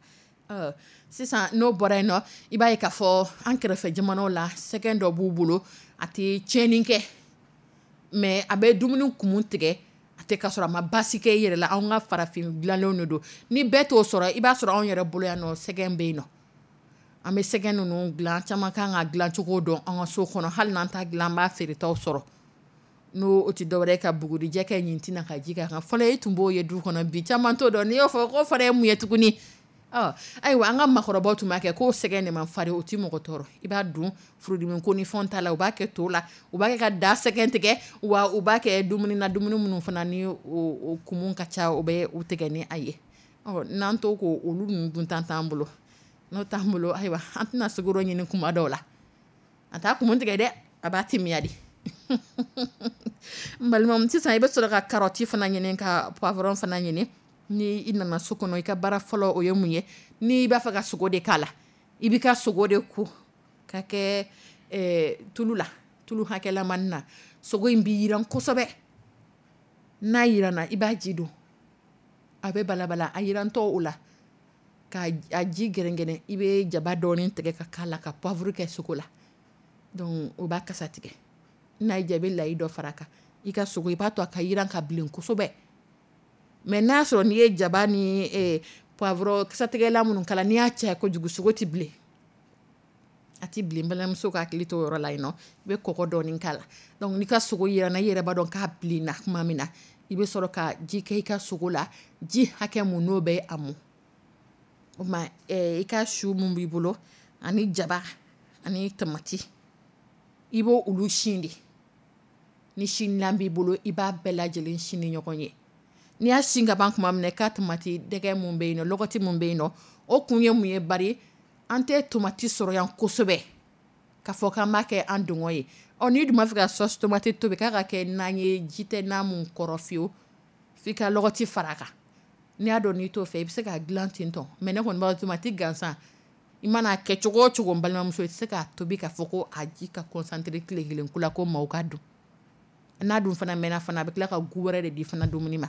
Sisan n'o bɔra yen nɔ, i b'a ye k'a fɔ an kɛrɛfɛ jamanaw la, sɛgɛn dɔ b'u bolo, a tɛ tiɲɛni kɛ, mais a bɛ dumuni kumu tigɛ, a tɛ ka sɔrɔ a ma baasi kɛ i yɛrɛ la. Anw ka farafin dilanlenw de don. Ni bɛɛ t'o sɔrɔ, i b'a sɔrɔ anw yɛrɛ bolo yan nɔ, sɛgɛn bɛ yen nɔ. An bɛ sɛgɛn ninnu dilan, caman kan ka dilancogo dɔn an ka so kɔnɔ, hali n'an t'a dilan, an b'a feeretaw sɔrɔ. N'o o tɛ dɔwɛrɛ ye ka bugurijɛ kɛ ɲintin na ka ji k'a kan. Fɔlɔ e tun b'o ye du kɔnɔ, bi caman t'o dɔn. N'i y'o fɔ k'o fana ye mun ye tuguni? Ayiwa, an ka makɔrɔbaw tun b'a kɛ k'o sɛgɛn de man farin, o tɛ mɔgɔ tɔɔrɔ. I b'a dun, furudimi ko ni fɛnw t'a la, u b'a kɛ to la, u b'a kɛ ka da sɛgɛn tigɛ, wa u b'a kɛ dumuni na, dumuni minnu fana ni o kumu ka ca, o bɛ u tigɛ ni a ye. N'an to k'o olu ninnu duntan t'an bolo, n'o t'an bolo, ayiwa, an tɛna sukaro ɲini kuma dɔw la, a t'a kumu tigɛ dɛ. A b'a timiya de. N balimaw, sisan i bɛ sɔrɔ ka carotte fana ɲini, ka poivron fana ɲini. Ni i nana so kɔnɔ, i ka baara fɔlɔ, o ye mun ye? N'i b'a fɛ ka sogo de k'a la, i b'i ka sogo de ko ka kɛ tulu la, tulu hakɛlamani na. Sogo in bɛ yiran kosɛbɛ. N'a yiranna, i b'a ji don, a bɛ balabala. A yirantɔ o la, ka a ji gɛrɛngɛrɛn, i bɛ jaba dɔɔni tigɛ ka k'a la, ka poivre kɛ sogo la. Donc o b'a kasa tigɛ. N'a y'i diya, i bɛ layi dɔ fara a kan. I ka sogo, i b'a to a ka yiran ka bilen kosɛbɛ. Mais n'a y'a sɔrɔ n'i ye jaba ni poivron kasatigɛlan minnu k'a la, n'i y'a caya kojugu, sogo tɛ bilen, a tɛ bilen. Balimamuso ka hakili to o yɔrɔ la yen nɔ. I bɛ kɔgɔ dɔɔni k'a la. Donc n'i ka sogo yiranna, i yɛrɛ b'a dɔn k'a bilenna tuma min na, i bɛ sɔrɔ ka ji kɛ i ka sogo la, ji hakɛ mun n'o bɛ a mɔ. O ma i ka su mun b'i bolo ani jaba ani tamati, i b'o olu sin de. Ni sindilan b'i bolo, i b'a bɛɛ lajɛlen sin ni ɲɔgɔn ye. N'i y'a sin ka ban tuma min na, i ka tamati dɛgɛ mun bɛ yen nɔ, lɔgɔti mun bɛ yen nɔ, o kun ye mun ye? Bari an tɛ tomati sɔrɔ yan kosɛbɛ k'a fɔ k'an b'a kɛ an dungɔ ye. Ɔ, n'i dun b'a fɛ ka sauce tomate tobi k'a ka kɛ nan ye, ji tɛ nan mun kɔrɔ fiyewu, f'i ka lɔgɔti fara a kan. N'i y'a dɔn n'i t'o fɛ, i bɛ se k'a dilan ten tɔ. Mais ne kɔni b'a dɔn, tomati gansan, i mana kɛ cogo o cogo, n balimamuso, i tɛ se k'a tobi k'a fɔ ko a ji ka concentré tile kelen ko la ko maaw ka dun. N'a dun fana mɛnna fana, a bɛ tila ka goût wɛrɛ de di fana dumuni ma.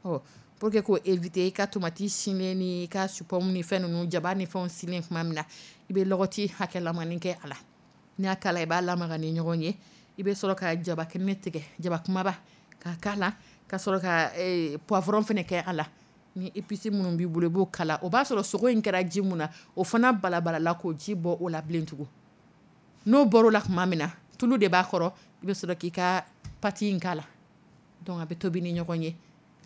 Ɔ, pour que k'o éviter, i ka tomati sinnen ni i ka chou-pomme ni fɛn ninnu, jaba ni fɛnw sinnen tuma min na, i bɛ lɔgɔti hakɛlamani kɛ a la. N'i y'a k'a la, i b'a lamaga ni ɲɔgɔn ye. I bɛ sɔrɔ ka jaba kɛnɛ tigɛ, jaba kumaba, k'a k'a la, ka sɔrɔ ka poivron fana kɛ a la. Ni épices minnu b'i bolo, i b'o k'a la. O b'a sɔrɔ sogo in kɛra ji mun na, o fana balabalala k'o ji bɔ o la bilen tugun. N'o bɔr'o la tuma min na, tulu de b'a kɔrɔ, i bɛ sɔrɔ k'i ka pâte in k'a la. Donc a bɛ tobi ni ɲɔgɔn ye.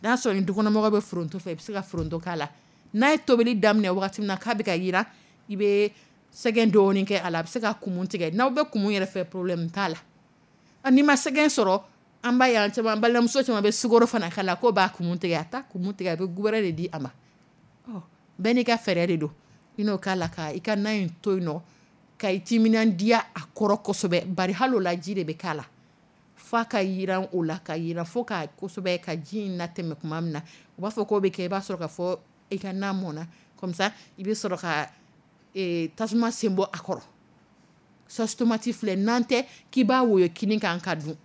N'a sɔrɔ ni dukɔnɔmɔgɔ bɛ foronto fɛ, i bɛ se ka foronto k'a la. N'a ye tobili daminɛ wagati min na k'a bɛ ka yiran, i bɛ sɛgɛn dɔɔni kɛ a la. A bɛ se ka kumu tigɛ. N'aw bɛ kumu yɛrɛ fɛ, problème t'a la. N'i ma sɛgɛn sɔrɔ, an b'a ye an caman, balimamuso caman bɛ sukaro fana k'a la, k'o b'a kumu tigɛ. A t'a kumu tigɛ, a bɛ goût wɛrɛ de di a ma. Ɔ, bɛɛ n'i ka fɛɛrɛ de don. I n'o k'a la, ka i ka na in to yen nɔ, ka i timinandiya a kɔrɔ kosɛbɛ. Bari hali o la, ji de bɛ k'a la f'a ka yiran o la, ka yiran fo ka kosɛbɛ, ka ji in latɛmɛ tuma min na, u b'a fɔ k'o bɛ kɛ, i b'a sɔrɔ ka fɔ i ka na mɔnna. Comme ça i bɛ sɔrɔ ka tasuma sen bɔ a kɔrɔ. Sauce tomate filɛ, n'an tɛ k'i b'a woyo kini kan ka dun,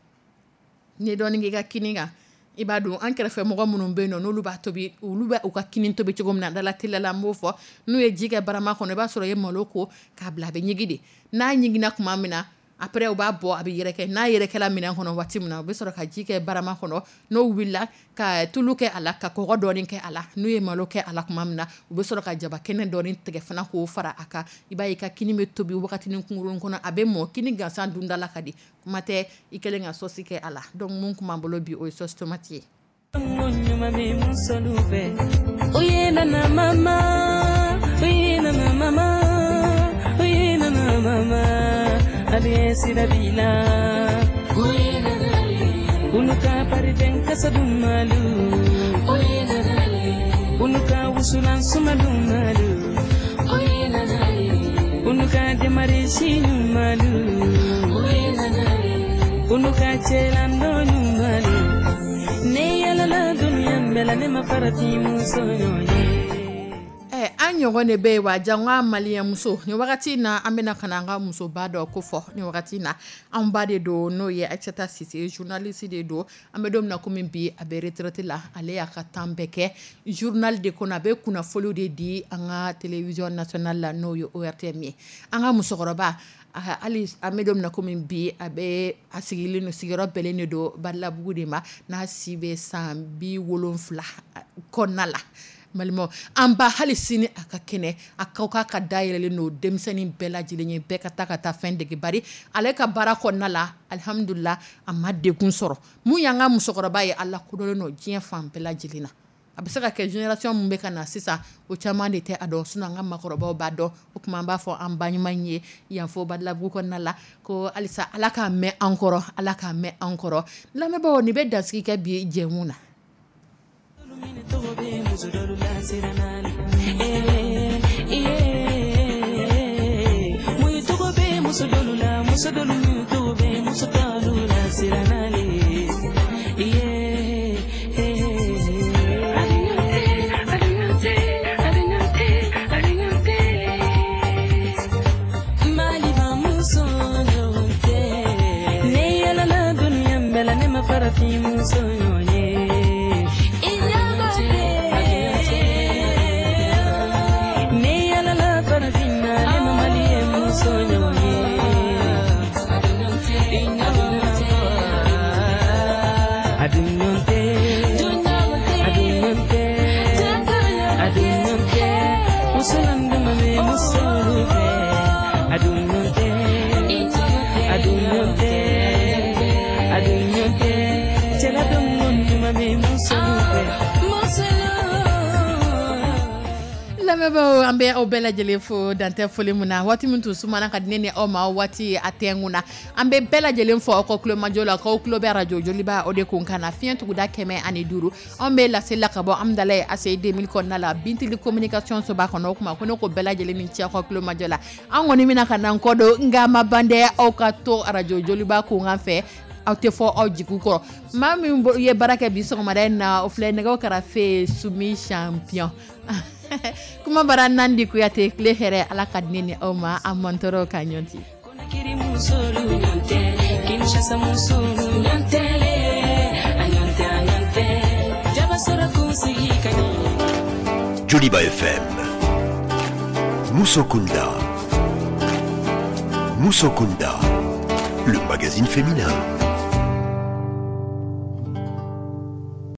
n'i ye dɔɔnin k'i ka kini kan, i b'a dun. An kɛrɛfɛ mɔgɔ minnu bɛ yen nɔ, n'olu b'a tobi, olu bɛ u ka kini tobi cogo min na, dala teliya la, n b'o fɔ. N'u ye ji kɛ barama kɔnɔ, i b'a sɔrɔ i ye malo ko k'a bila, a bɛ ɲigin de. N'a ɲiginna tuma min na, après u b'a bɔ, a bɛ yɛrɛkɛ. N'a yɛrɛkɛla minɛn kɔnɔ waati min na, u bɛ sɔrɔ ka ji kɛ barama kɔnɔ. N'o wulila, ka tulu kɛ a la, ka kɔgɔ dɔɔni kɛ a la. N'u ye malo kɛ a la tuma min na, u bɛ sɔrɔ ka jaba kɛnɛ dɔɔni tigɛ fana k'o fara a kan. I b'a ye, i ka kini bɛ tobi wagatinin kunkurunnin kɔnɔ, a bɛ mɔ. Kini gansan dunda la ka di, kuma tɛ i kɛlen ka sauce kɛ a la. Donc mun kun b'an bolo bi, o ye sauce tomate ye. Ɲuman bɛ musolu fɛ, o ye nana mama, o ye nana mama, o ye nana mama, ale sira b'i la, o ye nana, olu ka parifɛn kasa dumalu, o ye nana, olu ka wusulan suma dumalu, o ye nana, olu ka demarisi ɲumalu, o ye nana, olu ka cɛlandɔ ɲumalu. Ne yɛlɛla dunuya bɛɛ la, ne ma farati muso ɲɔgɔn ye. An ɲɔgɔn de bɛ yen wa? Jango maliyɛnmuso. Nin wagati in na, an bɛna ka na an ka musoba dɔ ko fɔ. Nin wagati in na, an ba de don, n'o ye Aïssata Cissé, journaliste de don. An bɛ don min na komi bi, a bɛ retraite la. Ale y'a ka temps bɛɛ kɛ journal de kɔnɔ, a bɛ kunnafoniw de di an ka télévision nationale la, n'o ye ORTM ye. An ka musokɔrɔba, hali an bɛ don min na komi bi, a bɛ a sigilen don, sigiyɔrɔ bɛnnen de don Balabugu de ma, n'a si bɛ san 70 kɔnɔna la. Balimaw, an ba, hali sini a ka kɛnɛ, a kaw k'a ka dayɛlɛlen don denmisɛnnin bɛɛ lajɛlen ye, bɛɛ ka taa ka taa fɛn dege. Bari ale ka baara kɔnɔna la, alihamudulila, a ma degun sɔrɔ. Mun y'an ka musokɔrɔba ye, a lakodɔnnen don diɲɛ fan bɛɛ lajɛlen na. A bɛ se ka kɛ génération min bɛ ka na sisan, o caman de tɛ a dɔn, sinon an ka maakɔrɔbaw b'a dɔn. O tuma an b'a fɔ an ba ɲuman ye yan fo Balabugu kɔnɔna la ko halisa Ala k'a mɛn an kɔrɔ, Ala k'a mɛn an kɔrɔ. Lamɛnbaaw, nin bɛ dansigi kɛ bi jɛmu na. Tɔgɔ bɛ muso dɔlu la siranna eh eh, mun tɔgɔ bɛ muso dɔlu la, muso dɔlu min tɔgɔ bɛ Muso tɔlu lasiranna le. Yeah, yeah. Aduɲɔte, aduɲɔte, aduɲɔte, aduɲɔte. Maliba muso ɲɔgɔn tɛ. Ne yɛlɛla dunuya bɛɛ la, ne ma farafin muso ɲɔgɔn ye. I ɲɔgɔn tɛ. Ne yɛlɛla farafinna, ne ma maliyɛn muso ɲɔgɔn ye. I ɲɔgɔn tɛ. Aduɲɔte, aduɲɔte, aduɲɔte. Musolan dama bɛ musolu fɛ. Aduɲɔte, aduɲɔte, aduɲɔte. Cɛla dɔngɔ ɲuman bɛ musolu fɛ. Lamɛnbaaw, an bɛ aw bɛɛ lajɛlen fo dantɛ foli min na. Waati min tun sumana ka di ne ni aw ma, waati a tɛnkun na. An bɛ bɛɛ lajɛlen fo aw ka tulomajɔ la, k'aw tulo bɛ arajo Joliba o de kun kan na, fiɲɛ tuguda 105. Anw bɛ laseli la ka bɔ Amudalayi ACI 2000 kɔnɔna la, Bintili communication soba kɔnɔ. O kuma ko ne ko bɛɛ lajɛlen ni ce aw ka tulomajɔ la. An kɔni bɛna ka na kɔ don, nka ma ban dɛ. Aw ka to arajo Joliba kun fɛ, aw tɛ fɔ aw jigi kɔrɔ. Maa min ye baara kɛ bi sɔgɔmada in na, o filɛ nɛgɛw karafe, Sumi Champion. Kuma bara Nandi Kuyate. Tile hɛrɛ, Ala ka di ne ni aw ma, an mantɔrɔ ka ɲɔgɔn ti. Conakry musolu ɲɔgɔn tɛ, Kinshasa musolu ɲɔgɔn tɛ le, a ɲɔgɔn tɛ, a ɲɔgɔn tɛ. Jaba sɔrɔ kunsigi ka ɲi. Joliba FM. Musokunda. Musokunda. Le magazine féminin.